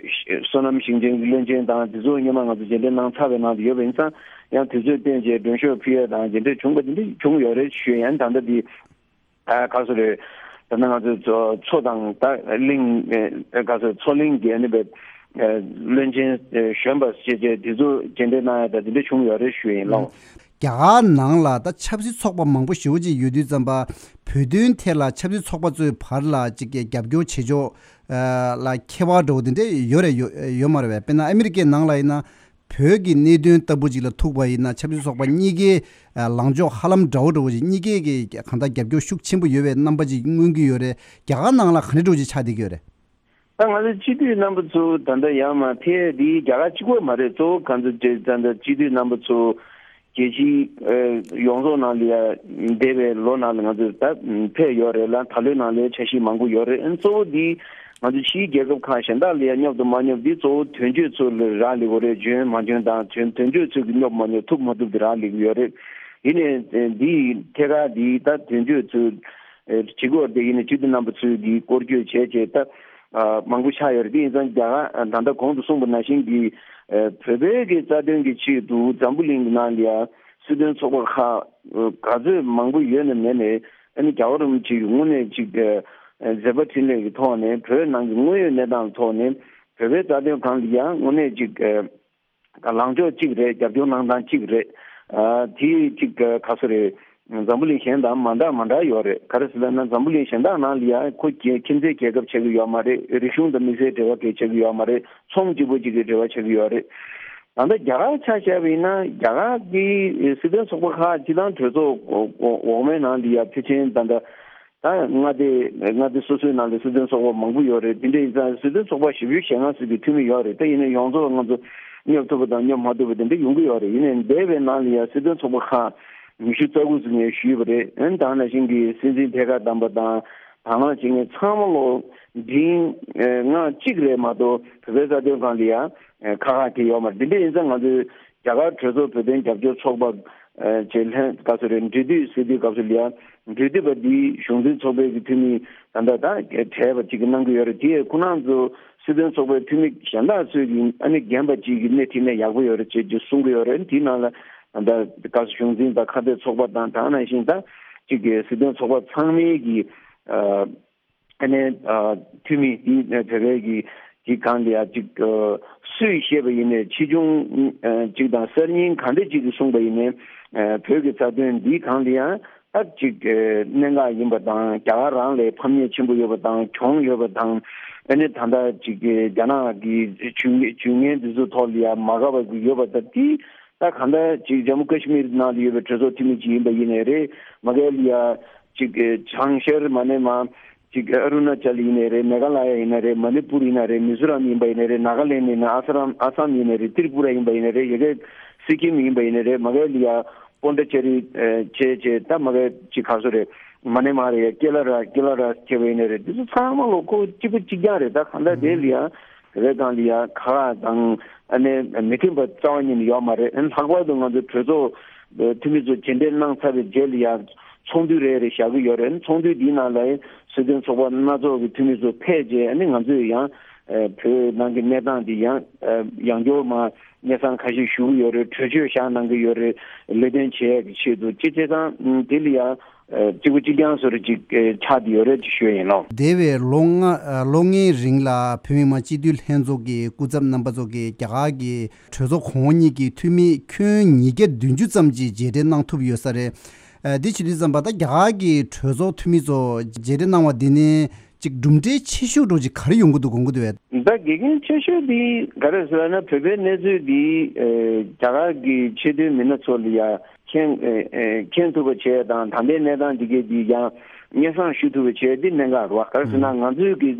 བསོད་ནམས་ཞིང་ཆེན་གྱི་བློན་ཆེན་དང་དེ་ཚོ་སྔོན་མ་ང་ཚོ་མཇལ་འཕྲད་གནང་ཚར་བའི་ནང་དུ་ཡོད་པ་ཡིན་ཙང་ཡང་དུས་ཚོད་བསྟུན་བྱས་མགྲོན་ཤོག་ཕུལ་ཡ་དང་དེ་འདྲ་བྱུང་བ་དེ་འདྲ་བྱུང་ཡོད་རེད་ཞུ་ཡ་ཡིན། ད་ལྟ་འདི་ཨ་ག་ཚོད་རེད། ད་ལྟ་ང་ཚོ་མཚོ་དང་ད་གླིང་ཨ་ག་ཚོད་མཚོ་གླིང་གི་ཨ་ནི་བའི་བློན་ཆེན་གཞོན་པ་ཞེས་བྱས་དེ་ཚོ་མཇལ་འཕྲད་གནང་ཡ་ད་དེ་འདྲ་བྱུང་ཡོད་རེད་ཞུ་ཡ་ཡིན་ལགས། རྒྱ་གར་ནང་ལ་ད་ཆབ་སྲིད་ཚོགས་པ་མང་པོ་ཞེ་པོ་ཅིག་ཡོད་དུས་ཙམ་པ་བོད་དོན་ཐད་ལ་ཆབ་སྲིད་ཚོགས་པ་ཚོའི་བར་ལ་ཅིག་གི་རྒྱབ་སྐྱོར་བྱེད་ཕྱོགས་ལ་ཁྱད་པར་འདྲ་བོ་དེ་འདྲ་ཡོད་རེད་ཡོད་ཡོད་མ་རེད་པས། དཔེར་ན་ཨ་མི་རི་ཀའི་ནང་ལ་ཡིན་ན་བོད་ཀྱི་གནད་དོན་ལྟ་བུ་ཅིག་ལ་ཐུག་པ་ཡིན་ན་ཆབ་སྲིད་ཚོགས་པ་གཉིས་ཀའི་ལངས་ཕྱོགས་ཧ་ལམ་འདྲ་བོ་འདྲ་བོ་ཅིག་གཉིས་ཀའི་གི་གང་ལྟར་རྒྱབ་སྐྱོར་ཤུགས་ཆེན་པོ་ཡོད་པའི་རྣམ་པ་ཅིག་མངོན་གྱི་ཡོད་རེད། རྒྱ་གར་ནང་ལ་ག་འདྲ་འདྲ་བོ་ཅིག་ཆགས་བསྡད་ཀྱི་ཡོད་རེད། ད་ང་ཚོ་སྤྱི་འཐུས་རྣམ་པ་ཚོ་ད་ལྟ་ཡར་མར་ཕེབས་འདི་རྒྱ་གར་གཅིག་པོ་མ་རེད། གཙོ་བོ་གང་ཚོ་བྱས་ཙང་ད་སྤྱི་འཐུས་རྣམ་པ་ཚོ་རྒྱལ་སྤྱིའི་ཡོངས་རྫོགས་ནང་ལ་ཡ་འདས་པའི་ལོ་ནང་ལ་ང་ཚོ་ད་ཕེབས་ཡོད་རེད་ལ་ད་ལོའི་ནང་ལ་འཆར་གཞི་མང་པོ་ཡོད་རེད། ཨ་གཙོ་བོ་འདི་ང་ཚོ་ཕྱིའི་རྒྱལ་ཁབ་ཁག་གཞན་དག་ལ་ཡ་སྙོབ་དང་མ་སྙོབ་འདི་གཙོ་བོ་དོན་གཅོད་ཚོ་ལ་རག་ལས་པ་རེད། འཇོན་མ་འཇོན་དང་དོན་དོན་གཅོད་ཚོ་གི་སྙོབ་མ་སྙོབ་ཐུབ་མ་ཐུབ་འདི་རག་ལས་ཀྱི་ཡོད་རེད། ཡིན་ནའི་འདི་ཐད་ཀར་འདི་ད་དོན་གཅོད་ཚོ་བྱེད་དགོས་དེ་ཡིན་ནའི་སྤྱི་འཐུས་རྣམ་པ་ཚོས་ཀྱི་སྐོར་སྐྱོད་བྱས་བྱས་ད་མང་པོ་ཆགས་ཡོད་རེད། དེ་ཡིན་ཙང་རྒྱ་གར་ད་ལྟ་གོང་དུ་གསུངས་པ་ནང་བཞིན་གྱི་བོད་པའི་གི་རྩ་དོན་གྱི་ཆེད་དུ་འཛམ་བུ་གླིང་གི་ནང་ལ་ཡ་སྲིད་དོན་ཚོགས་པ་ཁག་ག་ཚོད་མང་པོ་ཡོད་ན་མེད་ནའི་ཨ་ནི་རྒྱལ་བ་རིན་པོ་ཆེ་གི་དངོས་གནས་ཅིག་མཛད་པ་འཕྲིན་ལས་ཀྱི་ཐོག་ནས་བོད་ནང་གི་དངོས་ཡོད་གནས་སྟངས་ཀྱི་ཐོག་ནས་བོད་པའི་རྩ་དོན་སྒང་ལ་ཡ་དངོས་གནས་ཅིག་ལངས་ཕྱོགས་གཅིག་རེད། རྒྱབ་སྐྱོར་གནང་སྟངས་གཅིག་རེད། ཨ་དེ་གཅིག་ག་ཚོད་རེད། འཛམ་བུ་གླིང་གཞན་དང་མ་འདྲ་མ་འདྲ་ཡོད་རེད། ག་རེ་ཟེར་ན་འཛམ་བུ་གླིང་གཞན་དག་ནང་ལ་ཡང་ཁོ་རྒྱལ་ཁྱིམ་མཚེས་རྒྱལ་ཁབ་ཆགས་ཀྱི་ཡོད་མ་རེད། རིག་གཞུང་དང་དམིགས་བསལ་འབྲེལ་བ་གང་ཡང་ཆགས་ཀྱི་ཡོད་མ་རེད། ཚོང་གཅིག་པོ་གཅིག་གི་འབྲེལ་བ་ཆགས་ཀྱི་ཡོད་རེད། ད་ལྟ་རྒྱ་གར་ཆ་བཞག་པ་ཡིན་ན་རྒྱ་གར་གྱི་སྲིད་དོན་ཚོགས་པ་ཁག་སྤྱི་བཏང་གྲོས་ཚོགས་འོག་འོག་མའི་ནང་ལ་ཡང་ཕལ་ཆེར་ད་ལྟ། ད་མངའ་སྡེ་མངའ་སྡེ་སོ་སོའི་ནང་ལ་སྲིད་དོན་ཚོགས་པ་མང་པོ་ཡོད་རེད། དེ་འདྲ་ཡིན་ཙང་སྲིད་དོན་ཚོགས་པ་བཞི་བཅུ་ཞེ་ལྔ་ཙམ་གྱི་འཐུས་མི་ཡོད་རེད། ད་ཡིན་ན་ཡོངས་རྫོགས་ང་ཚོ་སྙོབ་ཐུབ་པ་དང་སྙོབ་མ་ཐུབ་པ་དེ་འདྲ་ཡོང་གི་ཡོད་རེད། ཡིན་ནའི་འདས་པའི་ནང་ལ་ཡང་སྲིད་དོན་ཚོགས་པ་ཁག་ཉི་ཤུ་རྩ་དགུ་ཙམ་ངས་ཞུས་པ་རེད། ཨ་ནི་ད་ག་ནང་བཞིན་གྱི་སྲིད་འཛིན་ཐད་ཀར་བདམས་པ་དང་དང་བླངས་བྱེད་མཁན་ཚང་མ་ལོ་འབྲིང་ལྔ་གཅིག་རེད་མ་གཏོགས་བོད་པའི་རྩ་དོན་སྒང་ལ་ཡང་ཁག་ཁག་དེ་ཡོད་མ་རེད། འདི་འདྲ་ཡིན་ཙང་ང་ཚོས་རྒྱ་གར་གྲོས་ཚོགས་བོད་དོན་རྒྱབ་སྐྱོར་ཚོགས་པ་ཅེས་ལྷན་སྐབས་སུ་རེད། འབྲེལ་མཐུད་ཟེར་དུས་སྐབས་སུ་ལ་ཡང་འབྲེལ་མཐུད་པ་འདིའི་གཞུང་འཛིན་ཚོགས་པའི་གི་འཐུས་མི་ད་ལྟ་ད་གྲས་པ་ཅིག་གི་གནང་གི་ཡོད་རེད། དེ་ཡང་ཁོ་རང་ཚོ་སྲིད་དོན་ཚོགས་པའི་འཐུས་མི་གཞན་དག་ཚོས་ཀྱི་ཨ་ནི་རྒན་པ་ཅིག་གི་སྣེ་ཁྲིད་ན་ཡག་པོ་ཡོད་རེད་ཅེས་ཀྱི་གསུང་གི་ཡོད་རེད། དེའི་ནང་ལ་ད་ལྟ་སྐབས་སུ་གཞུང་འཛིན་དང་ཁ་གཏད་ཚོགས་པ་དང་ད་ག་ནང་བཞིན་ད་ཅིག་གི་སྲིད་དོན་ཚོགས་པ་ཚང་མའི་གི་ཨ། ཨ་ནི་འཐུས་མི་འདི་བོད་པའི་གི་གི་སྒང་ལ་ཡང་ཅིག་སུས་བཤད་པ་ཡིན་ནའི་ཆེ་ཆུང་ཅིག་དང་གསར་རྙིང་ག་འདྲ་ཅིག་གིས་གསུངས་པ་ཡིན་ནའི་བོད་ཀྱི་རྩ་དོན་འདིའི་སྒང་ལ་ཡང་ད་ཅིག་གནད་འགག་ཡིན་པ་དང་རྒྱ་གར་རང་ལ་ཕམ་ཉེས་ཆེན་པོ་ཡོད་པ་དང་གྱོང་ཡོད་པ་དང་ཨ་ནི་ད་ལྟ་ཅིག་རྒྱ་ནག་གི་ཇུས་ཇུས་ངན་འདི་ཚོ་ཐོག་ལ་ཡང་མ་དགའ་བ་ཡོད་པ་དང་དེ། ད་གང་ལྟར་ཅིག་ཇམ་མུ་ཀ་ཤི་མིར་ནང་ལ་ཡོད་པའི་གྲོས་ཚོགས་འཐུས་མི་ཅིག་ཡིན་པ་ཡིན་ནའི་རེད། མ་གལ་ཡ་ཅིག་བྱང་ཤར་མ་ནས་མ་ཅིག་ཨ་རུ་ན་ཅལ་ཡིན་ནའི་རེད། མེ་ག་ལ་ཡ་ཡིན་ན་རེད། མ་ནི་པུར་ཡིན་ན་རེད། མི་ཛོ་རམ་ཡིན་པ་ཡིན་ནའི་རེད། ནཱ་ག་ལེན་ཡིན་ན་ཨ་ས་རམ་ཨ་སམ་ཡིན་ནའི་རེད། ཏྲི་པུ་ར་ཡིན་པ་ཡིན་ནའི་རེད། ཡ་གི་སི་ཀིམ་ཡིན་པ་ཡིན་ནའི་རེད། མ་གལ་ཡ་པོན་ཌི་ཅེ་རི་བྱས་བྱས་ད་མ་གལ་ཅིག་ག་སོ་རེད། མ་ནི་མ་རེད། ཡ་ཀེ་ལ་ར་ཀེ་ལ་ར་བྱས་པ་ཡིན་ནའི་རེད། འདི་ཚོ་ཚང་མ་ལོ་ཁོ་གཅིག་པ་གཅིག་རྐྱང་རེད། ད་གང་ལྟར་དེ་ལ་ཡ། བོད་པའི་སྒང་ལ་ཡ་ཁ་ཁ་དང་ཨ་ནི་མི་མཐུན་པ་རྩ་བ་ཉིད་ནས་ཡོད་མ་རེད། ཨ་ནི་ལྷག་པར་དུ་ང་ཚོའི་གྲོས་ཚོགས་འཐུས་མི་ཚོ་མཇལ་འཕྲད་གནང་ཚར་བའི་རྗེས་ལ་ཡ་ཚོགས་འདུ་རེ་རེ་བཞག་གི་ཡོད་རེད། ཨ་ནི་ཚོགས་འདུ་འདིའི་ནང་ལ་སྲིད་དོན་ཚོགས་པ་སྣ་ཚོགས་ཀྱི་འཐུས་མི་ཚོ་ཕེབས་རྗེས་ཨ་ནི་ང་ཚོས་ཡང་བོད་ནང་གི་གནས་སྟངས་འདི་ཡང་ཡང་སྐྱར་མ་སྙན་སེང་ཁ་ཤས་ཞུ་གི་ཡོད་རེད། གྲོས་ཆོད་བཞག་གནང་གི་ཡོད་རེད། ལས་དོན་བྱེད་ཡག་གི་ཆེད་དུ་ཅི་བྱས་ཙང་དེ་ལ་ཡང་། གཅིག་པུ་གཅིག་རྐྱང་བཟོ་འདྲ་ཅིག་ཆགས་བསྡད་ཡོད་རེད་ཅེས་ཞུ་ཡ་ཡིན་ལགས། འདས་པའི་ལོ་ལྔ་ལོ་ལྔའི་རིང་ལ་བོད་མི་མང་སྤྱི་འཐུས་ལྷན་ཚོགས་ཀྱི་སྐུ་ཚབ་རྣམ་པ་ཚོ་གིས་རྒྱ་གར་གྱི་གྲོས་ཚོགས་གོང་འོག་གཉིས་ཀྱི་འཐུས་མི་ཁྱོན་ཉིས་བརྒྱ་བདུན་ཅུ་ཙམ་ཅིག་མཇལ་འཕྲད་གནང་ཐུབ་ཡོད་ས་རེད། འདི་བྱེད་དུས་ཙམ་པ་ད་རྒྱ་གར་གྱི་གྲོས་ཚོགས་འཐུས་མི་ཚོ་མཇལ་འཕྲད་གནང་བ་འདི་ནི་ཅིག་གྲུབ་འབྲས་ཆེ་ཤོས་འདྲ་ཅིག་ག་རེ་ཡོང་གི་འདུག་དགོངས་ཀྱི་འདུག་བས། ད་དགེ་རྒན་ཆེ་ཤོས་འདི་ག་རེ་ཟེར་ན་བོད་པའི་གནས་ཚུལ་འདི་རྒྱ་གར་གྱི་ཆེས་མཐོའི་མི་སྣ་ཚོ་ལ་ཡ། མཁྱེན་ཨེ་ཨེ་མཁྱེན་ཐུབ་པ་བྱས་དང་ད་ལྟའི་གནས་སྟངས་འདི་གའི་འདི་ཡང་སྙན་སེང་ཞུ་ཐུབ་པ་བྱས་འདི་གནད་འགག་རེད་བ། ག་རེ་ཟེར་ན་ང་ཚོའི་གི་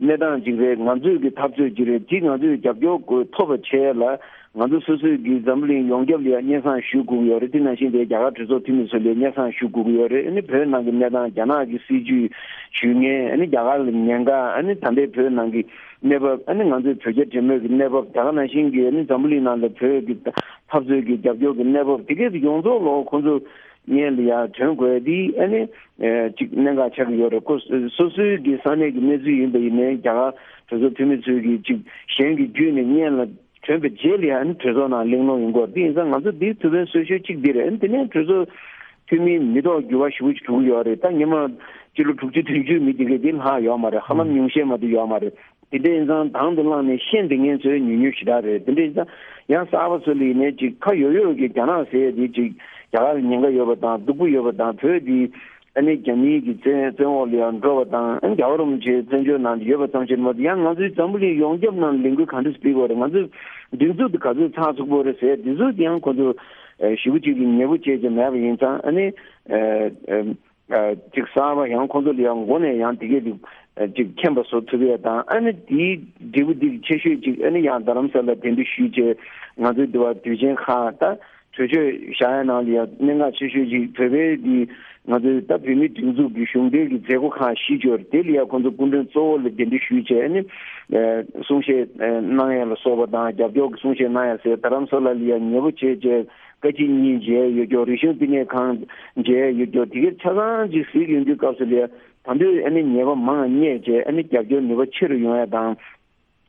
གནས་སྟངས་ཅིག་རེད། ང་ཚོའི་གི་འཐབ་རྩོད་ཅིག་རེད། འདི་ང་ཚོས་རྒྱབ་སྐྱོར་དགོས་ཐོབ་པ་བྱས་ལ་ ང་ཚོ་སོ་སོའི་གི་འཛམ་བུ་གླིང་ཡོངས་ཁྱབ་ལ་ཡང་སྙན་སེང་ཞུ་དགོས་ཀྱི་ཡོད་རེད། དེ་ནང་བཞིན་དེ་རྒྱ་གར་གྲོས་ཚོགས་འཐུས་མི་ཚོ་ལ་སྙན་སེང་ཞུ་དགོས་ཀྱི་ཡོད་རེད། ཨ་ནི་བོད་ནང་གི་གནས་སྟངས། རྒྱ་ནག་གི་སྲིད་ཇུས་ཞུ་མཁན། ཨ་ནི་རྒྱ་གར་ལ་ཉེན་ཁ། ཨ་ནི་ད་ལྟའི་བོད་ནང་གི་གནས་བབ། ཨ་ནི་ང་ཚོའི་བོད་རྒྱ་འབྲེལ་མོལ་གྱི་གནས་བབ། ད་ག་ནང་བཞིན་གྱི་ཨ་ནི་འཛམ་བུ་གླིང་ནང་ལ་བོད་ཀྱི་འཐབ་རྩོད་ཀྱི་རྒྱབ་སྐྱོར་གྱི་གནས་བབ། དེ་གས་ཡོངས་རྫོགས་ལོ་ཁོང་ཚོ་སྙན་ལ་ཡར་དྲན་དགོས་དེ་ཨ་ནི་ཅིག་གནད་འགག་ཆགས་ཀྱི་ཡོད་རེད། ཁོ་སོ་སོའི་གི་ས་གནས་ཀྱི་གནས་ཚུལ་ཡིན་པ་ཡིན་ནའི་རྒྱ་གར་གྲོས་ཚོགས་འཐུས་མི་ཚོས་གི་ཅིག་གཞན་གྱི་བརྒྱུད་ནས་སྙན་ལ་ཐོན་པའི་རྗེས་ལ་ཡང་གྲོས་ཚོགས་ནང་གླེང་སློང་ཡོང་གི་ཡོད་རེད། དེ་ཡིན་ཙང་ང་ཚོ་འདིའི་ཐུགས་ཕན་གསོས་ཤོས་གཅིག་འདི་རེད། དེ་ནས་གྲོས་ཚོགས་འཐུས་མིའི་མི་ཐོག་འགྱུར་བ་ཞེ་པོ་ཅིག་འགྲོ་གི་ཡོད་རེད། ད་སྔོན་མ་སྤྱི་ལོ་དྲུག་ཅུ་བདུན་ཅུའི་མི་དེ་གས་དེ་ལྷག་ཡོད་མ་རེད། ཧ་ལམ་ཉུང་ཤས་མ་གཏོགས་ཡོད་མ་རེད། དེ་འདྲ་ཡིན་ཙང་དང་དུ་བླངས་ནས་ཤེས་བདེ་ངན་ཚོའི་ཉུང་ཉུང་ཞེ་དྲག་རེད། དེ་འདྲ་ཡིན་ཙང་ཡང་གསར་པ་ཚོ་ལ་ཡིན་ནའི་ཅིག་ཁ་ཡོད་ཡོད་ཀྱི་རྒྱ་ནག་ཟེར་ཡས་དེ་ཅིག་རྒྱ་གར་ལ་ཉེན་ཁ་ཡོད་པ་དང་། སྡུག་པོ་ཡོད་པ་དང་། བོད་འདི་ཨ་ནི་རྒྱ་མིའི་གི་བཙན་བཙན་འོག་ལ་ཡང་འགྲོ་བ་དང་། ཨ་ནི་རྒྱལ་བ་རིན་པོ་ཆེ་བཙན་བྱོལ་ནང་དུ་ཡོད་པ་ཙམ་ཞིག་མ་གཏོགས། ཡང་ང་ཚོའི་འཛམ་བུ་གླིང་ཡོངས་ཁྱབ་ནང་ལ་ལས་འགུལ་ག་འདྲ་སྤེལ་དགོས་རེད། ང་ཚོའི་སྒྲིག་འཛུགས་དེ་ག་ཚོད་ཚགས་ཚུད་པོ་རེད་ཟེར་དེ་ཚོ་ཡང་ཁོ་ཚོ་ཞེ་པོ་ཅིག་གི་ཉེ་པོ་བྱས་ཀྱི་མེད་པ་ཡིན་ཙང་། ཨ་ནི་ཅིག་གསར་པ་ཡང་ཁོ་ཚོ་ལ་ཡང་མགོ་ནས་ཡང་དེ་གས་དེ་ཅིག་མཁྱེན་པ་བཟོ་ཐུབ་ཡས་དང་། ཨ་ནི་དེའི་འབྲས་བུ་དེ་ཆེ་ཤོས་ཅིག་ཨ་ནི་ཡང་རྡ་རམ་ས་ལ་གདན་འདྲེན་ཞུས་བྱས། ང་ཚོའི་འདི་བ་དུས་ཆེན་ཁག་ད་གྲོས་ཆོད་བཞག་ཡ་ནང་ལ་ཡང་གནད་འགག་ཆེ་ཤོས་ཅིག་བོད་པའི་འདི་ང་ཚོའི་ད་བོད་མིའི་སྒྲིག་འཛུགས་ཀྱི་གཞུང་འབྲེལ་གྱི་མཛད་སྒོ་ཁག་བཞི་ཅིག་ཡོད་རེད། དེ་ལ་ཡང་ཁོང་ཚོ་སྐུ་མགྲོན་གཙོ་བོ་ལ་གདན་འདྲེན་ཞུས་བྱས། ཨ་ནི་གསུང་བཤད་གནང་ཡ་ལ་སོགས་པ་དང་། རྒྱབ་སྐྱོར་གྱི་གསུང་བཤད་གནང་ཡ་ཟེར། རྡ་རམ་ས་ལ་ལ་ཡང་མཉེས་པོ་བྱས་བྱས་བཀའ་སྤྱི་གཉིས་མཇལ་ཡོད་ཀྱོག་རིག་གཞུང་བསྟི་གནས་ཁང་མཇལ་ཡོད་ཀྱོག་དེ་གའི་ཆ་ཚང་ཅིག་གཟིགས་ཡོང་དུས་སྐབས་སུ་ལ་ཡང་ད་དུང་ཨ་ནི་ཉེས་པ་མང་རྙེད་བྱས། ཨ་ནི་རྒྱབ་སྐྱོར་ནུས་པ་ཆེ་རུ་ཡོང་ཡ་དང་།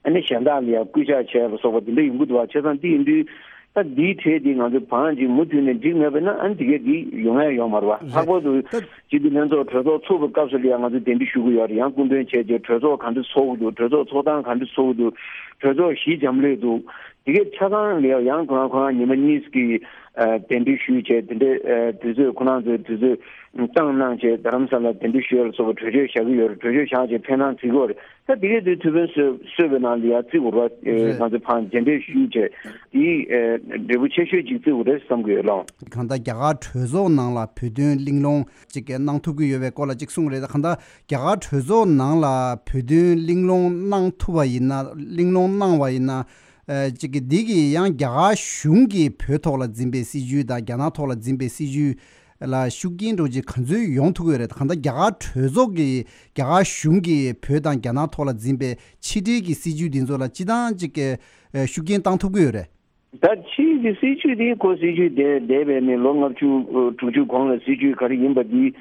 ཨ་ནི་གཞན་དག་ལ་ཡང་སྐུལ་ལྕག་བྱས་པ་སོགས་པ་དེ་འདྲ་ཡོང་གི་འདུག་བ། བྱས་ཙང་དེ་ཡིན་དུས་ད་འདིའི་གྲས་འདི་ང་ཚོས་བང་ཅིག་མུ་མཐུད་ནས་འགྲིག་མེད་པ་ན། ཨ་ནི་དེ་གས་འདི་ཡོང་ཡ་ཡོད་མ་རེད་བ། ལྷག་པར་དུ་སྤྱི་འཐུས་ལྷན་ཚོགས་གྲོས་ཚོགས་ཚུགས་པའི་སྐབས་སུ་ལ་ཡང་ང་ཚོས་གདན་འདྲེན་ཞུ་གི་ཡོད་རེད། ཡང་སྐུ་མགྲོན་བྱས་རྗེས་གྲོས་ཚོགས་ག་འདྲ་ཚོགས་ཀྱི་འདུག་གྲོས་ཚོགས་ཚོགས་སྟངས་ག་འདྲ་ཚོགས་ཀྱི་འདུག་གྲོས་ཚོགས་གཞི་འཇམ་ལུགས་འདུག་དེ་གས་ཆ་ཚང་ལ་ཡང་ཁོ་རང་ཁོ་རང་ཉི་མ་གཉིས་ཀྱི་ཨ་གདན་འདྲེན་ཞུས་བྱས། དེ་འདྲའི་ཨ་དུས་ཚོད་ཁོ་རང་ཚོའི་དུས་ཚོད་བཏང་གནང་བྱས་རྡ་རམ་ས་ལ་གདན་འདྲེན་ཞུ་ཡ་ལ་སོགས་པ་གྲོས་ཆོད་བཞག་གི་ཡོད་རེད། གྲོས་ཆོད་བཞག་བྱས་ཕན་ཐང་བརྩི་གི་ཡོད་རེད། ད་དེ་གས་དུས་ཐུགས་ཕན་གསོས་གསོས་པའི་ནང་ལ་ཡང་བརྩི་དགོས་རེད་བ། ཨེ་རེད། ང་ཚོ་ཕར་མཇལ་འཕྲད་ཞུས་བྱས་དེའི་ཨེ་འབྲས་བུ་ཆེ་ཤོས་ཅིག་བརྩི་དགོས་རེད་བསམ་གི་ཡོད་ལགས། གང་ལྟར་རྒྱ་གར་གྲོས་ཚོགས་ནང་ལ་བོད་དོན་གླེང་སློང་ཅིག་གནང་ཐུབ་ཀྱི་ཡོད་པའི་སྐོར་ལ་ཅིག་གསུངས་རེད། ད་གང་ལྟར་རྒྱ་གར་གྲོས་ཚོགས་ནང་ལ་བོད་དོན་གླེང་སློང་གནང་ཐུབ་པ་ཡིན་ན། གླེང་སློང་གནང་བ་ཡིན་ན། ཨེ་ཅིག་གི་འདི་གིས་ཡང་རྒྱ་གར་གཞུང་གིས་བོད་ཐོག་ལ་འཛིན་པའི་སྲིད་བྱུས་དང་རྒྱ་ནག་ཐོག་ལ་འཛིན་པའི་སྲིད་བྱུས་ལ་ཤུགས་རྐྱེན་འདྲ་ཅིག་ག་ཚོད་ཡོང་ཐུབ་ཀྱི་ཡོད་རེད། གང་ལྟར་རྒྱ་གར་གྲོས་ཚོགས་ཀྱིས་རྒྱ་གར་གཞུང་གིས་བོད་དང་རྒྱ་ནག་ཐོག་ལ་འཛིན་པའི་ཕྱི་འབྲེལ་གྱི་སྲིད་བྱུས་འདི་ཚོ་ལ་སྤྱི་བཏང་ཅིག་གི་ཨེ་ཤུགས་རྐྱེན་བཏང་ཐུབ་ཀྱི་ཡོད་རེད། ད་ཕྱིའི་གི་སྲིད་བྱུས་དེ་ཁོ་སྲིད་བྱུས་དེ་འདས་པའི་ནས་ལོ་ལྔ་བཅུ་དྲུག་ཅུ་གོང་ལ་སྲིད་བྱུས་ག་རེ་ཡིན་པ་དེ་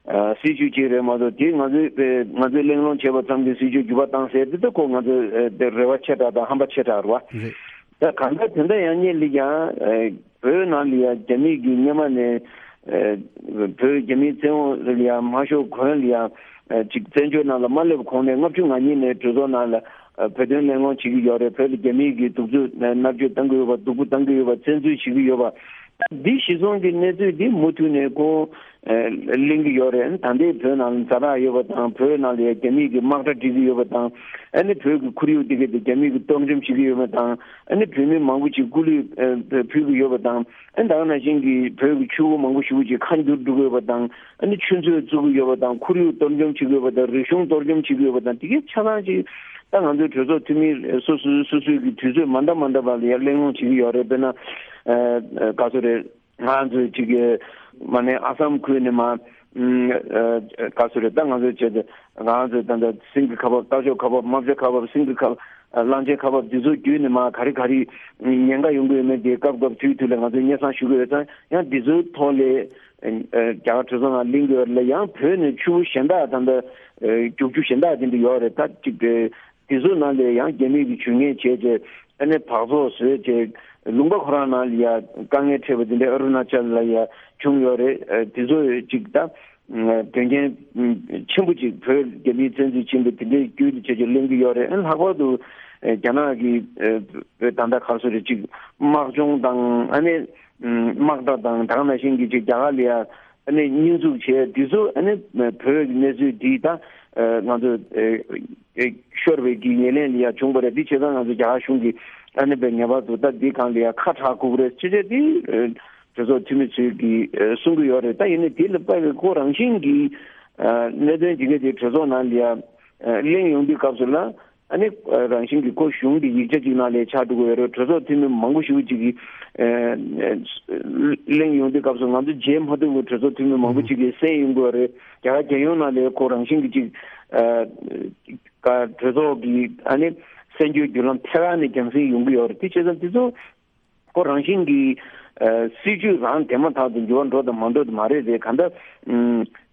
ཨ་སྲིད་བྱུས་གཅིག་རེད་མ་གཏོགས། དེ་ང་ཚོས་ཨེ་ང་ཚོས་གླེང་སློང་བྱས་པ་ཙམ་གྱིས་སྲིད་བྱུས་འགྱུར་བ་བཏང་ཟེར་དེ་ད་ཁོ་ང་ཚོས་ཨེ་དེ་རེ་བ་ཆེ་དྲགས་དང་ཧམ་པ་ཆེ་དྲགས་རེད་བ། རེད། ད་གང་ལྟར་དེ་འདྲ་ཡང་སྙིང་ལ་ཡང་ཨེ་བོད་ནང་ལ་ཡང་རྒྱ་མི་གི་སྔོན་མ་ནས་ཨེ་བོད་རྒྱ་མིའི་བཙན་འོག་ལ་ཡང་མ་ཤོར་གོང་ལ་ཡང་ཨེ་ཅིག་བཙན་བྱོལ་ནང་ལ་མ་སླེབས་གོང་ནས་ལྔ་བཅུ་ང་གཉིས་ནས་གྲོས་ཚོགས་ནང་ལ་ཨ་བོད་དོན་གླེང་སློང་བྱེད་ཀྱི་ཡོད་རེད། བོད་ལ་རྒྱ་མིའི་གི་གདུག་རྩུབ་མནར་གཅོད་བཏང་གི་ཡོད་པ། སྡུག་པོ་བཏང་གི་ཡོད་པ། བཙན་འཛུལ་བྱེད་ཀྱི་ཡོད་པ། འདི་གཞི་བཟུང་གི་གནས་ཚུལ་འདི་མུ་མཐུད་ནས་ཁོང་ཨ་གླེང་གི་ཡོད་རེད། ད་ལྟའི་བོད་ནང་ལ་ཛ་དྲག་ཡོད་པ་དང་། བོད་ནང་ལ་ཡང་རྒྱ་མིའི་གི་དམག་གྲ་སྒྲིག་གི་ཡོད་པ་དང་། ཨ་ནི་བོད་ཀྱི་ཁོར་ཡུག་འདི་ག་དེ་རྒྱ་མིའི་གི་གཏོར་བཅོམ་བྱེད་ཀྱི་ཡོད་པ་དང་། ཨ་ནི་བོད་མི་མང་པོ་ཅིག་སྐུ་ལུས་ཨ་ཕུལ་གྱི་ཡོད་པ་དང་། ཨ་ནི་ད་ག་ནང་བཞིན་གྱི་བོད་ཀྱི་ཆུ་བོ་མང་པོ་ཞེ་པོ་ཅིག་ཁ་འགྱུར་འགྲོ་གི་ཡོད་པ་དང་། ཨ་ནི་ཆུ་མཛོད་བཙུགས་ཀྱི་ཡོད་པ་དང་། ཁོར་ཡུག་གཏོར་བཅོམ་བྱེད་ཀྱི་ཡོད་པ་དང་། རིག་གཞུང་གཏོར་བཅོམ་བྱེད་ཀྱི་ཡོད་པ་དང་། དེ་གའི་ཆ་ཚང་ཅིག་ད་ང་ཚོའི་གྲོས་ཚོགས་འཐུས་མི་སོ་སོ་སོ་སོའི་གི་དུས་ཚོད་མ་འདྲ་མ་འདྲ་བ་ལ་ཡང་གླེང་སློང་བྱེད་ཀྱི་ཡོད་རེད། དཔེར་ན་ཨ་ག་ཚོད་རེད། ང་ཚོའི་ཅིག་གི་མ་ནས་ཨ་སམ་ཁུལ་ནས་མ་ཨ་ག་ཚོད་རེད། ད་ང་ཚོའི་ཆེད་དུ་ང་ཚོའི་ད་ལྟ་སེང་གེ་ཁ་འབབ། སྟག་ཤོག་ཁ་འབབ། རྨ་བྱ་ཁ་འབབ། སེང་གེ་ཁ་འབབ། གླང་ཆེན་ཁ་འབབ། འདི་ཚོ་བརྒྱུད་ནས་མ་ག་རེ་ག་རེ་ཉེན་ཁ་ཡོང་གི་ཡོད་མེད་དེ་སྐབས་སྐབས་དུས་དུས་ལ་ང་ཚོས་སྙན་སེང་ཞུ་གི་ཡོད་ཙང་། ཡང་འདི་ཚོའི་ཐོག་ལ་ཨ་རྒྱ་གར་གྲོས་ཚོགས་ནང་གླེང་གི་ཡོད་རེད་ལ། ཡང་བོད་ནས་ཆུ་བོ་གཞན་དག་ད་ལྟ་ཨ་རྒྱུག་ཆུ་གཞན་དག་དེ་འདྲ་ཡོད་རེད། ད་ཅིག་དེ་དེ་ཚོ་ནང་ལ་ཡང་རྒྱ་མི་གི་ཇུས་ངན་བྱས་རྗེས་ཨ་ནི་འབག་བཙོག་བཟོས་རྗེས་ལུང་པ་ཁོ་རང་ནང་ལ་ཡ་དཀའ་ངལ་འཕྲད་པ་དེ་འདྲ་ཨ་རུ་ན་ཅལ་ལ་ཡ་བྱུང་ཡོད་རེད། ཨ་དེ་ཚོ་ཅིག་ད་དོན་རྐྱེན་ཆེན་པོ་ཅིག་བོད་རྒྱ་མིའི་བཙན་འཛུལ་ཕྱིན་པ་དེ་འདྲའི་བརྒྱུད་དེ་བྱས་རྗེས་གླེང་གི་ཡོད་རེད། ཨ་ནི་ལྷག་པར་དུ་ཨ་རྒྱ་ནག་གི་ཨ་བོད་ད་ལྟ་ག་རེ་ཟེར་རེད། ཅིག་དམག་སྦྱོང་དང་། ཨ་ནི་དམག་གྲ་དང་། ད་ག་ནང་བཞིན་གྱི་ཅིག་རྒྱ་གར་ལ་ཡ་ཨ་ནི་སྙོན་འཛུགས་བྱས། འདི་ཚོ་ཨ་ནི་བོད་ཀྱི་གནས་ཚུལ་འདི་ད་ཨ་ང་ཚོ་ཨ་ཤོར་བའི་གི་ཉེར་ལེན་ལ་ཡ་བྱུང་བ་རེད། འདི་བྱས་ཙང་ང་ཚོ་རྒྱ་གར་གཞུང་གིས་ཨ་ནི་བའི་ངེས་པར་དུ་ད་འདི་སྒང་ལ་ཡ་ཁ་གྲག་དགོས་རེད་ཅེས་བྱས། འདི་ཨ་གྲོས་ཚོགས་འཐུས་མི་ཚོས་གི་ཨ་གསུང་གི་ཡོད་རེད། ད་ཡིན་ནའི་འདི་ལ་དཔག་པའི་ཁོ་རང་བཞིན་གྱི་ཨ་གནད་དོན་འདི་ག་དེ་གྲོས་ཚོགས་ནང་ལ་ཡ་ཨ་གླེང་ཡོང་དུས་སྐབས་སུ་ལ། ཨ་ནི་རང་བཞིན་གྱི་ཁོ་གཞུང་གི་ཡིག་ཆ་ཅིག་ནང་ལ་ཆགས་འགྲོ་གི་ཡོད་རེད། གྲོས་ཚོགས་འཐུས་མི་མང་པོ་ཞིག་ཅིག་གིས་གླེང་ཡོང་དུས་སྐབས་སུ་ང་ཚོ་མཇལ་མ་ཐུབ་པའི་གྲོས་ཚོགས་འཐུས་མི་མང་པོ་ཅིག་གིས་གསན་ཡོང་གི་ཡོད་རེད། རྒྱ་གར་རྒྱལ་ཡོངས་ནང་ལ་ཁོ་རང་བཞིན་གྱི་ཅིག་གྲོས་ཚོགས་ཀྱི་ཨ་ནི་གསན་རྒྱུའི་བརྒྱུད་ལམ་ཐད་ཀར་ནས་རྒྱང་སྲིང་ཡོང་གི་ཡོད་རེད། དེ་བྱས་ཙང་དེ་ཚོ་ཁོ་རང་བཞིན་གྱི་ཨ་སྲིད་ཇུས་རང་དེ་མ་ཐག་ཏུ་འགྱུར་བ་འགྲོ་དང་མ་འགྲོ་དེ་མ་རེད་དེ། གང་ལྟར་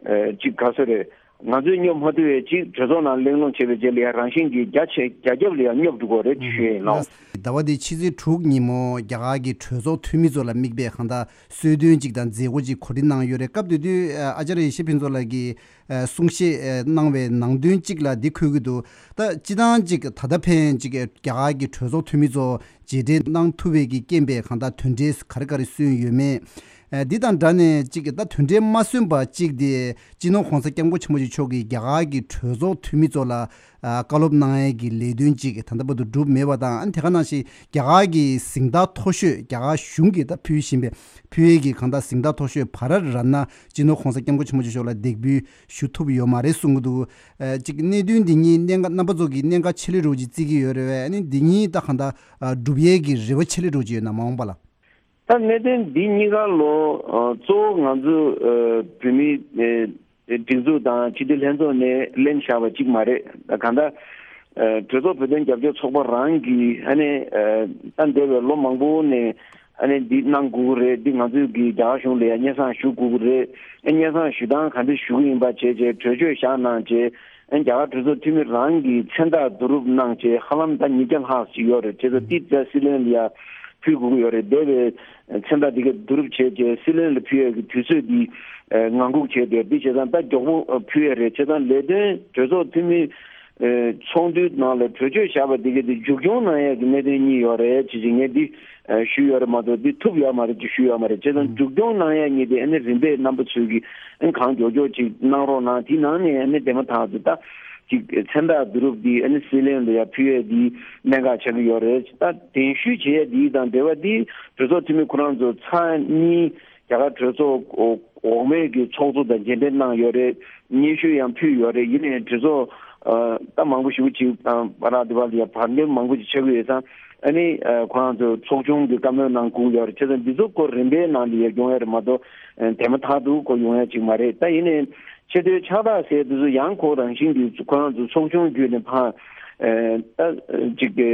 ཨ་ཅིག་ག་ཚོད་རེད། ང་ཚོས་སྙོབ་མ་ཐུབ་པའི་ཅིག་གྲོས་ཚོགས་ནང་གླེང་སློང་བྱེད་པའི་རྗེས་ལ་ཡང་རང་བཞིན་གྱིས་རྒྱ་ཆེ་རྒྱ་ཁྱབ་ལ་ཡང་སྙོབ་འགྲོ་གི་རེད་ཞུ་ཡ་ཡིན་ལགས། ཟླ་བ་འདིའི་ཕྱི་ཚེས་དྲུག་ཉིན་མོ་རྒྱ་གར་གྱི་གྲོས་ཚོགས་འཐུས་མི་ཚོ་ལ་དམིགས་པའི་གང་ལྟར་གསོལ་སྟོན་ཅིག་དང་མཛད་སྒོ་ཅིག་གོ་སྒྲིག་གནང་ཡོད་རེད། སྐབས་དེ་དུས་ཨ་ཨ་ཅཱརྱ་ཡེ་ཤེས་ཕུན་ཚོགས་ལགས་ཀྱིས་ཨ་གསུང་བཤད་ཨ་གནང་བའི་ནང་དོན་གཅིག་ལ་འདི་འཁོད་ཀྱི་འདུག་ད་སྤྱི་བཏང་གཅིག་ད་ལྟ་ཕན་གཅིག་རྒྱ་གར་གྱི་གྲོས་ཚོགས་འཐུས་མི་ཚོ་མཇལ་འཕྲད་གནང་ཐུབ་པའི་གི་རྐྱེན་པས་གང་ལྟར་དོན་འབྲས་ག་རེ་ག་རེ་སོན་ཡོད་མེད། ཨ་འདི་དང་སྦྲགས་ནས་གཅིག་ད་དོན་འབྲས་མ་སོན་པ་གཅིག་དེ་སྤྱི་ནོར་༸གོང་ས་༸སྐྱབས་མགོན་ཆེན་པོ་མཆོག་གིས་རྒྱ་གར་གྱི་གྲོས་ཚོགས་འཐུས་མི་ཚོ་ལ་ཨ་བཀའ་སློབ་གནང་ཡས་ཀྱི་ལས་དོན་གཅིག་ད་ལྟ་བར་དུ་གྲུབ་མེད་པ་དང་། ཨ་ནི་དེ་ག་ནང་བཞིན་རྒྱ་གར་གྱི་གཟེངས་རྟགས་མཐོ་ཤོས་རྒྱ་གར་གཞུང་གིས་ད་ཕུལ་བཞིན་པའི་ཕུལ་ཡས་ཀྱི་གང་ལྟར་གཟེངས་རྟགས་མཐོ་ཤོས་བྷ་ར་ཏ་རཏ་ན་སྤྱི་ནོར་༸གོང་ས་༸སྐྱབས་མགོན་ཆེན་པོ་མཆོག་ལ་འདེགས་འབུལ་ཞུ་ཐུབ་ཡོད་མ་རེད་གསུང་གི་འདུག་ཨ་གཅིག་གནད་དོན་འདི་གཉིས་གནད་འགག་རྣམ་པ་ཚོ་གིས་གནད་འགག་ཆེ་ལོས་འདྲ་བོ་ཅིག་བརྩི་གི་ཡོད་རེད་བས། ཨ་ནི་འདི་གཉིས་ད་གང་ལྟར་ཨ་སྒྲུབ་ཡས་ཀྱི་རེ་བ་ཆེ་ལོས་འདྲ་བོ་ཅིག་ཡོད་ན་མ་འོངས་པ་ལ། ད་གནད་དོན་འདི་གཉིས་ཀ་ལོ་ཨ་གཙོ་བོ་ང་ཚོ་ཨ་བོད་མིའི་ཨ་སྒྲིག་འཛུགས་དང་སྤྱི་འཐུས་ལྷན་ཚོགས་ནས་གླེང་བཞག་པ་གཅིག་མ་རེད། ད་གང་ལྟར་ཨ་གྲོས་ཚོགས་བོད་དོན་རྒྱབ་སྐྱོར་ཚོགས་པ་རང་གིས་ཨ་ནི་ཨ་ད་འདས་པའི་ལོ་མང་པོ་ནས་ཨ་ནི་འདི་གནང་དགོས་ཀྱི་རེད། འདི་ང་ཚོས་ཀྱི་རྒྱ་གར་གཞུང་ལ་ཡང་སྙན་སེང་ཞུ་དགོས་ཀྱི་རེད། ཨ་སྙན་སེང་ཞུ་སྟངས་ག་འདྲ་ཞུ་གི་ཡིན་པ་བྱས་བྱས་གྲོས་ཆོད་བཞག་གནང་བྱས། ཨ་རྒྱ་གར་གྲོས་ཚོགས་འཐུས་མི་རང་གིས་མཚན་རྟགས་བསྡུ་རུབ་གནང་བྱས་ཧ་ལམ་ད་ཉིས་བརྒྱ་ལྷག་ཅིག་ཡོད་རེད། བྱས་ཙང་འདི་ད་སྲིད་བློན་ལ་ཡ་ཕུལ་དགོས་ཀྱི་ཡོད་རེད། འདས་པའི་མཚན་རྟགས་འདི་ག་བསྡུ་རུབ་བྱས་བྱས་སྲིད་བློན་ལ་ཕུལ་ཡས་ཀྱི་དུས་ཚོད་འདི་ཨ་ངང་སྒུག་བྱས་བསྡད། འདི་བྱས་ཙང་ད་མགྱོགས་པོ་ཨ་ཕུལ་ཡས་རེད། བྱས་ཙང་ལས་དོན་གྲོས་ཚོགས་འཐུས་མི་ཨ་ཚོགས་འདུའི་ནང་ལ་གྲོས་ཆོད་བཞག་པ་འདི་ག་འདི་མཇུག་སྐྱོང་གནང་ཡས་ཀྱི་གནད་དོན་གཉིས་ཡོད་རེད་ཅེས་ཅིག་ངས་འདི་ཨ་ཞུས་ཡོད་རེད་མ་གཏོགས་འདི་ཐུབ་ཡོད་མ་རེད་ཅེས་ཞུས་ཡོད་མ་རེད། བྱས་ཙང་མཇུག་སྐྱོང་གནང་ཡས་གཉིས་དེ་ཨ་ནི་རིམ་པས་རྣམ་པ་ཚོས་ཀྱིས་ཨ་ནི་གང་མགྱོགས་མགྱོགས་ཅིག་གནང་རོགས་གནང་། དེའི་ནང་ནས་ཨ་ནི་དེ་མ་ཐག་ཏུ་ད་ཅིག་མཚན་རྟགས་བསྡུ་རུབ་འདི་ཨ་ནི་སྲིད་བློན་ལ་ཡ་ཕུལ་ཡས་འདི་གནད་འགག་ཆགས་ཀྱི་ཡོད་རེད། ད་གདན་ཞུ་བྱེད་ཡས་འདི་དང་འབྲེལ་བ་འདི་གྲོས་ཚོགས་འཐུས་མི་ཁོ་རང་ཚོ་ཚར་གཉིས་རྒྱ་གར་གྲོས་ཚོགས་འོག་མའི་གི་ཚོགས་གཙོ་དང་མཇལ་འཕྲད་གནང་ཡོད་རེད། སྙན་ཞུ་ཡང་ཕུལ་ཡོད་རེད། ཡིན་ནའི་གྲོས་ཚོགས་ཨ་ད་མང་པོ་ཞེ་པོ་ཅིག་དང་བར་དུ་བར་ལ་ཡ་བར་འདོན་མང་པོ་ཅིག་ཆགས་ཀྱི་ཡོད་ཙང་ཨ་ནི་ཨ་ཁོ་རང་ཚོ་ཚོགས་ཆུང་གི་བཀའ་མོལ་གནང་དགོས་ཡོད་རེད། བྱས་ཙང་འདི་ཚོ་ཁོ་རིམ་པའི་ནང་ལ་ཡ་ཡོང་ཡ་རེད་མ་གཏོགས་ཨ་དེ་མ་ཐག་ཏུ་ཁོ་ཡོང་ཡ་ཅིག་མ་རེད། ད་ཡིན་ནའི་ཆེས་མཐོའི་ཕྱག་རྟགས་ཟེར་དེ་ཚོ་ཡང་ཁོ་རང་བཞིན་གྱིས་ཁོ་རང་ཚོ་ཚོགས་ཆུང་བརྒྱུད་ནས་ཕར་ཨ་ད་ཅིག་གི་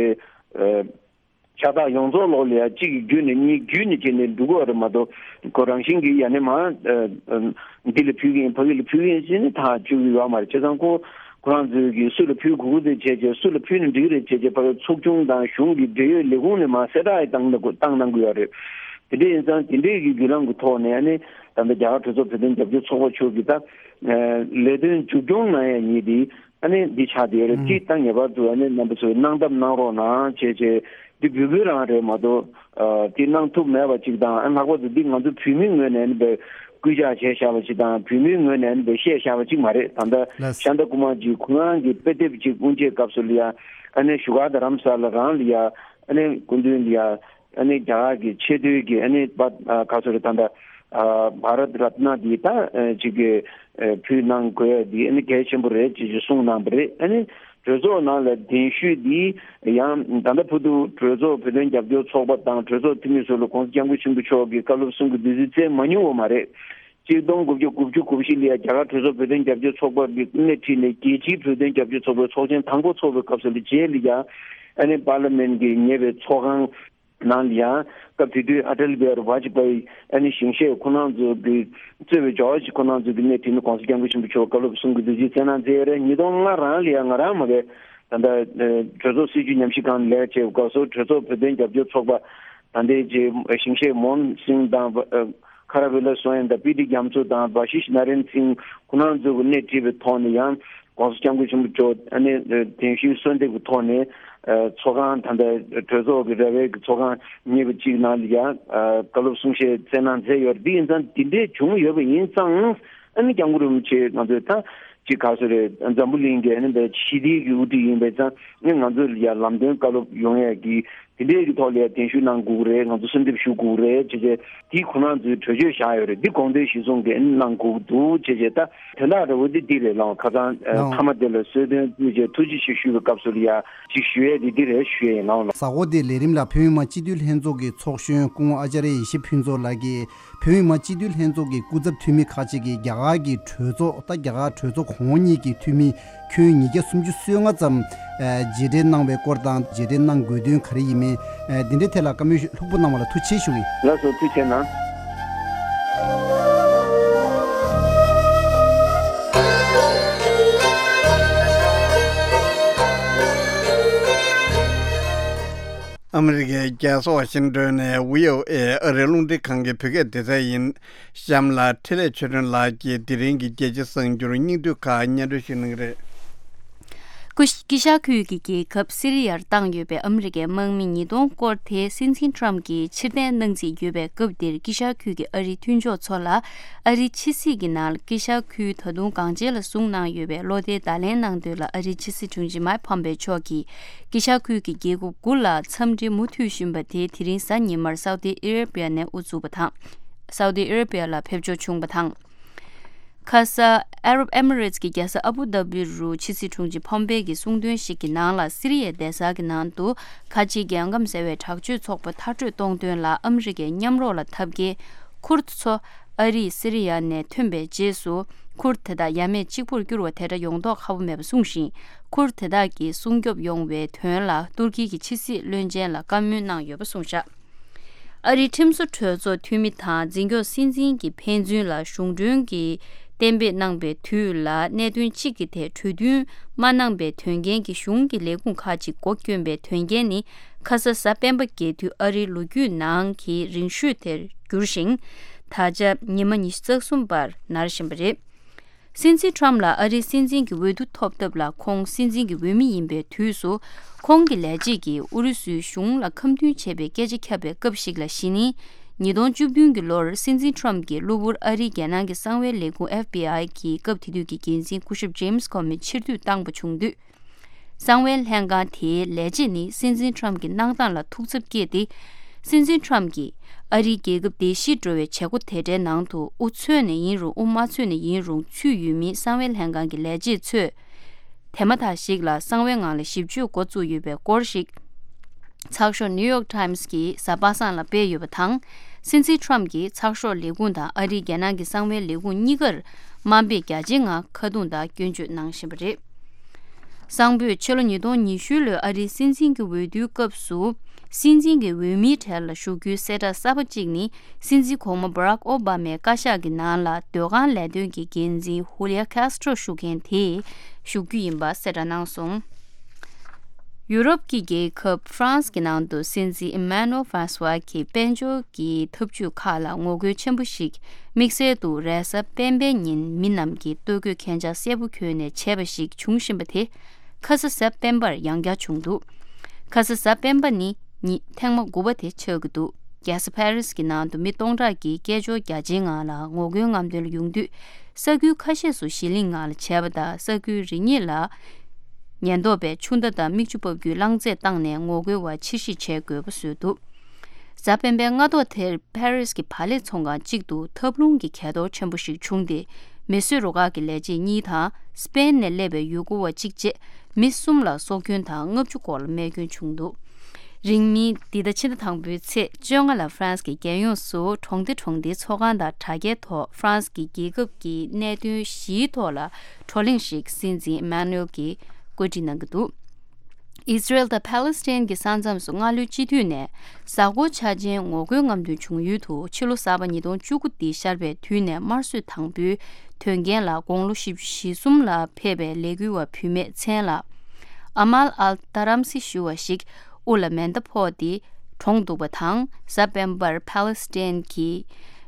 ཨ། ཕྱག་རྟགས་ཡོངས་རྫོགས་ལོག་ལ་ཡ་གཅིག་གི་བརྒྱུད་ནས་གཉིས་བརྒྱུད་ནས་བྱས་ནས་འགྲོ་གི་ཡོད་རེད་མ་གཏོགས་ཁོ་རང་བཞིན་གྱིས་ཡ་ནས་མ་ཨ་ཨ་འདི་ལ་ཕུལ་གྱི་ཡིན་ཕ་གི་ལ་ཕུལ་གྱི་ཡིན་ཟེར་ནས་ཐག་གཅོད་ཀྱི་ཡོད་མ་རེད། བྱས་ཙང་ཁོ་ཁོ་རང་ཚོས་ཀྱིས་སུ་ལ་ཕུལ་དགོས་ཀྱི་དེ་བྱས་བྱས་སུ་ལ་ཕུལ་ན་འགྲིག་གི་རེད་བྱས་བྱས་ཕ་གི་ཚོགས་ཆུང་དང་གཞུང་གི་འབྲེལ་ཡོད་ལས་ཁུངས་ནས་མ་གསལ་བསྒྲགས་ཡང་བཏང་གནང་གི་བཏང་གནང་གི་ཡོད་རེད། དེ་འདྲ་ཡིན་ཙང་དེ་འདྲའི་གི་བརྒྱུད་ལམ་གྱི་ཐོག་ནས་ཨ་ནི་ད་ལྟ་རྒྱ་གར་གྲོས་ཚོགས་བོད་དོན་རྒྱབ་སྐྱོར་ཚོགས་པ་མཆོག་གིས་ད་ཨ་ལས་དོན་མཇུག་སྐྱོང་གནང་ཡ་གཉིས་དེ། ཨ་ནི་འདི་ཆགས་བསྡད་ཡོད་རེད། ཨང་། གཅིག་ད་ངེས་པར་དུ་ཨ་ནི་རྣམ་པ་ཚོས་གནང་ཐབས་གནང་རོགས་གནང་བྱས་བྱས་འདི་འབོད་སྐུལ་རང་རེད་མ་གཏོགས་ཨ་འདི་གནང་ཐུབ་མེད་པ་གཅིག་དང་། ཨ་ལྷག་པར་དུ་འདི་ང་ཚོ་བོད་མིའི་ངོས་ནས་ཨ་ནི་བས་སྐུལ་ལྕག་བྱས་བཞག་པ་གཅིག་དང་བོད་མིའི་ངོས་ནས་ཨ་ནི་བས་བཤད་བཞག་པ་གཅིག་མ་རེད། ད་ལྟ་ལགས། ཤཱནྟ་ཀུ་མར་གྱིས་ཁོ་རང་གི་དཔེ་དེབ་གཅིག་དབུ་འབྱེད་སྐབས་སུ་ལ་ཡ་ཨ་ནི་བཞུགས་སྒར་རྡ་རམ་ས་ལ་རང་ལ་ཡ་ཨ་ནི་སྐུ་མདུན་ལ་ཡ། ཨ་ནི་རྒྱ་གར་གྱི་ཆེས་མཐོའི་གི་ཨ་ནི་པ་ཨ་ག་ཚོད་རེད་ད་ལྟ་ཨ་བྷ་རད་རཏ་ན་འདི་ད་ཨ་ཅིག་གི་ཨ་ཕུལ་གནང་དགོས་ཡ་འདི་ཨ་ནི་གལ་ཆེན་པོ་རེད་ཅེས་ཅིག་གསུངས་གནང་བ་རེད། ཨ་ནི་གྲོས་ཚོགས་ནང་ལ་གདན་ཞུས་འདི་ཡང་ད་ལྟ་བར་དུ་གྲོས་ཚོགས་བོད་དོན་རྒྱབ་སྐྱོར་ཚོགས་པ་དང་གྲོས་ཚོགས་འཐུས་མི་ཚོ་ལ་༸གོང་ས་༸སྐྱབས་མགོན་ཆེན་པོ་མཆོག་གི་བཀའ་སློབ་གསུང་གི་བདུད་རྩི་བསྩལ་མ་མྱོང་བ་མ་རེད། གཅིག་སྟོང་དགུ་བརྒྱ་དགུ་བཅུ་གོ་བཞི་ལ་ཡ་རྒྱ་གར་གྲོས་ཚོགས་བོད་དོན་རྒྱབ་སྐྱོར་ཚོགས་པ་གི་སྣེ་ཁྲིད་ནས་རྒྱལ་སྤྱིའི་བོད་དོན་རྒྱབ་སྐྱོར་ཚོགས་པའི་ཚོགས་ཆེན་དང་པོ་ཚོགས་པའི་སྐབས་སུ་ལ་རྗེས་ལ་ཡ་ཨ་ནི་པར་ལི་མེན་གྱི་ཉེ་བའི་ཚོགས་ཁང་ནང་ལ་ཡང་སྐབས་དེ་དུས་ཨ་ཊལ་བྷི་ཧར་ཝ་ཇི་པ་ཡི་ཨ་ནི་ཞིང་གཤེགས་ཁོ་རང་ཚོ་གི་གཙོས་པའི་ཇོར་ཇི་ཁོ་རང་ཚོ་གི་སྣེ་ཁྲིད་ནས་༸གོང་ས་༸སྐྱབས་མགོན་ཆེན་པོ་མཆོག་བཀའ་སློབ་གསུང་གི་བདུད་རྩི་བསྩལ་གནང་མཛད་ཡོད་རེད། ཉིས་སྟོང་ལྔ་རང་ལ་ཡང་ང་རང་མ་གི་ད་ལྟ་གྲོས་ཚོགས་སྲིད་བྱུས་ཉམས་ཞིབ་ཁང་ལ་ལས་ཀ་བྱེད་པའི་སྐབས་སུ་གྲོས་ཚོགས་བོད་དོན་རྒྱབ་སྐྱོར་ཚོགས་པ་ད་ལྟའི་རྗེ་ཞིང་གཤེགས་མོ་ཧན་སིང་དང་ཁ་ར་བི་ལ་སོན་དང་པི་ཏི་རྒྱ་མཚོ་དང་བ་ཤིཤ་ན་རེན་སིང་ཁོ་རང་ཚོ་གི་སྣེ་ཁྲིད་པའི་ཐོག་ནས་ཡང་༸གོང་ས་༸སྐྱབས་མགོན་ཆེན་པོ་མཆོག་ཨ་ནི་གདན་ཞུའི་གསོལ་འདེབས་ཀྱི་ཐོག་ནས་ཚོགས་ཁང་ད་ལྟ་གྲོས་ཚོགས་ཀྱི་ར་བའི་གི་ཚོགས་ཁང་གཉིས་པ་གཅིག་ནང་ལ་ཡང་བཀའ་སློབ་གསུང་བཤད་སྩལ་གནང་མཛད་ཡོད་རེད། འདི་ཡིན་ཙང་འདི་འདྲའི་བྱུང་ཡོད་པ་ཡིན་ཙང་ཨ་ནི་སྐྱབས་མགོན་རིན་པོ་ཆེ་ང་ཚོས་ད་ཅིག་ག་ཚོད་རེད། འཛམ་བུ་གླིང་གི་ཨ་ནི་ཞི་བདེའི་གི་དབུ་ཁྲིད་ཡིན་པ་ཡིན་ཙང་ཨ་ནི་ང་ཚོ་ལ་ཡང་ལམ་སྟོན་བཀའ་སློབ་ཡོང་ཡས་ཀྱི་ དེ་འདྲའི་གི་ཐོག་ལ་གདན་ཞུ་གནང་དགོས་ཀྱི་རེད། ང་ཚོ་གསོལ་འདེབས་ཞུ་དགོས་ཀྱི་རེད་ཅེས་བྱས། དེ་ཁོ་རང་ཚོའི་གྲོས་ཆོད་བཞག་ཡོད་རེད། འདི་དགོངས་དོན་གཞིར་བཟུང་གི་གནང་དགོས་འདུག་ཅེས་བྱས། ད་དོན་དག་འདྲ་བོ་འདི་འདི་རེད་ལགས། ཁ་སང་ཨ་ནོ། མཐའ་མ་དེ་ལ་གསོལ་སྟོན་ཅེས་བྱས་ཐུགས་རྗེ་ཆེ་ཞུ་བའི་སྐབས་སུ་ལ་ཡ་ཅིག་ཞུ་ཡས་འདི་འདི་རེད་ཞུ་ཡས་ཡིན་ལགས། གཟའ་འཁོར་འདིའི་ལས་རིམ་ལ་བོད་མི་མང་སྤྱི་འཐུས་ལྷན་ཚོགས་ཀྱི་ཚོགས་གཞོན་སྐུ་ངོ་ཨ་ཅཱརྱ་ཡེ་ཤེས་ཕུན་ཚོགས་ལགས་ཀྱིས། བོད་མི་མང་སྤྱི་འཐུས་ལྷན་ཚོགས་ཀྱི་སྐུ་ཚབ་འཐུས་མི་ཁག་ཅིག་གིས་རྒྱ་གར་གྱི་གྲོས་ཚོགས་དང་རྒྱ་གར་གྲོས་ཚོགས་གོང་འོག་གཉིས་ཀྱི་འཐུས་མི་ཁྱོན་ཉིས་བརྒྱ་སུམ་ཅུ་སོ་ལྔ་ཙམ་མཇལ་འཕྲད་གནང་བའི་སྐོར་དང་། མཇལ་འཕྲད་གནང་དགོས་དོན་ག་རེ་ཡིན་མིན། འདི་འདྲའི་ཐད་ལ་བཀའ་མོལ་ལྷུག་པོ་གནང་བ་ལ་ཐུགས་རྗེ་ཆེ་ཞུ་གི་ཡིན། ལགས་སོ། ཐུགས་རྗེ་གནང་། ཨ་མི་རི་ཀའི་རྒྱལ་ས་ཝ་ཤིང་ཏོན་ནས་བྷི་ཨོ་ཨེ་ཨ་རིའི་རླུང་འཕྲིན་ཁང་གི་བོད་སྐད་སྡེ་ཚན་ཡིན། གཤམ་ལ་འཕྲིན་ལས་ཆོས་སྒྲོན་ལགས་ཀྱིས་དེ་རིང་གི་རྒྱལ་སྤྱིའི་གསར་འགྱུར་སྙིང་བསྡུས་ཁག་སྙན་སྒྲོན་ཞུ་གནང་གི་རེད། ཀུ་ཤ། དཀྱིལ་ཤར་ཁུལ་གྱི་རྒྱལ་ཁབ་སི་རི་ཡར་བཏང་ཡོད་པའི་ཨ་མི་རི་ཀའི་དམག་མི་ཉིས་སྟོང་སྐོར་དེ་སྲིད་འཛིན་ཊམ་གྱིས་ཕྱིར་འཐེན་གནང་རྩིས་ཡོད་པའི་སྐབས་འདིར། དཀྱིལ་ཤར་ཁུལ་གྱི་ཨ་རིའི་མཐུན་ཕྱོགས་ཚོ་ལ་ཨ་རིའི་ཕྱི་སྲིད་ཀྱི་ནང་ལ་དཀྱིལ་ཤར་ཁུལ་ད་དུང་གང་ཆེ་ལ་བཟུང་གནང་ཡོད་པའི་བློ་བདེའི་བརྡ་ལན་གནང་དོན་ལ། ཨ་རིའི་ཕྱི་སྲིད་དྲུང་ཆེ་མཱིག་ཕོམ་པེ་མཆོག་གིས་དཀྱིལ་ཤར་ཁུལ་གྱི་རྒྱལ་ཁབ་དགུ་ལ་འཚམས་འདྲི་མུ་མཐུད་བཞིན་པ་དེ་དེ་རིང་གཟའ་ཉི་མར་སའུ་ཏི་ཨ་རེ་བྷི་ཡ་ནས་དབུ་བཙུགས་པ་དང་། སའུ་ཏི་ཨ་རེ་བྷི་ཡ་ལ་ཕེབས་འབྱོར་བྱུང་བ་དང་། ཁ་ས་ཨ་རབ་ཨེ་མི་རེ་ཊི་ཀྱི་རྒྱལ་ས་ཨ་བུ་དྷ་བི་རུ་ཕྱི་སྲིད་དྲུང་ཆེ་ཕོམ་པེ་གྱི་གསུང་དོན་ཞིག་གི་ནང་ལ། སི་རི་ཡའི་གདན་ས་གི་ནང་དུ་ཁ་ཆེའི་རྒྱལ་ཁམས་ཟེར་བའི་དྲག་སྤྱོད་ཚོགས་པ་མཐར་སྐྲོད་གཏོང་དོན་ལ་ཨ་མི་རི་ཀའི་མཉམ་རོགས་ལ་འཐབ་མཁན་ཁུར་ཐི་ཚོ་ཨ་རིས་སི་རི་ཡ་ནས་ཐོན་པའི་རྗེས་སུ། ཁུར་ཐི་དེ་དག་ཡ་མེད་གཅིག་པུར་བསྒྱུར་བ་དེ་འདྲ་ཡོང་མདོག་ཁ་པོ་མེད་པ་གསུངས་ཤིང་། ཁུར་དེ་དག་གིས་སྲུང་སྐྱོབ་ཡོང་བའི་དོན་ལ་ཏུར་ཀི་གི་ཕྱི་སྲིད་བློན་ཆེན་ལ་བཀའ་མོལ་གནང་ཡོད་པ་གསུངས་བཞག་ཨ་རིའི་ཁྲིམས་བཟོ་གྲོས་ཚོགས་འཐུས་མི་དང་འཛིན་སྐྱོང་སྲིད་འཛིན་གྱི་ཕན་ཚུན་ལ་གཞུང་གྲོན་གྱིས་གཏན་འབེབས་གནང་པའི་དུས་ལ་གནད་དོན་གཅིག་གི་ཐད་གྲོས་མཐུན་མ་གནང་པའི་དོན་རྐྱེན་གྱིས་གཞུང་གི་ལས་ཁུངས་ཁག་ཅིག་སྒོ་བསྐྱོན་པའི་དོན་རྐྱེན་ནི། ཁ་ས་གཟའ་སྤེན་པ་རྒྱལ་དུས་ཨ་རིའི་ལོ་རྒྱུས་ནང་གི་རིང་ཤོས་དེར་གྱུར་ཞིང་། ད་ཆ་ཉི་མ་ཉི་ཤུ་རྩ་གསུམ་པར་ནར་བཞིན་པ་རེད། སྲིད་འཛིན་ཊམ་ལ་ཨ་རིའི་སྲིད་འཛིན་གྱི་འོས་བསྡུ་ཐོབ་ཐབས་ལ་ཁོང་སྲིད་འཛིན་གྱི་འོས་མི་ཡིན་པའི་དུས་སུ། ཁོང་གི་ལས་བྱེད་ཀྱིས་ཨུ་རུ་སུའི་གཞུང་ལ་ཁ་མཐུན་བྱས་པའི་སྐད་ཆ་ཁྱབ་པའི་སྐབས་ཤིག་ལ་གཞི་ནི། ཉིས་སྟོང་བཅུ་བདུན་གྱི་ལོར་སྲིད་འཛིན་ཊམ་གྱི་གློ་བུར་ཨ་རིའི་རྒྱལ་ནང་གི་གསང་བའི་ལས་ཁུངས་ཨེཕ་བྷི་ཨའི་གི་སྐབས་དེ་དུས་ཀྱི་འགན་འཛིན་སྐུ་ཞབས་ཇེམ་སི་ཁོ་མི་ཕྱིར་འཐུས་བཏང་པ་བྱུང་དུས། གསང་བའི་ལྷན་ཁང་དེའི་ལས་བྱེད་ནི་སྲིད་འཛིན་ཊམ་གྱི་གནང་སྟངས་ལ་ཐུགས་འཚབ་སྐྱེས་ཏེ། སྲིད་འཛིན་ཊམ་གྱིས་ཨ་རིའི་རྒྱལ་ཁབ་བདེ་སྐྱིད་འགྲོ་བའི་བྱེད་སྒོ་དེ་འདྲའི་ནང་དུ་དབུ་ཚུད་ནས་ཡིན་རུང་དབུ་མ་ཚུད་ནས་ཡིན་རུང་ཚུད་ཡོད་མིན་གསང་བའི་ལྷན་ཁང་གི་ལས་བྱེད་ཚོས་དེ་མ་ཐག་ཞིག་ལ་གསང་བའི་ངང་ལ་ཞིབ་དཔྱོད་འགོ་བཙུགས་ཡོད་པའི་སྐོར་ཞིག་ཚགས་ཤོག་ནིའུ་ཡོག་ཊའིམ་སི་གིས་གཟའ་པ་སངས་ལ་སྤེལ་ཡོད་པ་དང་། སྲིད་འཛིན་ཊམ་གྱིས་ཚགས་ཤོག་ལས་ཁུངས་དང་ཨ་རིའི་རྒྱལ་ནང་གི་གསང་བའི་ལས་ཁུངས་གཉིས་ཀར་དམའ་འབེབས་རྒྱ་ཆེའི་ངང་ཁ་རྡུང་དང་སྐྱོན་བརྗོད་གནང་བཞིན་པ་རེད། གསང་ཕོད་ཕྱི་ལོ་ཉིས་སྟོང་ཉི་ཤུ་ལོའི་ཨ་རིའི་སྲིད་འཛིན་གྱི་འོས་བསྡུའི་སྐབས་སུ། སྲིད་འཛིན་གྱི་འོས་མིའི་གྲལ་ལ་ཞུགས་རྒྱུའི་གསལ་བསྒྲགས་གསར་པ་གཅིག་ནི། སྲིད་འཛིན་གོང་མ་Barack Obamaའི་བཀའ་ཤག་གི་ནང་ལ་སྡོད་ཁང་ལས་དོན་གྱི་འགན་འཛིན་Julia Castro་ཞུ་མཁན་དེས་ཞུགས་རྒྱུ་ཡིན་པ་གསལ་བསྒྲགས་གནང་སོང་། ཡུ་རོབ་ཀྱི་རྒྱལ་ཁབ་ཧྥ་རན་སི་གི་ནང་དུ་སྲིད་འཛིན་Emmanuel Francois་གྱི་དཔལ་འབྱོར་གྱི་འཐབ་ཇུས་ཁག་ལ་ངོ་རྒོལ་ཆེན་པོ་ཞིག་དམིགས་བསལ་དུ་རེས་གཟའ་སྤེན་པའི་ཉིན་མི་རྣམས་ཀྱིས་ལྟོ་གོས་གན་ཆག་གསལ་པོ་གྱོན་ནས་བྱས་པ་ཞིག་བྱུང་བཞིན་པ་དེ། ཁ་ས་གཟའ་སྤེན་པར་ཡང་བསྐྱར་བྱུང་འདུག་ཁ་ས་གཟའ་སྤེན་པ་ནི་ཉི་ཐེངས་མ་དགུ་པ་དེ་ཆགས་ཀྱི་འདུག་རྒྱལ་ས་ཕ་རི་སི་གི་ནང་དུ་མི་སྟོང་ཕྲག་གིས་སྐད་ཅོར་རྒྱ་ཆེའི་ངང་ལ་ངོ་རྒོལ་རྔམ་སྟོན་ལ་ཡོང་དུས། ས་ཁུལ་ཁ་ཤས་སུ་ཞི་ལིང་ངང་ལ་བྱས་པ་དང་། ས་ཁུལ་རེ་གཉིས་ལ་ཉེན་རྟོག་པས་ཆུ་མདའ་དང་མིག་ཆུ་འབབ་རྒྱུའི་རླངས་རྫས་བཏང་ནས་ངོ་རྒོལ་བ་ཕྱིར་བཤིག་བྱེད་དགོས་པ་བཟོས་འདུག་གཟའ་སྤེན་པའི་སྔ་ཐོག་དེར་ཕ་རི་སི་གི་བག་ལེབ་ཚོང་ཁང་གཅིག་ཏུ་ཐབས་ལུང་གི་གས་གཏོར་ཆེན་པོ་ཞིག་བྱུང་སྟེ། མེ་གསོད་རུ་ཁག་གི་ལས་བྱེད་གཉིས་དང་སྤེན་ནས་སླེབས་པའི་ཡུལ་སྐོར་བ་གཅིག་བཅས་མི་གསུམ་ལ་སྲོག་སྐྱོན་དང་ལྔ་བཅུ་སྐོར་ལ་རྨས་སྐྱོན་བྱུང་འདུག་རིང་མིན་འདི་ཟླ་ཕྱི་ཟླ་དང་པོའི་ཚེས་བཅོ་ལྔ་ལ་ཧྥ་རན་སི་གི་རྒྱལ་ཡོངས་སུ་གྲོང་སྡེ་གྲོང་སྡེའི་ཚོགས་ཁང་དང་དྲ་རྒྱའི་ཐོག་ཧྥ་རན་སི་གི་རྒྱལ་ཁབ་ཀྱི་གནད་དོན་བཞིའི་ཐོག་ལ་བགྲོ་གླེང་ཞིག་སྲིད་འཛིན་ཨི་མཱ་ནུ་ཨེལ་གྱིས་བཀོད་སྒྲིག་གནང་གི་འདུག་ཨི་སི་རེལ་དང་ཕཱ་ལེ་སི་ཐན་གྱི་ས་མཚམས་སུ་སྔ་ལོའི་སྤྱི་འཐུས་ནས་གཟའ་འཁོར་འཆར་ཅན་ངོ་རྒོལ་རྔམ་སྟོན་བྱུང་ཡུལ་དུ་ཕྱི་ལོ་གསར་པ་ཉིས་སྟོང་བཅུ་དགུ་འདི་ཤར་བའི་དུས་ནས་དམར་གསོད་དང་པོའི་དོན་རྐྱེན་ལ་དགུང་ལོ་བཞི་བཅུ་ཞེ་གསུམ་ལ་ཕེབས་པའི་ལས་འགུལ་བ་བུད་མེད་མཚན་ལ་ཨ་མཱལ་ཨལ་ཏཱ་རམ་སི་ཞུ་བ་ཞིག་དབུ་ལ་མེ་མདའ་ཕོག་སྟེ་གྲོངས་འདུག་པ་དང་། གཟའ་སྤེན་པར་ཕཱ་ལེ་སི་ཐན་གྱི་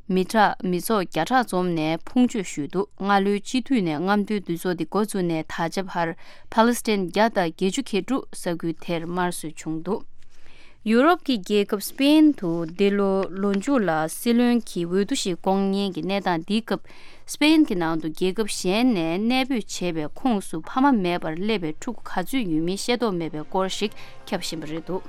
མི་དྲག་མི་ཚོགས་བརྒྱ་ཕྲག་འཛོམས་ནས་ཕུང་མཆོད་ཞུས་འདུག་སྔ་ལོའི་སྤྱི་འཐུས་ནས་རྔམ་སྟོན་འདུ་ཚོགས་འདི་འགོ་བཙུགས་ནས་ད་ཆ་བར་ཕཱ་ལེ་སི་ཐན་བརྒྱ་དང་བརྒྱད་ཅུ་གྱ་དྲུག་ས་ཁུལ་དེར་དམར་གསོད་བྱུང་འདུག་ཡུ་རོབ་ཀྱི་རྒྱལ་ཁབ་སི་པེན་དུ་འདི་ལོ་ལོ་མཇུག་ལ་སྲིད་བློན་གྱི་འོས་བསྡུ་ཞིག་སྐོང་མཁན་གྱི་གནས་སྟངས་འདིའི་སྐབས། སི་པེན་གྱི་ནང་དུ་རྒྱལ་ཁབ་གཞན་ནས་གནས་སྤོས་བྱས་པའི་ཁོངས་སུ་ཕ་མ་མེད་པར་སླེབས་པའི་ཕྲུ་གུ་ག་ཚོད་ཡོད་མིན་ཤེས་རྟོགས་མེད་པའི་སྐོར་ཞིག་ཁྱབ་བཞིན་པ་རེད་འདུག་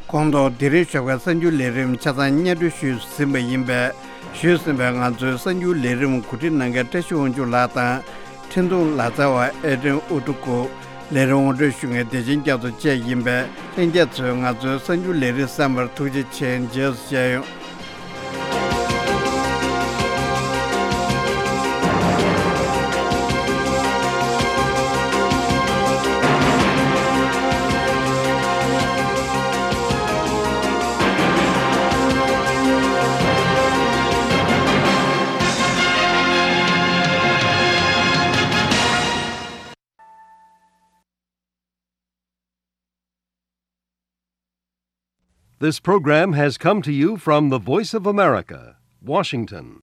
ཁོང་ཐོག་དེ་རིང་ཞོགས་པའི་གསར་འགྱུར་ལས་རིམ་ཆ་ཚང་སྙན་སྒྲོན་ཞུས་ཟིན་པ་ཡིན་པས། ཞུས་ཟིན་པའི་ང་ཚོའི་གསར་འགྱུར་ལས་རིམ་གོ་སྒྲིག་གནང་མཁན་བཀྲ་ཤིས་དབང་ཕྱུག་ལགས་དང་། འཕྲིན་གཏོང་ལག་རྩལ་བ་ཨེ་ཌྲེན་ཨུ་ཏུ་ཀུ། ལས་རིམ་ངོ་སྤྲོད་ཞུ་མཁན་བདེ་ཆེན་རྒྱ་མཚོ་བཅས་ཡིན་པས། ལྷན་རྒྱས་ཚོས་ང་ཚོའི་གསར་འགྱུར་ལས་རིམ་གསན་པར་ཐུགས་རྗེ་ཆེ། རྗེས་སུ་མཇལ་ཡོང་། This program has come to you from the Voice of America, Washington.